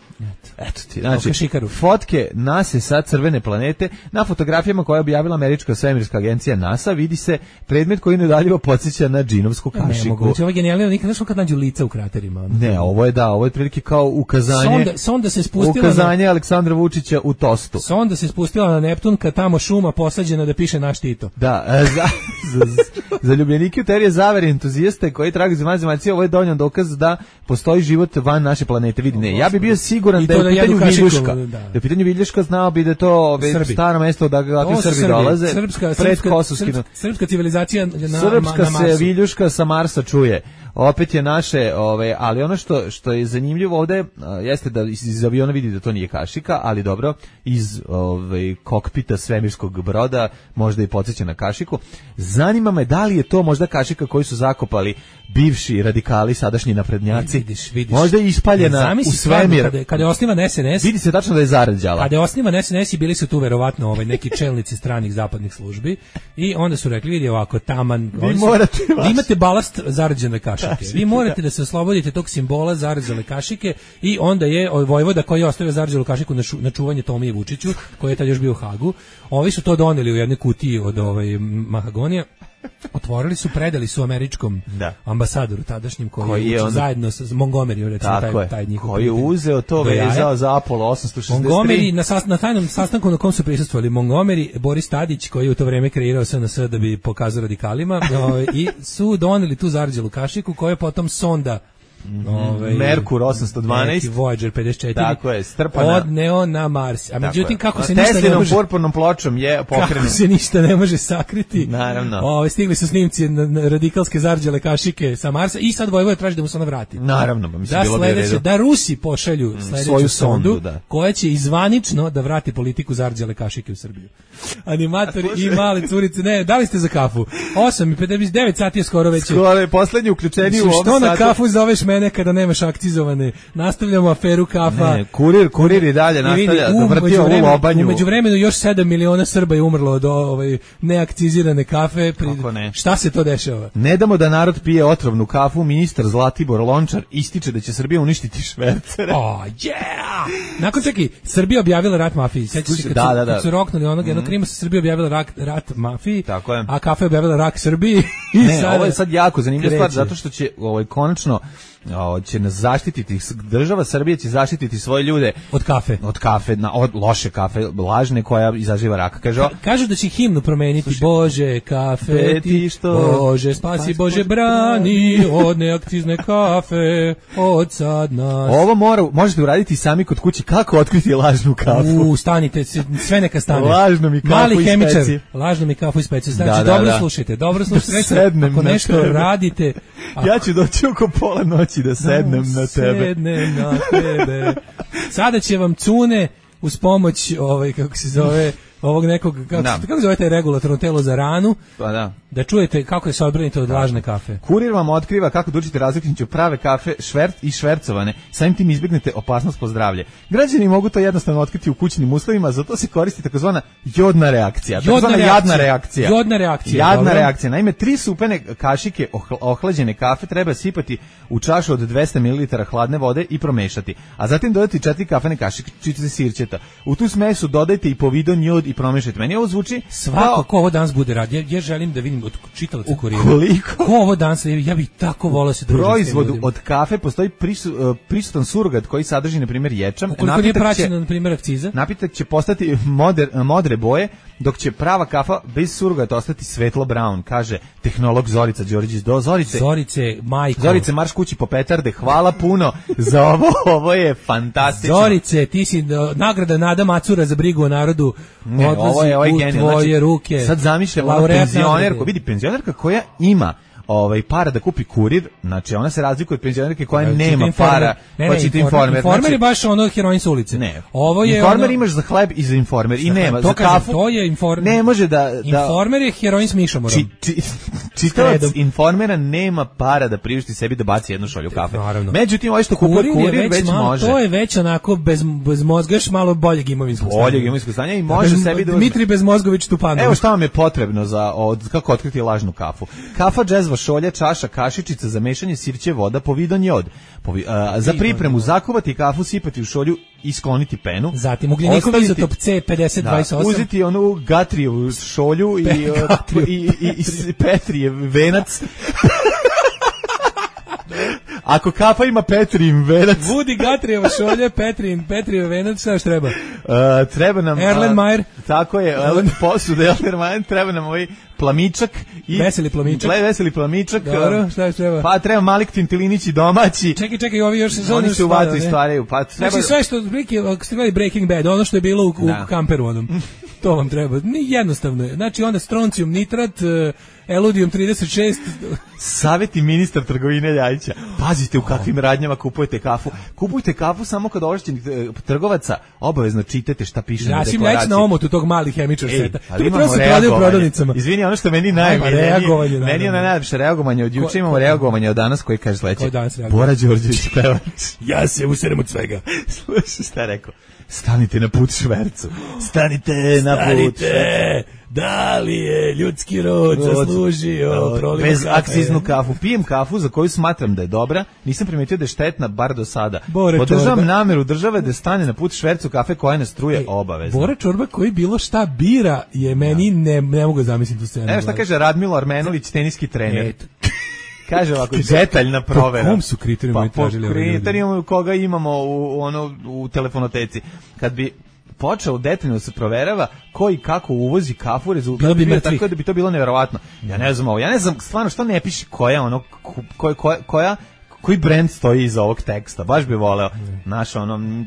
Eto ti, znači, fotke NASA sa crvene planete, na fotografijama koje je objavila američka svemirska agencija NASA vidi se predmet koji nedaljivo podsjeća na džinovsku kašiku. Ne mogu, ovo je genijalno, nikad znaš kad nađu lica u kraterima. Ono. Ne, ovo je da, ovo je prilike kao ukazanje, sonda, sonda se spustila ukazanje na, Aleksandra Vučića u tostu. Sonda se spustila na Neptun kad tamo šuma posađena da piše naš Tito. Da, za, za, za, za ljubljenike u teorije zavere entuzijaste koji tragaju za zemaljci, ovo je dovoljan dokaz da postoji život van naše planete. Vidi, ne, ja bi bio siguran da je u pitanju Viljuška. Da je u pitanju Viljuška, znao bi da je to staro mesto da kakvi Srbi, Srbi dolaze. Srpska, pred srpska, srpska, srpska civilizacija na, srpska na Marsu. Se Viljuška sa Marsa čuje. Opet je naše, ove, ali ono što što je zanimljivo ovde jeste da iz, iz aviona vidi da to nije kašika, ali dobro, iz ove, kokpita svemirskog broda možda i podsjeća na kašiku. Zanima me da li je to možda kašika koju su zakopali bivši radikali, sadašnji naprednjaci. Vidiš, vidiš. Možda je ispaljena u svemir. Kada, kada je osnivan S N S, vidi se tačno da je zarađala. Kada je osnivan S N S i bili su tu verovatno ovaj, neki čelnici stranih zapadnih službi i onda su rekli, vidi ovako, taman, vi, morate su, vi imate balast zarađene kašike. kašike. Vi morate da se oslobodite tog simbola zarađene kašike i onda je vojvoda koji je ostavio zarađenu kašiku na, šu, na čuvanje Tomije Vučiću, koji je tad još bio u Hagu. Ovi su to doneli u jednoj kutiji od ovaj, mahagonija. Otvorili su, predali su američkom da. ambasadoru tadašnjim koji, koji je on... zajedno sa Montgomeryom, recimo, taj, taj njihov koji je uzeo to vezao za Apollo osamsto šezdeset tri. Montgomery na, sas, na tajnom sastanku na kom su prisustvovali Montgomery, Boris Tadić koji je u to vreme kreirao S N S da bi pokazao radikalima i su doneli tu zarađelu kašiku koja je potom sonda Ove, Merkur osamsto dvanaest, Voyager pedeset četiri, tako je, strpana, odneo na Mars. A međutim kako se ništa ne može, purpurnom pločom je pokrenuo. Kako se ništa ne može sakriti. Naravno. Ove, stigli su snimci na, na radikalske zarđale kašike sa Marsa i sad Vojvoda traži da mu se ona vrati. Naravno, pa mislim da bilo sledeće, bi da Rusi pošalju sledeću svoju sondu, sondu da. koja će izvanično da vrati politiku zarđale kašike u Srbiju. Animatori i male curice, ne, da li ste za kafu? osam i pedeset devet sati je skoro već. Skoro je poslednji uključeni u ovom satu. Što na kafu zoveš mene kada nemaš akcizovane? Nastavljamo aferu kafa. Ne, kurir, kurir i dalje nastavlja da vrti ovu lobanju. U međuvremenu još sedam miliona Srba je umrlo od ovaj neakcizirane kafe. Pri... Ne? Šta se to dešava? Ne damo da narod pije otrovnu kafu. Ministar Zlatibor Lončar ističe da će Srbija uništiti švercere. Oh, yeah! Nakon čeki, Srbija objavila rat mafiji. Sećaš se kad, da, su, da, da. kad su roknuli onog mm. jednog krima, Srbija objavila rat, rat mafiji, tako je. A kafa je objavila rak Srbiji. I ne, sada ovo je sad jako zanimljiva stvar, zato što će ovaj, konačno O, će nas zaštititi, država Srbije će zaštititi svoje ljude od kafe, od kafe, na, od loše kafe, lažne koja izaziva rak. Kaže, Ka, kažu da će himnu promeniti. Sluši, Bože, kafe ti, što, Bože, spasi, spasi Bože, brani od neakcizne kafe, od sad nas. Ovo mora, možete uraditi sami kod kuće, kako otkriti lažnu kafu. U, stanite, sve neka stane. Lažno mi kafu Mali iz hemičar, speci. Lažno mi kafu iz speci. Znači, da, da, dobro da. slušajte, dobro slušajte. Sednem ako nešto tebe. radite. Ako... Ja ću doći oko pola noći da sednem da, na tebe. Sednem na tebe. Sada će vam cune uz pomoć, ovaj, kako se zove, ovog nekog, kako, da. kako zove taj regulatorno telo za ranu, pa da. Da čujete kako je se odbranite od lažne kafe. Kurir vam otkriva kako da učite razliku između prave kafe, švert i švercovane, samim tim izbjegnete opasnost po zdravlje. Građani mogu to jednostavno otkriti u kućnim uslovima, zato se koristi takozvana jodna reakcija. Jodna reakcija. Jadna reakcija. Jodna reakcija. Jadna dobro. reakcija. Naime, tri supene kašike ohlađene kafe treba sipati u čašu od dvesta mililitara hladne vode i promešati, a zatim dodati četiri kafene kašičice sirćeta. U tu smesu dodajte i povidon jod i promešajte. Meni ovo zvuči svako ko ovo danas bude radi. Ja, ja želim da vidim od čitalaca Kurira. Koliko? Ko ovo danas, ja bih tako volao se družiti. Proizvodu od kafe postoji prisu, prisutan surogat koji sadrži, na primjer, ječam. Ukoliko nije praćena, na primjer, akciza. Napitak će postati moder, modre boje, dok će prava kafa bez surogata ostati svetlo brown, kaže tehnolog Zorica Đorđić. Do Zorice. Zorice, majko. Zorice, marš kući po petarde. Hvala puno za ovo. Ovo je fantastično. Zorice, ti si do, nagrada Nada Macura za brigu o narodu. Ne, ovo je, ovo je genijal. Tvoje znači, ruke. Sad zamišljam ono penzionerku. Vidi, penzionerka koja ima ovaj para da kupi kurir, znači ona se razlikuje od penzionerke koja ne, nema para, ne, ne, čita Informer. Informer. Informer znači, je baš ono heroin s ulice. Ne. Ovo je Informer ono... imaš za hleb i za Informer i nema to za kafu. To je Informer. Ne može da, da Informer je heroin s mišomorom. Či, či, čitalac Informera nema para da priušti sebi da baci jednu šolju kafe. Naravno. Međutim, ovo što kupuje Kurir već, već malo, može. To je već onako bez, bez mozga, još malo boljeg imovinskog stanja. Boljeg imovinskog stanja i može Bez, sebi da... Dmitri Bezmozgović Tupanov. Evo šta vam je potrebno za od, kako otkriti lažnu kafu. Kafa, džezva, šolja, čaša, kašičica za mešanje, sirće, voda, povidon jod. Povi, a, za pripremu zakuvati kafu, sipati u šolju i skloniti penu. Zatim ugljenikov izotop C pedeset dvadeset osam. Da, uzeti onu Gatrijevu šolju i, Pe, i, i, i, i Petrijev venac. Ako kafa ima Petrijin venac. Vudi Gatrijeva šolja, Petrijin, Petrijev venac, šta još treba? Uh, treba nam... Erlenmeyer. Uh, tako je, Erlen posude, Erlenmeyer, treba nam ovaj plamičak. I, veseli plamičak. Veseli plamičak. Dobro, šta još treba? Pa treba Malik Tintilinić i domaći. Čekaj, čekaj, ovi još... Oni se u vatru istvaraju. Pa treba... Znači sve što, ako ste gledali Breaking Bad, ono što je bilo u, u kamperu onom, to vam treba. Jednostavno je. Znači onda stroncijum nitrat, eludijum trideset šest. Savjeti ministar trgovine Ljajića. Pazite u kakvim radnjama kupujete kafu. Kupujte kafu samo kod ovlašćenih trgovaca. Obavezno čitajte šta piše na deklaraciji. Ja sam Ljajić na omotu tog malih hemičar seta. Ali imamo reagovanje. Izvini, ono što meni najbolje. Reagovanje. Meni je ono najlepše reagovanje. Od juče imamo reagovanje od danas koji kaže sledeće. Bora Đorđević pevač. Ja se userem od svega. Slušaj šta je rekao. Stanite na put švercu. Stanite na put. Stanite. Da li je ljudski rod zaslužio proliv bez akciznu kafu? Pijem kafu za koju smatram da je dobra, nisam primetio da je štetna bar do sada. Bore Podržavam čorba. nameru države da stane na put švercu kafe koja ne struje obavezno. Bora Čorba koji bilo šta bira je meni, ne, ne mogu zamisliti tu scenu. Evo šta kaže Radmilo Armenović, teniski trener. Eto. Kaže ovako, detaljna provera. Po kom su kriterijuma pa, tražili po kriterijuma koga imamo u, ono, u telefonoteci. Kad bi počeo detaljno se proverava ko i kako uvozi kafu, rezultat bi bio tako da bi to bilo neverovatno. Ja ne znam ovo, ja ne znam stvarno što ne piše koja ono, koja, koja, koja koji brend stoji iza ovog teksta, baš bi voleo. Naš ono,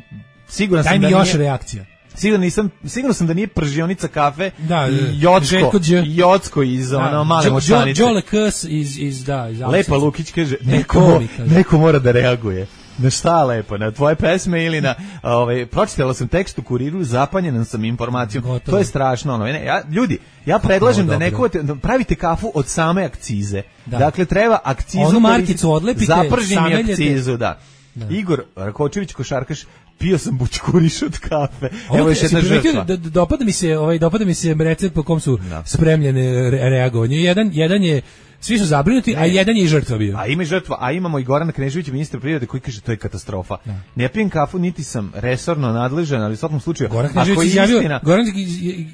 siguran sam da nije... Daj mi još nije, reakcija. Sigurno nisam, sigurno sam da nije pržionica kafe da, i Jocko, Jocko iz ono male močanice. Đole Kus iz, iz, da, iz Lepa Lukić kaže, neko, neko mora da reaguje. Na šta lepo, na tvoje pesme ili na, ovaj, pročitala sam tekst u Kuriru, zapanjena sam informacijom. Gotovo. To je strašno, ono. Ja, ljudi, ja predlažem da neko da pravite kafu od same akcize. Da. Dakle, treba akcizu, onu markicu odlepite, zapržim i akcizu, da. Da. Igor Rakočević, košarkaš, pio sam bućkuriš od kafe. Evo još jedna žrtva. Da, dopada mi se, ovaj dopada mi se recept po kom su da. spremljene re, reagovanje. Jedan jedan je svi su zabrinuti, ne. a jedan je i žrtva bio. A ima žrtva, a imamo i Gorana Kneževića, ministra privrede, koji kaže to je katastrofa. Da. Ne pijem kafu, niti sam resorno nadležan, ali u svakom slučaju, Goran Knežević izjavio, istina... Goran,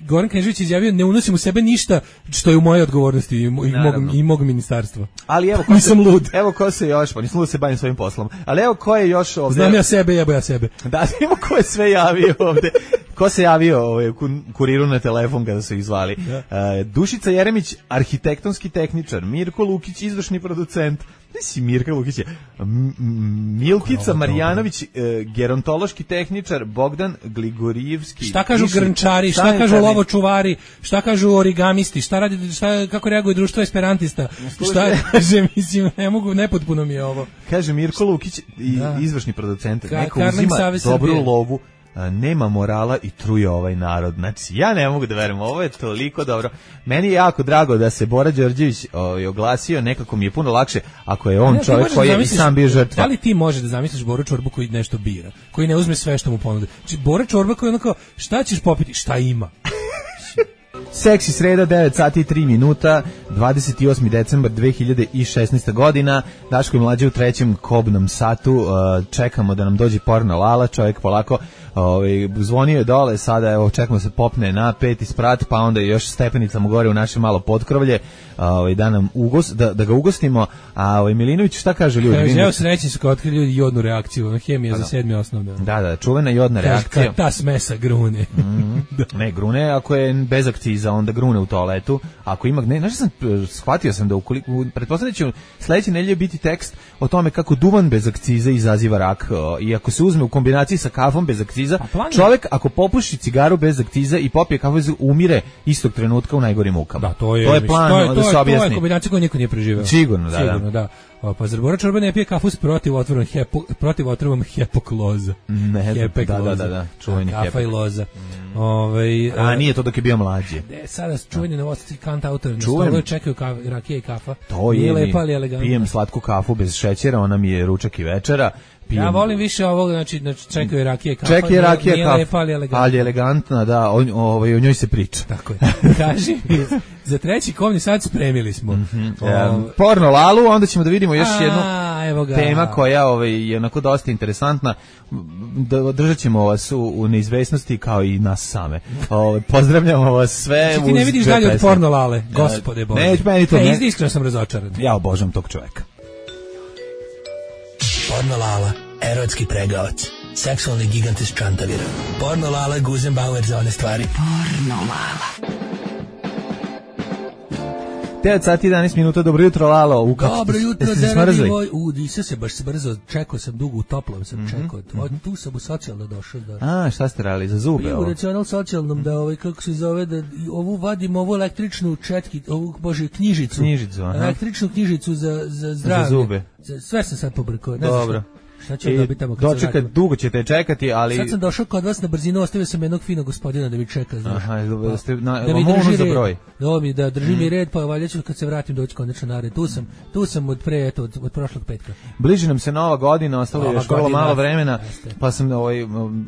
Goran Knežević izjavio, ne unosim u sebe ništa što je u mojoj odgovornosti i, i, mog, i mog ministarstva. Ali evo, ko nisam se, lud. Evo ko se još, pa nisam lud da se bavim svojim poslom, ali evo ko je još ovde... Znam ja sebe, jebo ja sebe. Da, imamo ko je sve javio ovde. Ko se javio ovaj, Kuriru na telefon kada su ih zvali? Ja. Uh, Dušica Jeremić, arhitektonski tehničar, Mirko Lukić, izvršni producent, ne si Mirka Lukić je, Milkica Marjanović, uh, gerontološki tehničar, Bogdan Gligorijevski. Šta kažu grnčari, šta, šta kažu lovočuvari, šta kažu origamisti, šta radi, šta, kako reaguje društvo esperantista, šta kaže, mislim, ne mogu, nepotpuno mi je ovo. Kaže Mirko Lukić, da. izvršni producent, Ka, neko uzima dobru lovu, nema morala i truje ovaj narod. Znači, ja ne mogu da verujem, ovo je toliko dobro. Meni je jako drago da se Bora Đorđević ovaj, oglasio, nekako mi je puno lakše ako je on ne, čovjek koji je i sam bio žrtva. Da li ti možeš da zamisliš Boru Čorbu koji nešto bira, koji ne uzme sve što mu ponude? Znači, Bora Čorba koji je onako, šta ćeš popiti? Šta ima? Seksi sreda, devet sati i tri minuta, dvadeset osmi decembar dve hiljade šesnaeste godina. Daško i Mlađe u trećem kobnom satu. Čekamo da nam dođe porno Lala, čovjek polako ovaj, zvonio je dole, sada evo, čekamo se popne na peti sprat, pa onda još stepenicama gore u naše malo potkrovlje, ovaj, da nam ugos, da, da ga ugostimo. A ovaj, Milinović, šta kaže ljudi? Kaže, evo srećni su kao otkrili ljudi jodnu reakciju, hemija da, za sedmi osnovne. Da, da, čuvena jodna kaže, reakcija. Ta smesa grune. Mm-hmm. Ne, grune ako je bez akciza, onda grune u toaletu. Ako ima, ne, znaš sam, shvatio sam da ukoliko, pretpostavljam da će sledeće nedelje biti tekst o tome kako duvan bez akciza izaziva rak. I ako se uzme u kombinaciji sa kafom bez akciza, čovjek ako popuši cigaru bez akciza i popije kafu, umire istog trenutka u najgorim mukama. Da, to je, to je plan, to je, to se objasni. To je kombinacija koju niko nije preživeo. Sigurno, da. Sigurno, da. O, pa zar Bora Čorba ne pije kafu s protivotrovom hepo, protivotrovom hepokloza? Ne, Hepekloza. da, da, da, čuveni kafa hepek. i loza. Mm. Ove, a nije to dok je bio mlađi. Ne, sada čuveni novosti kant autor na Čujem. stolu čekaju kafa, rakija i kafa. To je, nije lepa, ali elegantna. Pijem slatku kafu bez šećera, ona mi je ručak i večera. Pijem. Ja volim više ovog, znači, znači čekaju rakije i kafa. Čekaj rakija i kafa. Nije lepa, ali elegantna. Ali elegantna, da, o, ovaj, o njoj se priča. Tako je. Kaži, za treći komni sad spremili smo. Mm-hmm. Um, porno Lalu, onda ćemo da vidimo još A, jednu evo ga. tema koja ovaj, je onako dosta interesantna. Držat ćemo vas u, u neizvesnosti kao i nas same. Ovaj, pozdravljamo vas sve. Znači ti ne vidiš dalje od porno Lale, gospode Bože. Ne, meni to ne. Ne, iskreno sam razočaran. Ja obožavam tog čoveka. Porno Lala, erotski pregavac, seksualni gigant iz Čantavira. Porno Lala, Guzenbauer za one stvari. Porno Lala. devet sati i jedanaest minuta, dobro jutro Lalo. U, Dobro jutro, zeradi moj. U, nisam se baš brzo, čekao sam dugo u toplom, sam mm-hmm. čekao. Mm-hmm. Tu sam u socijalno došao. Da. A, šta ste radili, za zube? U racional socijalnom, da ovaj, kako se zove, da ovu vadim, ovu električnu četki, ovu, bože, knjižicu. Knjižicu, aha. Električnu knjižicu za, za zdravlje. Za zube. Za, sve sam sad pobrkao. Ne dobro. Šta ću dobiti tamo kad se dočekat, dugo ćete čekati, ali... Sad sam došao kod vas na brzinu, ostavio sam jednog finog gospodina da mi čeka, znaš. Aha, da, ste, na, da mi drži za broj. red. Da, mi, da drži mm. mi red, pa valjda ću kad se vratim doći konačno na red. Tu sam, tu sam od pre, eto, od, od prošlog petka. Bliži nam se nova godina, ostalo je još vrlo malo vremena, jeste. Pa sam ovaj,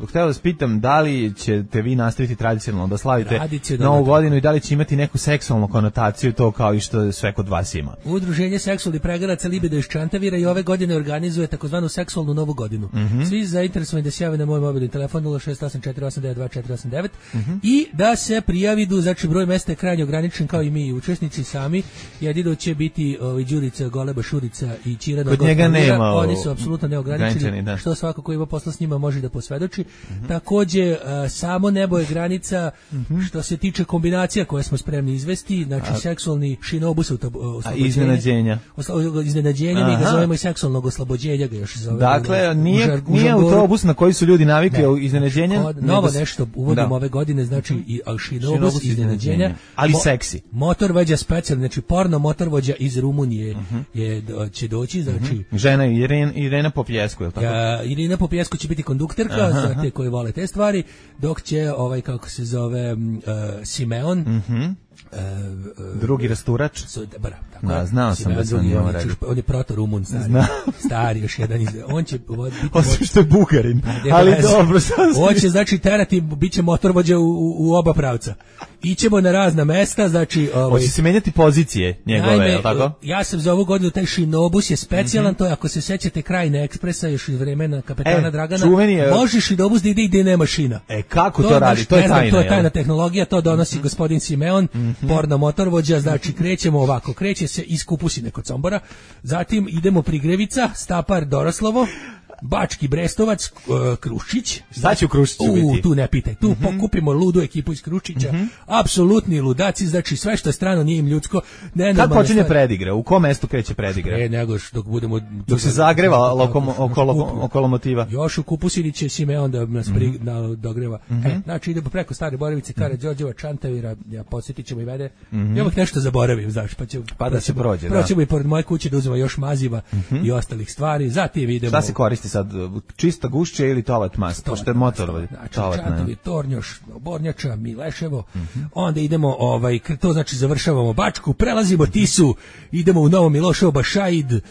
htio da spitam da li ćete vi nastaviti tradicionalno da slavite novu godinu i da li će imati neku seksualnu konotaciju, to kao i što sve kod vas ima. Udruženje seksualnih pregaraca Libido iz Čantavira i ove godine organizuje takozvanu seksualnu novu godinu. Mm-hmm. Svi zainteresovani da se jave na moj mobilni telefon nula šest osam četiri osam devet dva četiri osam devet mm-hmm. i da se prijavi, znači broj mesta je krajnje ograničen kao i mi učesnici sami. Jedino će biti ovaj Đurica, Goleba, Šurica i Ćira Kod njega nema. Oni su apsolutno neograničeni, da. Što svako ko ima posla s njima može da posvedoči. Mm-hmm. Takođe, uh, samo nebo je granica mm-hmm. što se tiče kombinacija koje smo spremni izvesti, znači a, seksualni šinobus oslobođenja. Iznenađenja. Oslo, iznenađenja, mi ga zovemo i seksualnog oslobođenja, ga još zovemo. Dakle, nije, užar, nije autobus na koji su ljudi navikli ne, iznenađenja. Kod, novo nešto uvodimo da. ove godine, znači i šinobus iznenađenja. Ali Mo, seksi. Motorvođa specijalni, znači porno motorvođa iz Rumunije uh-huh. je, će doći, znači... Uh-huh. Žena Irena, Irena Popjesku, je li tako? Ja, Irena Popjesku će biti kondukterka uh-huh. za te koji vole te stvari, dok će ovaj, kako se zove, uh, Simeon... Uh-huh. Uh, uh, drugi rasturač. So, bra, tako da, znao sam da sam njemu rekao. On je proto-Rumun, stari. Stari, još jedan. On će biti... Osim što je Bugarin, ali dobro. On će, znači, terati, bit će motorvođa u, u, u oba pravca. Ićemo na razna mesta, znači... Ovaj, hoće se menjati pozicije njegove, najme, je tako? Ja sam za ovu godinu, taj šinobus je specijalan, mm-hmm. to je, ako se sećate Krajine ekspresa, još iz vremena kapetana e, Dragana, je... može šinobus da ide gde nema šina. E, kako to, to radi? To je tajna, znam, to je tajna tehnologija, to donosi mm-hmm. gospodin Simeon, mm-hmm. porno motorvođa, znači krećemo ovako, kreće se iz Kupusine kod Sombora, zatim idemo Prigrevica, Stapar, Doroslovo, Bački Brestovac, uh, Krušić. Šta će u Krušiću biti? U, tu ne pitaj. Tu mm-hmm. pokupimo ludu ekipu iz Krušića. Mm-hmm. Apsolutni ludaci, znači sve što je strano nije im ljudsko. Ne, kad počinje predigra? U kom mestu kreće predigra? E, nego dok budemo... Dok se zagreva lokomo, okolo, okolo motiva. Još u Kupusini će Simeon da nas pri, mm-hmm. na, dogreva. Mm-hmm. E, znači idemo preko Stare Borovice, Kara Đorđeva, Čantavira, ja podsjetit ćemo i vede. Mm-hmm. Ja uvijek nešto zaboravim, znaš, pa, će, pa da se prođe. Proćemo i pored moje kuće da uzmemo još maziva mm-hmm. i ostalih stvari. Zatim idemo... Šta se koristi sad? Čista gušća ili toalet mast, pošto je motor. Znači, Čantovi, Tornjoš, Bornjača, Mileševo, mm-hmm. onda idemo, ovaj, to znači završavamo Bačku, prelazimo Tisu, idemo u Novo Miloševo, Bašaid, uh,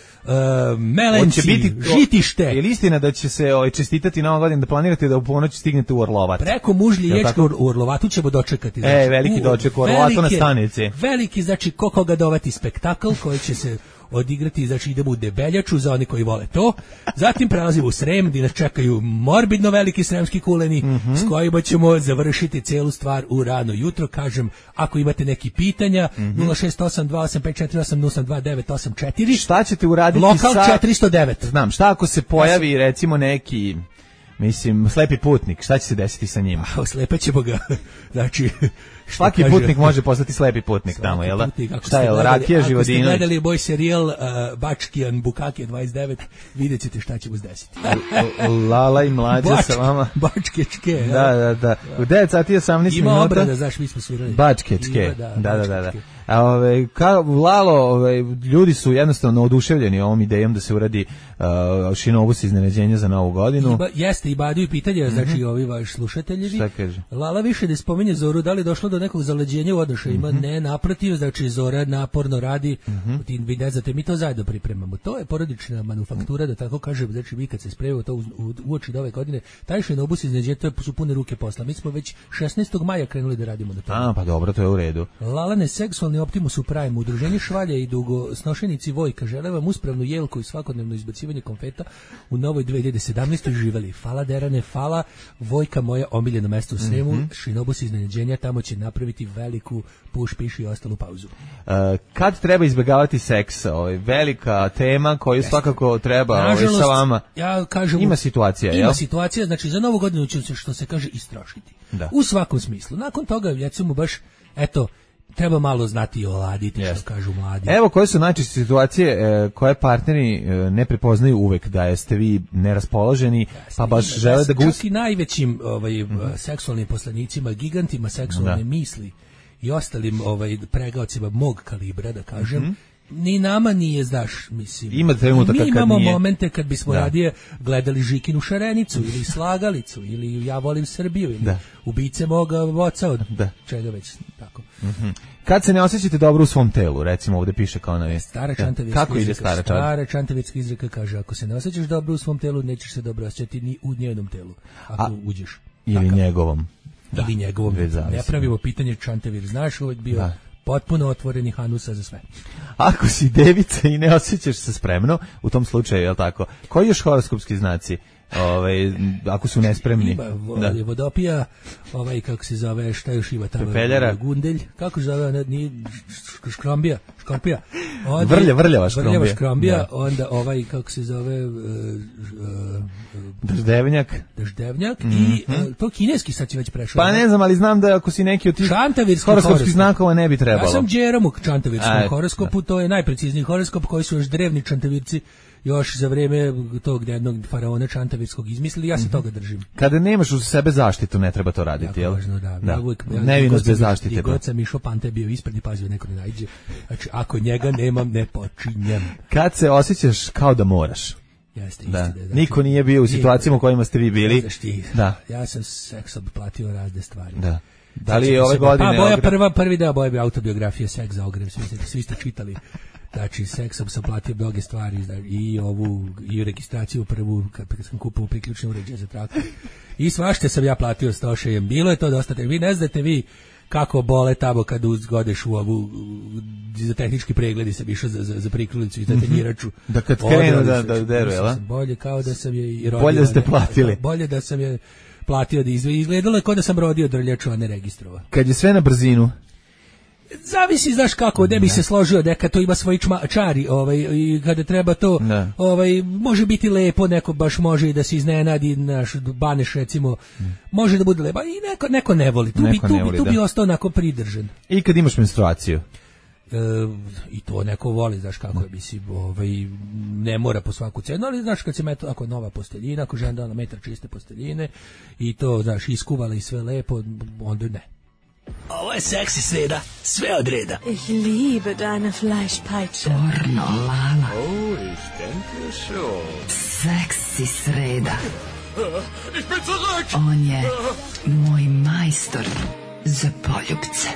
Melenci, biti to, Žitište. Je li istina da će se ovaj, čestitati Nova godina, da planirate da u ponoć stignete u Orlovat? Preko Mužlje Ječke u Orlovatu ćemo dočekati. Znači, e, veliki doček u Orlovatu na stanici. Veliki, znači, ko koga dovati spektakl koji će se odigrati, znači idemo u Debeljaču za oni koji vole to, zatim prelazimo u Srem gdje nas čekaju morbidno veliki sremski kuleni mm-hmm. s kojima ćemo završiti celu stvar u rano jutro. Kažem, ako imate neki pitanja mm-hmm. nula šest osam dva osam pet četiri osam osam dva devet osam četiri. Šta ćete uraditi lokal sa... četiristo devet. Znam, šta ako se pojavi ja recimo neki... Mislim, slepi putnik, šta će se desiti sa njim? Oslepećemo ga, znači, Svaki putnik može postati slepi putnik tamo, jel da? Šta je, Rakija Živodinović? Ako ste gledali moj serijal uh, Bačkijan Bukake dvadeset devet, vidjet ćete šta će mu zdesiti. Lala i mlađa sa vama. Bačkečke. Da, da, da. U devet sati i osamnaest minuta. Ima obrada, znaš, mi smo svirali. Bačkečke. Da, da, da, da. A ove, ka, Lalo, ove, ljudi su jednostavno oduševljeni ovom idejom da se uradi uh, šinobus iznenađenja za novu godinu. Iba, jeste, i badaju pitanje, mm-hmm. znači ovi vaši slušatelji. Šta kaže? Lala više ne spominje Zoru, da li je došlo do nekog zaleđenja u odnošajima? Mm-hmm. Ne, naprotiv, znači Zora naporno radi, mm-hmm. vi ne znate, mi to zajedno pripremamo. To je porodična manufaktura, da tako kažem, znači vi kad se spremimo to u, u, uoči ove godine, taj šinobus iznenađenja, to su pune ruke posla. Mi smo već šesnaestog maja krenuli da radimo na tome. A, pa dobro, to je u redu. Lalane seksualni Optimus u Prime, udruženje Švalje i dugosnošenici Vojka žele vam uspravnu jelku i svakodnevno izbacivanje konfeta u novoj dve hiljade sedamnaestoj živeli. Fala Derane, fala Vojka, moja omiljeno mesto u Sremu, mm-hmm. šinobus iznenađenja, tamo će napraviti veliku puš, piš i ostalu pauzu. Uh, kad treba izbjegavati seks? Ovaj, velika tema koju Jeste. svakako treba Nažalost, ovaj, sa vama. Ja kažem, ima situacija, Ima jel? situacija, znači za novu godinu će se, što se kaže, istrošiti. Da. U svakom smislu. Nakon toga, recimo baš, eto, treba malo znati i oladiti, yes. što kažu mladi. Evo koje su najčešće situacije e, koje partneri e, ne prepoznaju uvek, da jeste vi neraspoloženi, yes, pa baš žele da gus... Čak i najvećim ovaj, mm-hmm. seksualnim poslanicima, gigantima seksualne da. misli i ostalim ovaj, pregaocima mog kalibra, da kažem, mm-hmm. ni nama nije, znaš, mislim. Ima trenutak kad mi imamo nije. momente kad bismo da. radije gledali Žikinu šarenicu ili Slagalicu ili Ja volim Srbiju ili da. Ubice moga oca od da. čega već tako. Mm-hmm. Kad se ne osjećate dobro u svom telu, recimo ovde piše kao na Stara čantavirska Kako ide stara čantavirska? Stara čantavirska izreka kaže, ako se ne osjećaš dobro u svom telu, nećeš se dobro osjećati ni u njenom telu, ako A, uđeš. Ili Takav. njegovom. Da. Ili njegovom. Ne pravimo pitanje čantavir, znaš, uvijek bio da. potpuno otvoreni hanusa za sve. Ako si devica i ne osjećaš se spremno, u tom slučaju, je li tako? Koji još horoskopski znaci? Ovaj, ako su nespremni. Ima da. Vodopija, ovaj, kako se zove, šta još ima tamo? Pepeljara. Gundelj, kako se zove, nije, škrombija, škorpija. Onda, vrlja, vrljava škrombija. Vrljava škrombija, da. Onda ovaj, kako se zove, uh, uh, Daždevnjak. Daždevnjak mm-hmm. i uh, to kineski sad će već prešao. Pa ne znam, ali znam da ako si neki od tih horoskopskih znakova ne bi trebalo. Ja sam džerom u čantavirskom horoskopu, da. to je najprecizniji horoskop koji su još drevni čantavirci još za vreme tog jednog faraona čantavirskog izmislili, ja se toga držim. Kada nemaš uz sebe zaštitu, ne treba to raditi, jel? Važno, da. da. Ja uvijek, ja, nevinost bez zaštite. I god sam išao, Panta je bio ispred i pazio, neko ne najđe. Znači, ako njega nemam, ne počinjem. Kad se osjećaš kao da moraš? Jeste, da. Isti, da, znači, niko nije bio u situacijama u kojima ste vi bili. Ti, da. Ja sam seksom platio razne stvari. Da. Da li je ove godine... Pa, boja prva, prvi deo boja bi autobiografija Seks za ogrev, svi, svi ste čitali. Znači, seksom sam platio mnoge stvari, znači, i ovu, i registraciju prvu, kad sam kupao priključne uređaje za traktor. I svašte sam ja platio s tošejem. Bilo je to dosta, vi ne znate vi kako bole tamo kad uzgodeš u ovu, za tehnički pregledi sam išao za, za, za prikrulicu i za tanjiraču. Da kad krenu da, da deru, jel? Bolje kao da sam je i rodio. Bolje ste platili. Da, bolje da sam je platio da izve. Izgledalo je kao da sam rodio drljaču, a ne registrova. Kad je sve na brzinu, zavisi, znaš kako, ne bi se složio, neka to ima svoji čma, čari, ovaj, i kada treba to, ne. ovaj, može biti lepo, neko baš može i da se iznenadi, naš Baneš recimo, ne. može da bude lepo, i neko, neko ne voli, tu, neko bi, tu, ne voli, tu da. bi ostao onako pridržan. I kad imaš menstruaciju? E, I to neko voli, znaš kako je, mislim, ovaj, ne mora po svaku cenu, ali znaš kad se meto, ako nova posteljina, ako žena dala metar čiste posteljine, i to, znaš, iskuvala i sve lepo, onda ne. Ovo je seksi sreda, sve od reda. Ich liebe deine Fleischpeitsche. Pornolala. Oh, ich denke schon. Seksi sreda. Ich bin zurück! On je moj majstor za poljubce.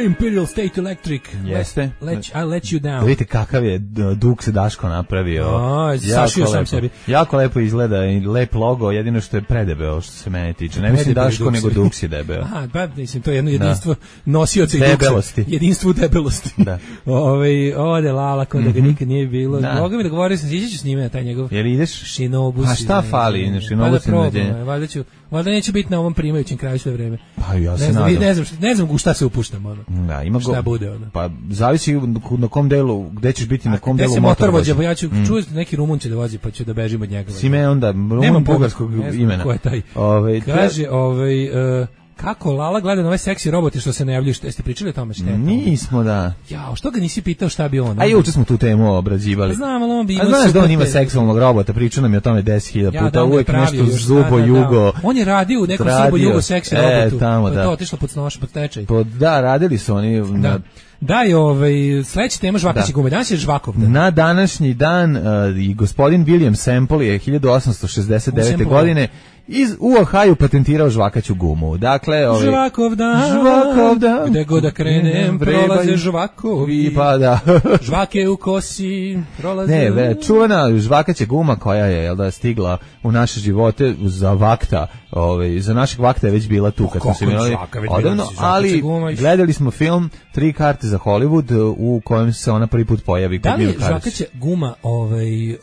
Imperial State Electric. Jeste. Let, I'll let you down. Vidite kakav je duk se Daško napravio. A, sašio sam sebi. Jako lepo izgleda i lep logo, jedino što je predebeo što se mene tiče. Ne mislim Daško, nego duk si debeo. Aha, pa mislim, to je jedno jedinstvo da. nosioca i debelosti. Duksa. Jedinstvo debelosti. Da. Ove, ode Lala, kod da ga nikad nije bilo. Da. Mogu mi da govorio sam, ići ću s njime na taj njegov Jel ideš? Šinobus. A šta fali? Šinobus i nađenje. Valjda ću, valjda neće biti na ovom primajućem kraju sve vreme. Pa ja se ne znam, nadam. Ne znam, ne znam u šta se upuštam, ono. Da, ima šta go, bude ono. Pa zavisi na kom delu, gde ćeš biti, na kom delu motor motorvođa, vođa. ja ću mm. čuti neki Rumun će da vozi, pa ću da bežim od njega. Simeon da, Rumun bugarskog imena. Ko je taj? Ove, Kaže, ovaj... Uh, kako Lala gleda na ovaj seksi roboti što se ne javljaju, jeste pričali o tome šta je? Nismo, da. Jao, što ga nisi pitao šta bi on? A juče smo tu temu obrađivali. Znam, ali on bi imao. A znaš da on ima seksualnog robota, pričao nam je o tome deset hiljada puta, ja, uvek nešto zubo jugo. On je radio u nekom zubo jugo seksi e, robotu. Tamo, da. To je otišlo pod snoš, pod tečaj. Pod, da, radili su oni. Da. Na, Da je ovaj sledeća tema žvakaće gume. Danas je žvakov dan. Na današnji dan uh, i gospodin William Semple je hiljadu osamsto šezdeset devete. godine iz u Ohaju patentirao žvakaću gumu. Dakle, ovaj žvakov dan, žvakov dan, gde god da krenem prolaze žvakovi. Pa da. Žvake u kosi prolaze. Ne, ve, čuvena žvakaća guma koja je jel da stigla u naše živote za vakta, ovaj za našeg vakta je već bila tu kad smo se imali odavno, ali gledali smo film Tri karte za Hollywood u kojem se ona prvi put pojavi kod Bill Cosby. Da li žvakaća guma ovaj uh,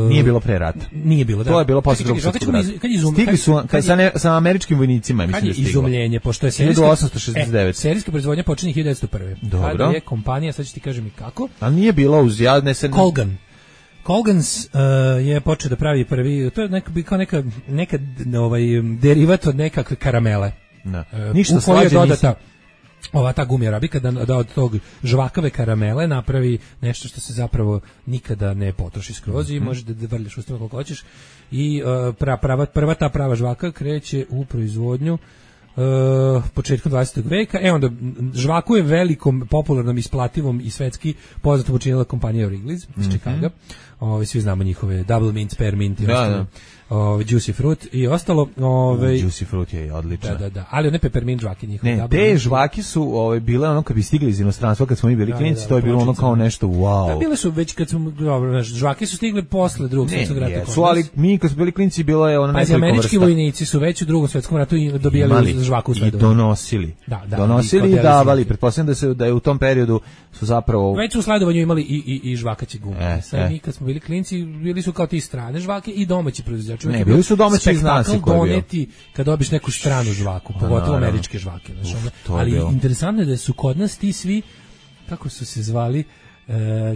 nije bilo pre rata. Nije bilo, da. To je bilo posle Drugog svjetskog rata. Stigli su kad, kad sa, ne, sa američkim vojnicima, mislim da je stiglo. Izumljenje, pošto je serijska, hiljadu osamsto šezdeset devete. E, serijska proizvodnja počinje hiljadu devetsto prve. Dobro. Kada je kompanija, sad ću ti kažem i kako. A nije bilo uz jadne se... Colgan. Colgans uh, je počeo da pravi prvi, to je neka, kao neka, neka ovaj, derivat od nekakve karamele. Da. Uh, Ništa slađe dodata ova ta gumija arabika da, da od tog žvakave karamele napravi nešto što se zapravo nikada ne potroši skroz i mm-hmm. možeš da, da vrljaš ustima koliko hoćeš i uh, pra, prava, prva ta prava žvaka kreće u proizvodnju Uh, početkom dvadesetog veka. E onda žvaku je velikom, popularnom, isplativom i svetski poznatom učinila kompanija Wrigley's iz mm-hmm. Chicaga. Ovi svi znamo njihove Double Mint, Spearmint i da, ostalo. Da. Ove, Juicy Fruit i ostalo. Ove, Juicy Fruit je odlična. Da, da, da. Ali one peppermint žvake njihove. Ne, te žvake su ove, bile ono kad bi stigli iz inostranstva, kad smo mi bili da, klinici, da, to je bilo ono kao nešto wow. Da, bile su već kad smo, dobro, žvake su stigle posle Drugog svjetskog rata. Ne, su, ali mi kad smo bili klinici bilo je ono nekoliko vrsta. Američki vojnici su već u Drugom svjetskom ratu dobijali žvaku u sve i donosili. Da, da, donosili i, i davali. Pretpostavljam da se da je u tom periodu su zapravo već u sledovanju imali i i i žvakaće gume. E, Sad e. mi kad smo bili klinci bili su kao ti strane žvake i domaći proizvođači. Ne, bili su domaći iz nas doneti kad dobiš neku stranu žvaku, pogotovo američke žvake, znači. Ali je interesantno je da su kod nas ti svi kako su se zvali e, e,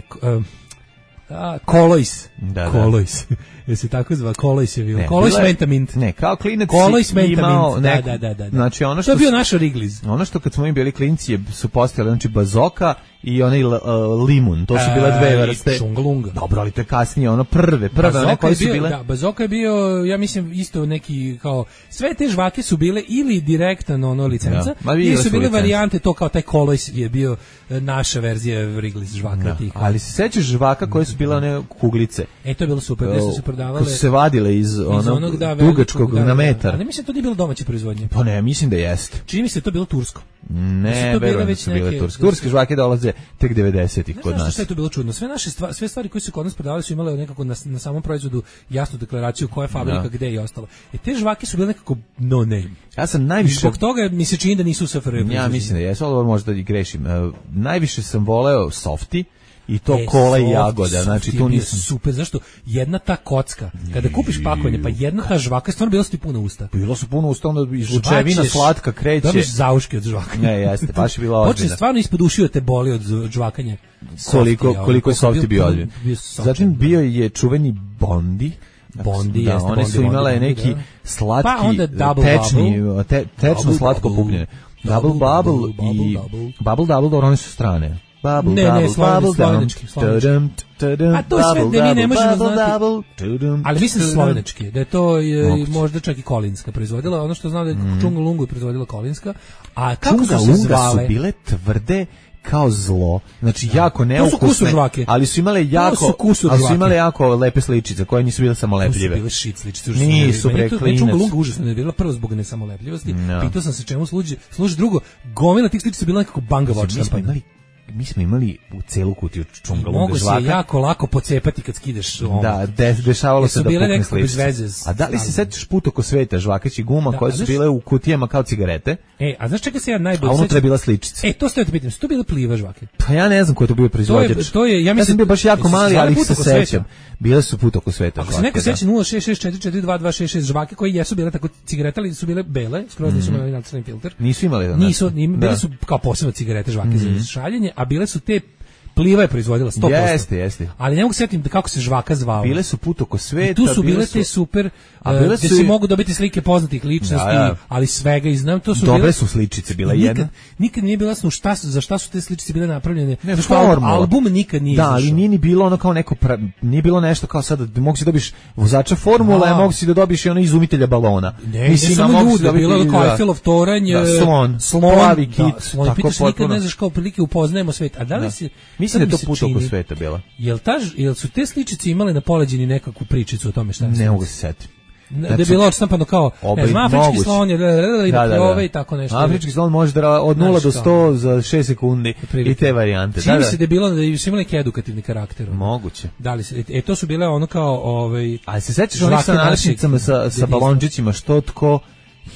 a, Kolois. Da, Kolois. Je se tako zva, Kolois je bio. Kolois Mentamint. Ne, kao klinac Kolois imao nek, da, da, da, da. Znači ono što to je bio naš Wrigley's. Ono što kad smo mi bili klinci su postojali znači bazoka i onaj uh, limun, to su bile dve vrste. Šungalunga. Dobro, ali to je kasnije ono prve, prve one koje su bio, bile. Da, bazoka je bio, ja mislim isto neki kao sve te žvake su bile ili direktan ono licenca, da, ili su bile licenca. Varijante to kao taj Kolois je bio naša verzija Wrigley's žvaka da, tih. Ali se sećaš žvaka koje su bile one kuglice? E to je bilo super, gde su se prodavale. Koje su se vadile iz, iz onog da, dugačkog da, na metar. Ali mislim to nije bilo domaće proizvodnje. Pa ne, mislim da jeste. Čini mi se to bilo tursko. Ne, verujem da su bile turske. Turske žvake dolaze tek devedesetih kod nas. Znaš što je to bilo čudno? Sve naše stvari, sve stvari koje su kod nas prodavali su imale nekako na, na samom proizvodu jasnu deklaraciju koja je fabrika, da. Gde i ostalo. E te žvake su bile nekako no name. Ja sam najviše... Zbog toga mi se čini da nisu u S F R. Ja mislim da jesu, ali možda i grešim. Uh, najviše sam voleo softi i to e, kola i jagoda, znači tu nisam super, zašto jedna ta kocka, kada kupiš pakovanje, pa jedna ta žvaka, stvarno bilo su ti puno usta. Bilo su puno usta, onda izlučevina slatka kreće. Dobiš zauške od žvaka. Ne, jeste, baš je bilo ozbiljno. Počne stvarno ispod ušiju te boli od žvakanja. Koliko, koliko je softi bio ozbiljno. Zatim bio je čuveni Bondi. Bondi, da, jeste, one su Bondi, imale Bondi, neki da. slatki, Pa tečni, te, tečno slatko kupljenje. Double Bubble i Bubble Double, dobro, one su strane. Bubble, ne, double, ne, slovenački, slovenački. A to je sve da mi ne možemo znati. Ali mislim da slovenački, da je to je, možda čak i Kolinska proizvodila. Ono što znam da je mm. Čungalungu proizvodila Kolinska. A kako su se zvale? Su bile tvrde kao zlo. Znači da. Jako neukusne, ali su imale jako, su ali su imale jako lepe sličice koje nisu bile samo lepljive. To su bile shit sličice. Nisu bre klinac. Čungalunga užasno je bila prvo zbog nesamolepljivosti. No. Pitao sam se čemu služi. Služi drugo, gomila tih sličica bila nekako banga vočna. Mi smo imali mi smo imali u celu kutiju čungalunga mogu žvaka. Mogu se jako lako pocepati kad skidaš omot. Da, de, dešavalo se da pukne sličice. A da li se sećaš put oko sveta žvakaći guma da, koje su znaš, bile u kutijama kao cigarete? E, a znaš čega se ja najbolje sećam? A unutra je bila sličica. E, to ste te pitam, su to bile Pliva žvake? Pa ja ne znam ko je to bio proizvođač. To je, to je, ja, mislim, ja sam bio baš jako mali, ali ih se sećam. Bile su put oko sveta žvake. Ako se neko seća nula šest šest četiri četiri dva dva šest šest žvake koje jesu bile tako cigarete, ali su bile bele, skroz nisu imali nacrtani filter. Nisu imali. Nisu, bile su kao posebno cigarete žvake za šaljenje, a bile su te Pliva je proizvodila sto posto. Jeste, jeste. Ali ne mogu setim kako se žvaka zvala. Bile su put oko sveta. I tu su bile su... te super, a bile gde su... si mogu dobiti slike poznatih ličnosti, da, da. Ali svega i znam. To su dobre bile... su sličice, bila nikad, jedna. Nikad nije bilo jasno šta su, za šta su te sličice bile napravljene. Ne, formula. Album nikad nije da, izašao. ali nije ni bilo ono kao neko, pra... nije bilo nešto kao sada, mogu si dobiš vozača formula, a mogu si da dobiš i ono izumitelja balona. Ne, mislim, samo ljudi, da bilo je kao Eiffelov toranj, da, slon, slon, plavi kit, da, slon, pitaš nikad ne znaš kao prilike upoznajemo svet. A da li si... Mislim da je to put oko sveta bila. Jel, ta, jel su te sličice imale na poleđini nekakvu pričicu o tome šta je? Ne mogu se setiti. Znači, da je bilo odštampano kao ne znam, afrički slon je da, da, da. i tako nešto. Afrički slon može da od nula do sto za šest sekundi i te varijante. Čini se da je bilo da su imali neki edukativni karakter. Moguće. Da li se, e, to su bile ono kao... Ovaj, ali se sećaš onih sa nalepnicama sa, sa balončićima, što tko,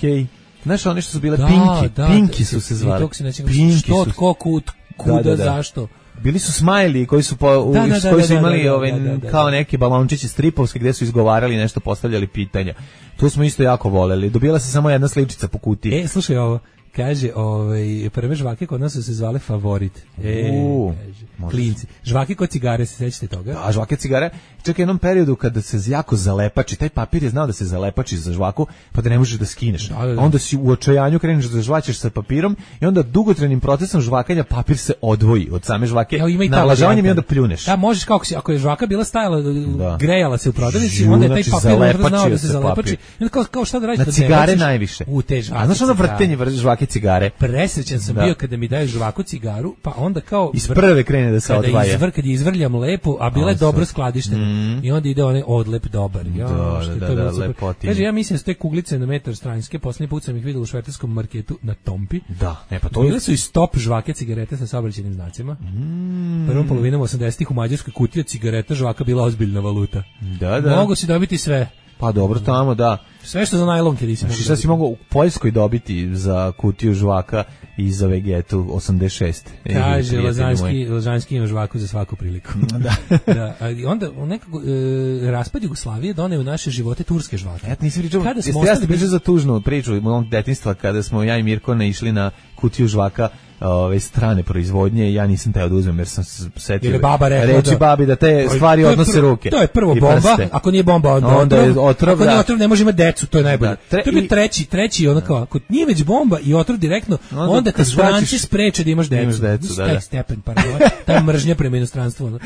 hej, znaš oni što su bile da, pinki, da, pinki da, su se zvali. Pinki što, tko, kud, kuda, da, da, da. Zašto? Bili su smajli koji su po, u, da, da, koji su imali da, da, ove, da, da, da, kao neki balončići stripovski gdje su izgovarali nešto, postavljali pitanja. Tu smo isto jako voleli. Dobila se samo jedna sličica po kutiji. E, slušaj ovo. Kaže, ovaj, prve žvake kod nas su se zvale Favorit. E, U, kaže, klinci. Žvake kod cigare, se sećate toga? Da, žvake cigare. Čak u jednom periodu kada se jako zalepači, taj papir je znao da se zalepači za žvaku, pa da ne možeš da skineš. Da, da, da. Onda si u očajanju kreneš da žvaćeš sa papirom i onda dugotrajnim procesom žvakanja papir se odvoji od same žvake. Navlažavanjem i onda pljuneš. Da, možeš kako si, ako je žvaka bila stajala, da. grejala se u prodavnici, onda je taj papir možda znao da se zalepači. I onda kao, kao šta da radiš? Na cigare najviše. U te žvake. A znaš ono vrtenje žvake cigare? Presrećan sam da. bio kada mi daju žvaku cigaru, pa onda kao iz prve krene da se odvaja. Izvr, kad je izvrljam lepo, a bila je dobro skladištena. Mm. I onda ide onaj odlep dobar. Ja, da, što da, to da, da kaže, ja mislim da su te kuglice na metar stranjske, poslednji put sam ih vidio u švajcarskom marketu na Tompi. Da, ne, pa to bile su i stop žvake cigarete sa saobraćajnim znacima. Mm. Prvom polovinom osamdesetih u Mađarskoj kutija cigareta žvaka bila ozbiljna valuta. Da, da. Mogu si dobiti sve. Pa dobro, tamo da. Sve što za najlonke nisi mogu. Šta si mogao u Poljskoj dobiti za kutiju žvaka i za Vegetu osamdeset šest? Kaže, Lazanski, Lazanski ima žvaku za svaku priliku. da. da. Ali onda nekako, e, raspad Jugoslavije doneo u naše živote turske žvake. Ja nisam pričao, jeste ja ste pričao za tužnu priču mog detinjstva kada smo ja i Mirko ne išli na kutiju žvaka ove strane proizvodnje, ja nisam teo da uzmem jer sam se setio reći da, babi da te stvari odnose prvo, ruke. To je prvo bomba, prste. Ako nije bomba onda, onda otrov, je otrov, ako da. nije otrov ne može imati decu, to je najbolje. Da, tre, to je treći, treći ono kao, ako nije već bomba i otrov direktno, onda, onda te stranci spreče da imaš decu. Imaš decu da, da. Stepen, paranoja, ta mržnja prema inostranstvu. Ono.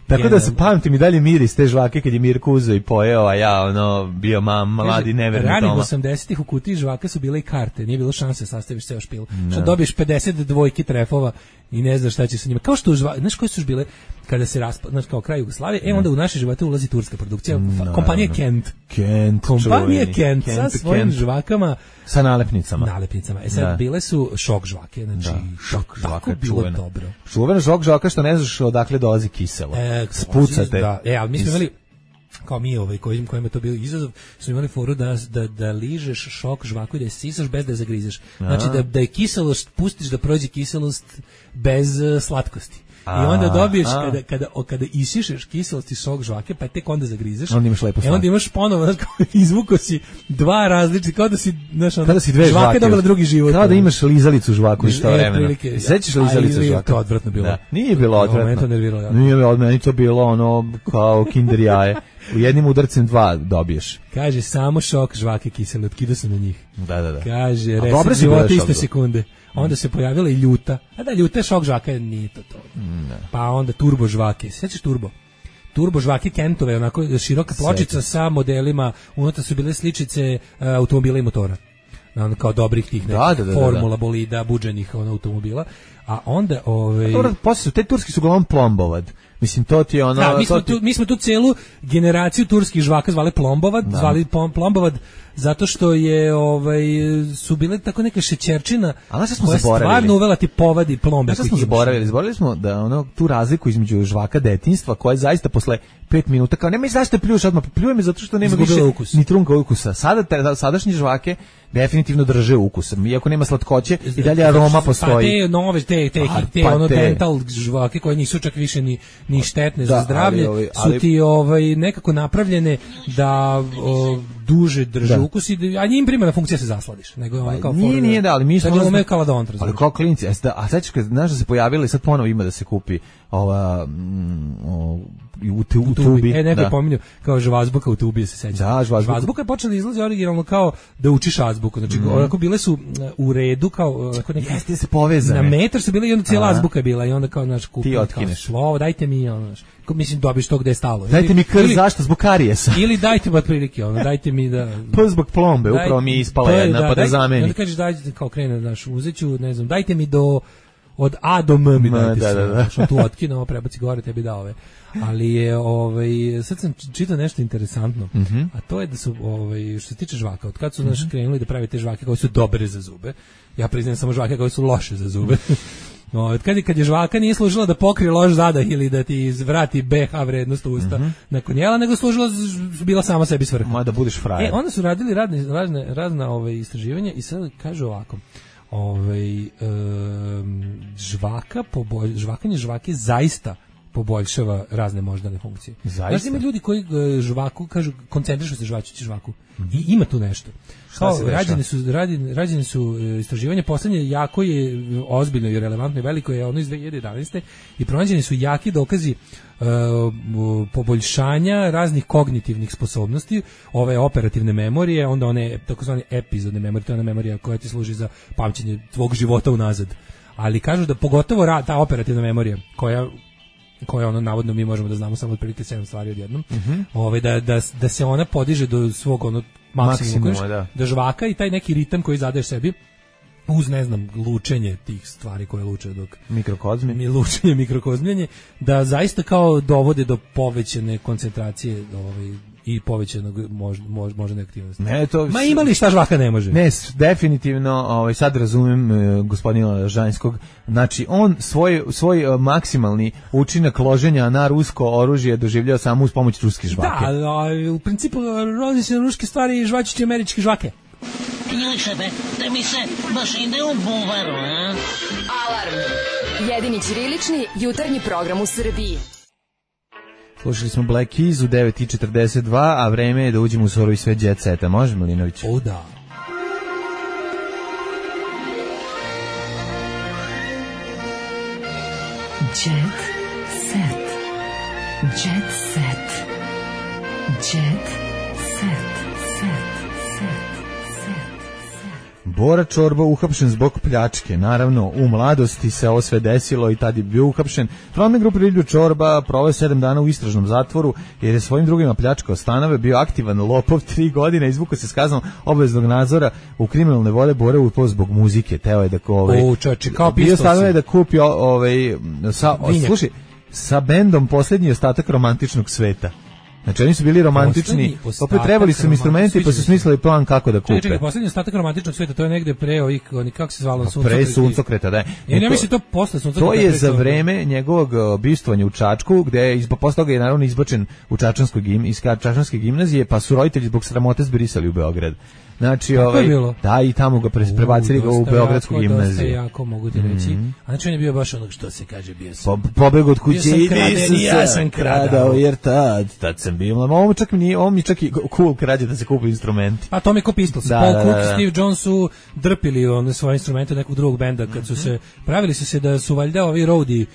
Tako da se pamtim i dalje miris te žvake kad je Mirko uzeo i pojeo, a ja ono bio mam, mladi neverni Toma. Ranih osamdesetih u kutiji žvaka su bile i karte, nije bilo šanse sastaviš ceo špil. Što dobiješ pedeset dvojki trefova i ne znaš šta će sa njima. Kao što, znaš koje su bile kada se raspada, znači kao kraj Jugoslavije, e onda u naše živote ulazi turska produkcija, no, kompanija no. Kent. Kent, kompanija Kent, Kent sa svojim Kent. žvakama. Sa nalepnicama. Nalepnicama. E sad, da. bile su šok žvake, znači, da, šok žvaka, bilo čuvena. Dobro. Čuvena šok žvaka što ne znaš odakle dolazi kiselo. E, Spucate. Da, e, ali mi smo imali, kao mi ovaj kojim kojima je to bio izazov, smo imali foru da da da ližeš šok žvaku i da je sisaš bez da je zagrizeš. Znači da da je kiselost pustiš da prođe kiselost bez uh, slatkosti. I onda dobiješ a, kada kada o, kada isišeš kiselost i sok žvake, pa tek onda zagrizeš. Onda imaš lepo. E onda imaš ponovo, znači izvuko si dva različite, kao da si, znaš, onda, kada si dve žvake dobila drugi život. Kao da imaš lizalicu žvaku isto vremena. Sećaš li lizalicu žvaku? To odvratno bilo. Da. Nije bilo odvratno. Mene to nerviralo. Ja. Nije od meni to bilo ono kao kinder jaje. U jednim udarcem dva dobiješ. Kaže, samo šok žvake kisele, otkidao sam na njih. Da, da, da. Kaže, reset života iste sekunde. Onda se pojavila i ljuta. A da, ljuta šok žvaka, nije to to. Ne. Pa onda turbo žvake. Sećaš turbo? Turbo žvake Kentove, onako široka pločica Sjećam. sa modelima, unutra su bile sličice uh, automobila i motora. Ono, kao dobrih tih nekih da, da, da, formula, bolida, buđenih ono, automobila. A onda ovaj Dobro, posle su te turski su uglavnom plombovad. Mislim, to ti je ono... Da, mi smo, ti... tu, mi smo tu celu generaciju turskih žvaka zvali plombovad, da. zvali plombovad zato što je ovaj su bile tako neka šećerčina koja je stvarno uvela ti povadi plombe. Znaš smo zaboravili? Zaboravili smo da ono, tu razliku između žvaka detinjstva koja je zaista posle pet minuta kao nemoj zašto pljuješ odmah, pljuje me zato što nema više ukus. Ni trunka ukusa. Sada te, sadašnje žvake definitivno drže ukus. Iako nema slatkoće i dalje aroma postoji. Pa te nove, te, te, pa, te, pa ono te. dental žvake koje nisu čak više ni, ni štetne da, za zdravlje, ali, ali, su ti ovaj, nekako napravljene da o, duže drže da. ukus, i, a njim primarna funkcija se zasladiš. Nego je ono kao nije, for, nije da, ali mi smo... Da umeo kaladont, ali kao klinci, a sad ćeš, znaš da se pojavili, sad ponovo ima da se kupi ova... Mm, o, u, tu, u tubi. E, neko je pominjao kao žvazbuka u tubi, se seća. Da, žvazbuka. Žvazbuka je počela da izlazi originalno kao da učiš azbuku. Znači, mm. onako bile su u redu, kao... Onako neki, jeste se povezane. Na metar su bile i onda cijela azbuka je bila i onda kao, znaš, kupi kao slovo, dajte mi, ono, znaš, mislim, dobiš to gde je stalo. Dajte ili, mi krv, ili, zašto? Zbog karijesa. Ili dajte mi otprilike, ono, dajte mi da... Pa zbog plombe, daj, upravo mi je ispala jedna, da, pa da zameni. Onda kažeš, dajte, kao krene, znaš, uzeću, ne znam, dajte mi do... od A do M mi dajte da, da, da. Što tu otkinuo, prebaci gore, tebi da ove. Ali je, ovaj, sad sam čitao nešto interesantno, mm -hmm. a to je da su, ovaj, što se tiče žvaka, od kad su, znaš, krenuli da pravi te žvake koje su dobre za zube, ja priznajem samo žvake koje su loše za zube. No, od kad je, kad je žvaka nije služila da pokrije loš zadah ili da ti vrati B H vrednost u usta mm -hmm. nakon jela, nego služila, bila sama sebi svrha. Ma da budeš frajer. E, onda su radili radne, razne, razna ove, istraživanja i sad kažu ovako, ovaj, um, žvaka, poboj, žvakanje žvake zaista poboljšava razne moždane funkcije. Znaš, ima ljudi koji žvaku, kažu, koncentrišu se žvačući žvaku. Mm -hmm. I ima tu nešto. Kao, rađene su, rađene, rađene su istraživanja, poslednje jako je ozbiljno i relevantno i veliko je ono iz dve hiljade jedanaeste i pronađeni su jaki dokazi uh, poboljšanja raznih kognitivnih sposobnosti, ove operativne memorije, onda one takozvane epizodne memorije, to je ona memorija koja ti služi za pamćenje tvog života unazad. Ali kažu da pogotovo ra, ta operativna memorija koja koja ono navodno mi možemo da znamo samo otprilike sedam stvari odjednom. Mm -hmm. Ove da da da se ona podiže do svog ono maksimuma, da. da žvaka i taj neki ritam koji zadaješ sebi uz, ne znam, lučenje tih stvari koje luče dok mikrokozmi mi lučenje mikrokozmljenje da zaista kao dovode do povećane koncentracije, ovaj i povećanog mož, mož, moždane aktivnosti. Ne, to ma ima li šta žvaka ne može? Ne, definitivno, ovaj sad razumem e, gospodina Žanjskog. Znači on svoj svoj e, maksimalni učinak loženja na rusko oružje doživljava samo uz pomoć ruske žvake. Da, a, u principu rozi se ruske stvari i žvačići američke žvake. Juče be, da mi se baš ide u buvaru, a? Alarm. Jedini ćirilični jutarnji program u Srbiji. Slušali smo Black Keys u devet i četrdeset dva, a vreme je da uđemo u sorovi sve jet seta. Može, Milinović? O, da. Jet set. Jet set. Jet set. Set. Bora Čorba uhapšen zbog pljačke. Naravno, u mladosti se ovo sve desilo i tad je bio uhapšen. Frontman grupe Rilju Čorba proveo sedam dana u istražnom zatvoru jer je svojim drugima pljačkao stanove, bio aktivan lopov tri godine, izvukao se s kaznom obaveznog nadzora u kriminalne vode Bore u zbog muzike. Teo je da ovaj, o, čači, kao bio stanove da kupi ovaj, sa, slušaj, sa bendom Posljednji ostatak romantičnog sveta. Znači oni su bili romantični, opet trebali su im instrumenti pa su smislili plan kako da kupe. Čekaj, čekaj, posljednji ostatak romantičnog sveta, to je negde pre ovih, oni kako se zvalo, Suncokreta. Pre Suncokreta, da. Ja ne mislim to posle Suncokreta. To je za vreme njegovog bistvovanja u Čačku, gde je posle toga je naravno izbačen u Čačanskoj gim, iz Čačanske gimnazije, pa su roditelji zbog sramote zbrisali u Beograd. Znači, ovaj, da, i tamo ga prebacili ga u Beogradsku gimnaziju. Dosta jako, mogu ti reći. Mm. A znači on je bio baš onog što se kaže, bio sam... Po, pobeg od kuće i nisam se ja sam kradao, jer tad, tad sam bio. Ovo čak mi, ovo mi čak i cool krađe da se kupi instrumenti. A to mi ko Pistols. Da, Paul da, Cook i da, Steve Jones su drpili one svoje instrumente nekog drugog benda, kad su se, pravili su se da su valjda ovi roadie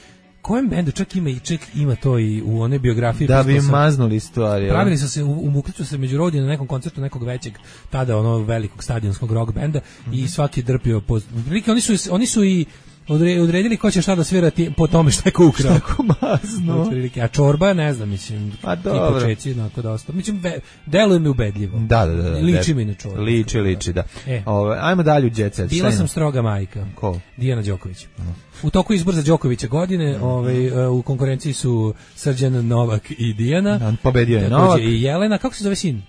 kojem bendu čak ima i ček ima to i u one biografije da bi maznuli stvari. Pravili su se u, u Mukliću se među rodije na nekom koncertu nekog većeg tada ono velikog stadionskog rock benda mm -hmm. i svaki drpio po prilike oni su oni su i odredili ko će šta da svira po tome šta je ko ukrao. Tako mazno. A čorba, ne znam, mislim, a ti dobro. počeci, onako dosta. Mislim, deluje mi ubedljivo. Da, da, da. da liči mi na čorba. Liči, liči, da. E. Ove, ajmo dalje u Jet Set. Bila sam stroga majka. Ko? Dijana Đoković. Uh. U toku izbora za Đokovića godine, ovaj, u konkurenciji su Srđan, Novak i Dijana. Da, pobedio je Novak. I Jelena, kako se zove sin?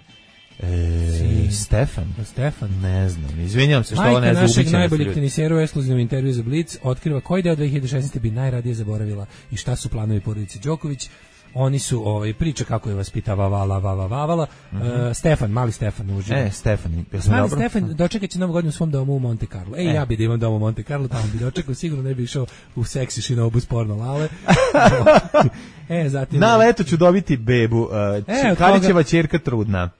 E, Stefan. Stefan. Ne znam, izvinjam se što Majka ovo ne znam. Majka našeg najboljeg tenisera u ekskluzivnom intervju za Blic otkriva koji deo dve hiljade šesnaeste bi najradije zaboravila i šta su planovi porodice Đoković. Oni su ovaj priča kako je vaspitavala Vava Vavala. Mm -hmm. uh, Stefan, mali Stefan uživo. E, Stefan, jesam mali dobro. Stefan dočekaće novu godinu u svom domu u Monte Carlo. Ej, e. ja bi da imam dom u Monte Carlo, tamo bi dočekao, sigurno ne bi išao u seksi šinobu s porno lale. e, zatim na leto ću dobiti bebu. Uh, e, Karićeva ćerka trudna.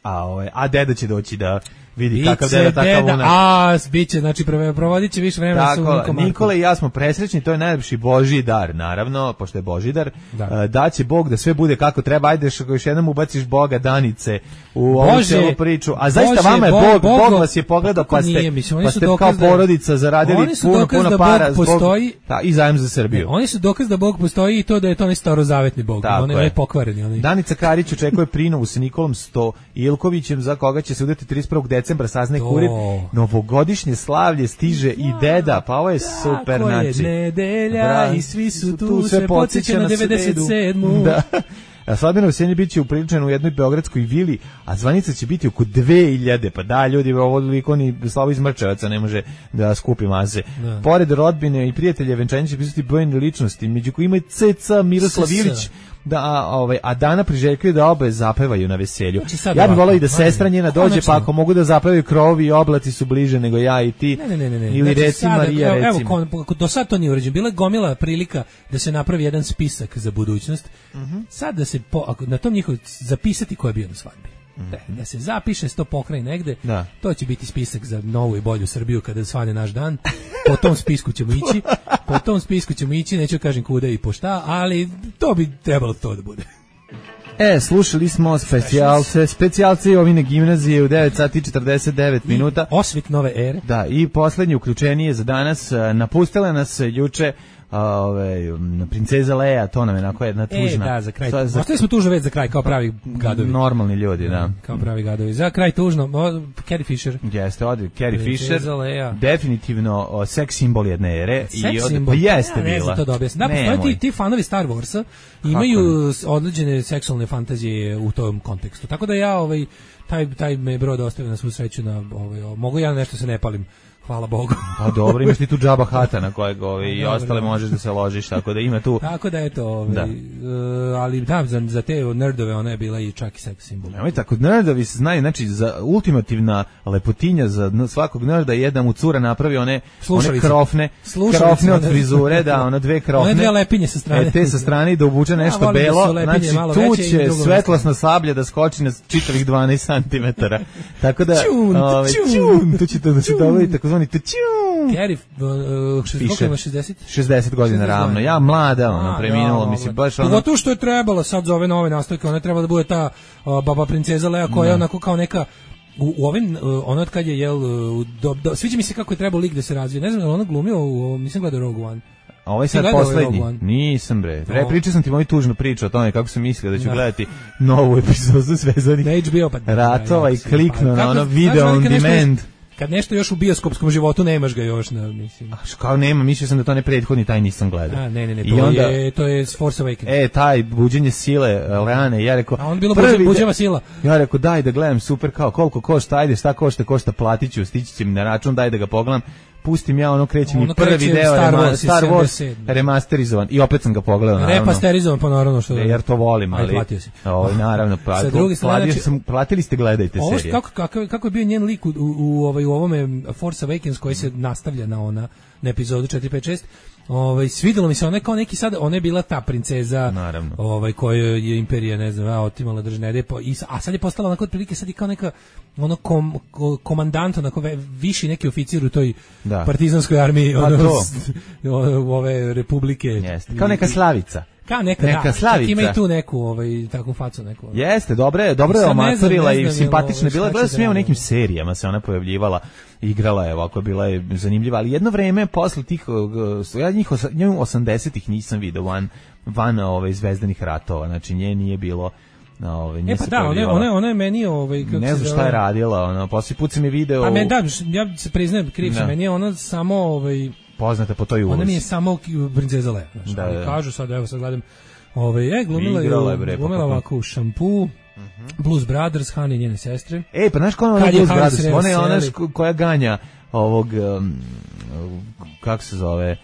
A ovaj, a deda će doći da vidi kakav deda, takav unak. A, biće, znači provodit će više vremena sa unikom. Nikola i ja smo presrećni, to je najlepši Božji dar, naravno, pošto je Božji dar. Da. Da će Bog da sve bude kako treba, ajde još jednom ubaciš Boga Danice u ovu celu priču. A zaista vama je Bog, Bog, Bog vas je pogledao, pa ste, nije, mislim, pa ste kao porodica zaradili puno, puno da para zbog, postoji, ta, i zajem za Srbiju. Ne, oni su dokaz da Bog postoji i to da je to onaj starozavetni Bog, on je pokvareni. Onaj. Danica Karić očekuje prinovu sa Nikolom Stoilkovićem, za koga će se udati trideset prvog decembra, saznaje kurir. Novogodišnje slavlje stiže i deda, pa ovo je super. Tako je, znači, nedelja bra, i svi su tu, tu se podsjeća na devedeset sedmu. Da. A svadbeno veselje biće upriličeno u jednoj beogradskoj vili, a zvanica će biti oko dve hiljade. Pa da, ljudi, ovo liko ni Slavo iz Mrčevaca ne može da skupi mase. Da. Pored rodbine i prijatelja venčanja će pisati brojne ličnosti, među kojima je Ceca Miroslav Ilić, da, ovaj, a Dana priželjkuje da obe zapevaju na veselju. Ja bih volao i da sestra njena dođe, pa ako mogu da zapevaju krovi i oblaci su bliže nego ja i ti. Ne, ne, ne, ne. Ili znači, reci sada, Marija, evo, recimo. Evo, do sad to nije urađeno. Bila je gomila prilika da se napravi jedan spisak za budućnost. Uh-huh. Sad da se po, ako, na tom njihovu zapisati ko je bio na svadbi. Mm-hmm. Da se zapiše sto pokraj negde, da. To će biti spisak za novu i bolju Srbiju kada svane naš dan. Po tom spisku ćemo ići, po tom spisku ćemo ići, neću kažem kuda i po šta, ali to bi trebalo to da bude. E, slušali smo specijalce, specijalce Jovine gimnazije u devet sati i četrdeset devet minuta. Osvit nove ere. Da, i poslednje uključenije za danas, napustila nas juče Ove, princeza Leja, to nam je onako jedna tužna. E, da, za kraj. Za... Ostavili smo tužnu već za kraj, kao pravi gadovi. Normalni ljudi, da. Kao pravi gadovi. Za kraj tužno, o, Carrie Fisher. Jeste, odi, Carrie princeza Fisher. Leja. Definitivno o, seks simbol jedne ere. Seks i od... simbol? Pa jeste ja, bila. Ne znam to da objasnim. Da, postoje ti, ti fanovi Star Warsa imaju određene seksualne fantazije u tom kontekstu. Tako da ja, ovaj, taj, taj me brod ostavio na svu sreću na, ovaj, mogu ja nešto se ne palim. Hvala Bogu. Pa dobro, imaš ti tu džaba hata na kojeg ove, i ostale možeš da se ložiš, tako da ima tu... Tako da eto, ove, da. Uh, ali da, za, za te nerdove ona je bila i čak i seks simbol. Nemoj tako, nerdovi se znaju, znači za ultimativna lepotinja za svakog nerda je da mu cura napravi one, one krofne, krofne od frizure, da, ona dve krofne. One dve lepinje sa strane. E, te sa strane i da obuče nešto ja, belo, da lepinje, znači tu će svetlosna sablja da skoči na čitavih dvanaest centimetara. Tako da, čun, ove, čun, tu će to da se dobiti tako zvani Carrie, uh, šezdeset, šezdeset? šezdeset godina ravno. Ja mlada, ona preminula, mislim baš ona. Pogotovo što je trebalo sad za ove nove nastavke, ona treba da bude ta uh, baba princeza Leja koja je onako kao neka u, u ovim, uh, ono od kad je jel, uh, do, do, sviđa mi se kako je trebao lik da se razvije. Ne znam, ona glumio u, nisam gledao Rogue One. A ovaj sad poslednji. Nisam bre. Re, pričao sam ti moju tužnu priču o tome kako sam mislio da ću da. gledati novu epizodu Zvezdanih na H B O pa ratova i kliknuo na ono video on demand. Kad nešto još u bioskopskom životu nemaš ga još na, mislim. A kao nema, mislio sam da to ne prethodni, taj nisam gledao. A ne, ne, ne, to I onda, je to je Force Awakens. E, taj buđenje sile Leane, ja rekao. A on bilo buđeva sila. Ja rekao daj da gledam, super, kao koliko košta, ajde, šta košta, košta, platiću, stići će mi na račun, daj da ga pogledam. Pustim ja, ono kreće mi prvi deo Star Wars, Star Wars remasterizovan i opet sam ga pogledao, naravno. Remasterizovan, pa naravno što... E, jer to volim, ali... Platio si. Ovo, naravno, platio, platio znači, sam, platili ste, gledajte ovo, serije. Kako, kako, kako je bio njen lik u, u, u, ovaj, u ovome Force Awakens koji se nastavlja na ona, na epizodu četiri pet šest, ovaj, svidelo mi se, ona je kao neki sad, ona je bila ta princeza, naravno, ovaj, koju je imperija, ne znam, a, otimala držne depo, i, a sad je postala onako otprilike, sad je kao neka ono kom, komandant, onako ve, viši neki oficir u toj da. partizanskoj armiji, ono, ove republike. Jeste, kao neka Slavica. Kao neka, neka da, Slavica. Ima i tu neku, ovaj, takvu facu neku. Jeste, dobro je, dobro je omatorila i simpatična bila. Gledao sam je u nekim serijama se ona pojavljivala, igrala je ovako, bila je zanimljiva, ali jedno vreme posle tih, ja njih osamdesetih nisam video van, van ove zvezdanih ratova, znači nje nije bilo. No, ovaj e pa da, ona ona ona je meni ovaj kako ne znam šta je radila, ona posle put sam je video. A me da, ja se priznajem, kriv sam, meni je ona samo ovaj poznata po toj ulozi. Ona mi je samo princeza Leia, znači. Da, da. Kažu sad, evo sad gledam, ovaj je glumila je glumila ovako u Šampu, uh-huh. Blues Brothers, Han i njene sestre. Ej, pa znaš ko ona Blues Brothers? Ona je ona koja ganja ovog um, kako se zove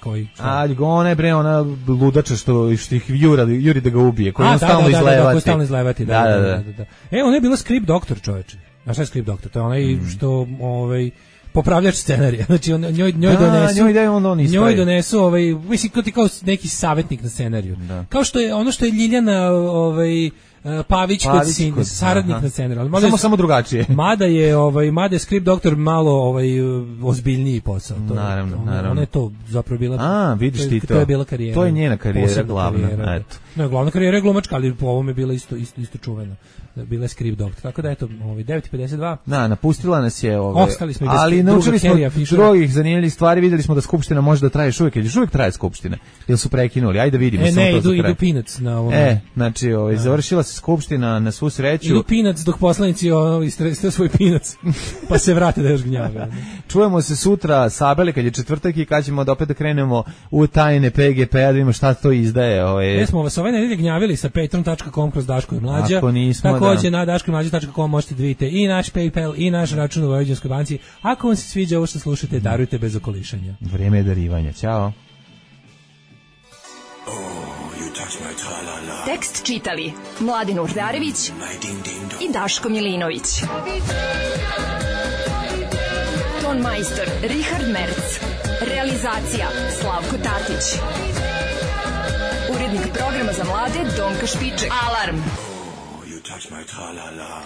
koji? A, ona je bre, ona ludača što, što ih juri, juri da ga ubije, koji on stalno izlevati. Da, da, da, stalno izlevati, da, da, da, da, da. E, ona je bila script doktor, čoveče. A šta je script doktor? To je onaj mm. što, ovaj, popravljač scenarija. Znači, on, njoj, njoj da, donesu, njoj, da on on njoj donesu, ovaj, mislim, kao ti kao neki savjetnik na scenariju. Da. Kao što je, ono što je Ljiljana, ovaj, Pavić, Pavić kod sin, kod, saradnik aha. na scenariju. Samo je, samo drugačije. Mada je ovaj mada je script doktor malo ovaj ozbiljniji posao. To, naravno, to, naravno. Ona je to zapravo bila. A, vidiš to, ti to. To je bila karijera. To je njena karijera glavna, karijera, eto. Ne, glavna karijera je glumačka, ali po ovome je bila isto isto isto čuvena. Bila je script doktor. Tako da eto, ovaj devet pedeset dva. Da, napustila nas je ovaj. Ostali smo i ali naučili smo drugih zanimljivih stvari, videli smo da skupština može da traje još uvijek, još uvijek traje skupština. Jel su prekinuli? Ajde vidimo e, samo ne, to. Idu, idu Peanuts na ovom. E, znači, ovaj završila se skupština na svu sreću. Idu Peanuts dok poslanici ono istreste svoj Peanuts. Pa se vrate da još gnjave. Čujemo se sutra Sabele kad je četvrtak i kad ćemo da opet da krenemo u tajne P G P-a da vidimo šta to izdaje. Ovaj. Mi smo vas ove nedelje gnjavili sa patreon tačka com kroz Daško i Mlađa. Ako nismo, takođe da. Na daško i mlađa tačka com možete da vidite i naš PayPal i naš račun u Vojvođanskoj banci. Ako vam se sviđa ovo što slušate, darujte bez okolišanja. Vreme je darivanja. Ćao. Tekst čitali Mladin Urdarević i Daško Milinović. Ton majstor Richard Merc. Realizacija Slavko Tatić. Urednik programa za mlade Donka Špiček. Alarm! Oh, you touch my tra-la-la.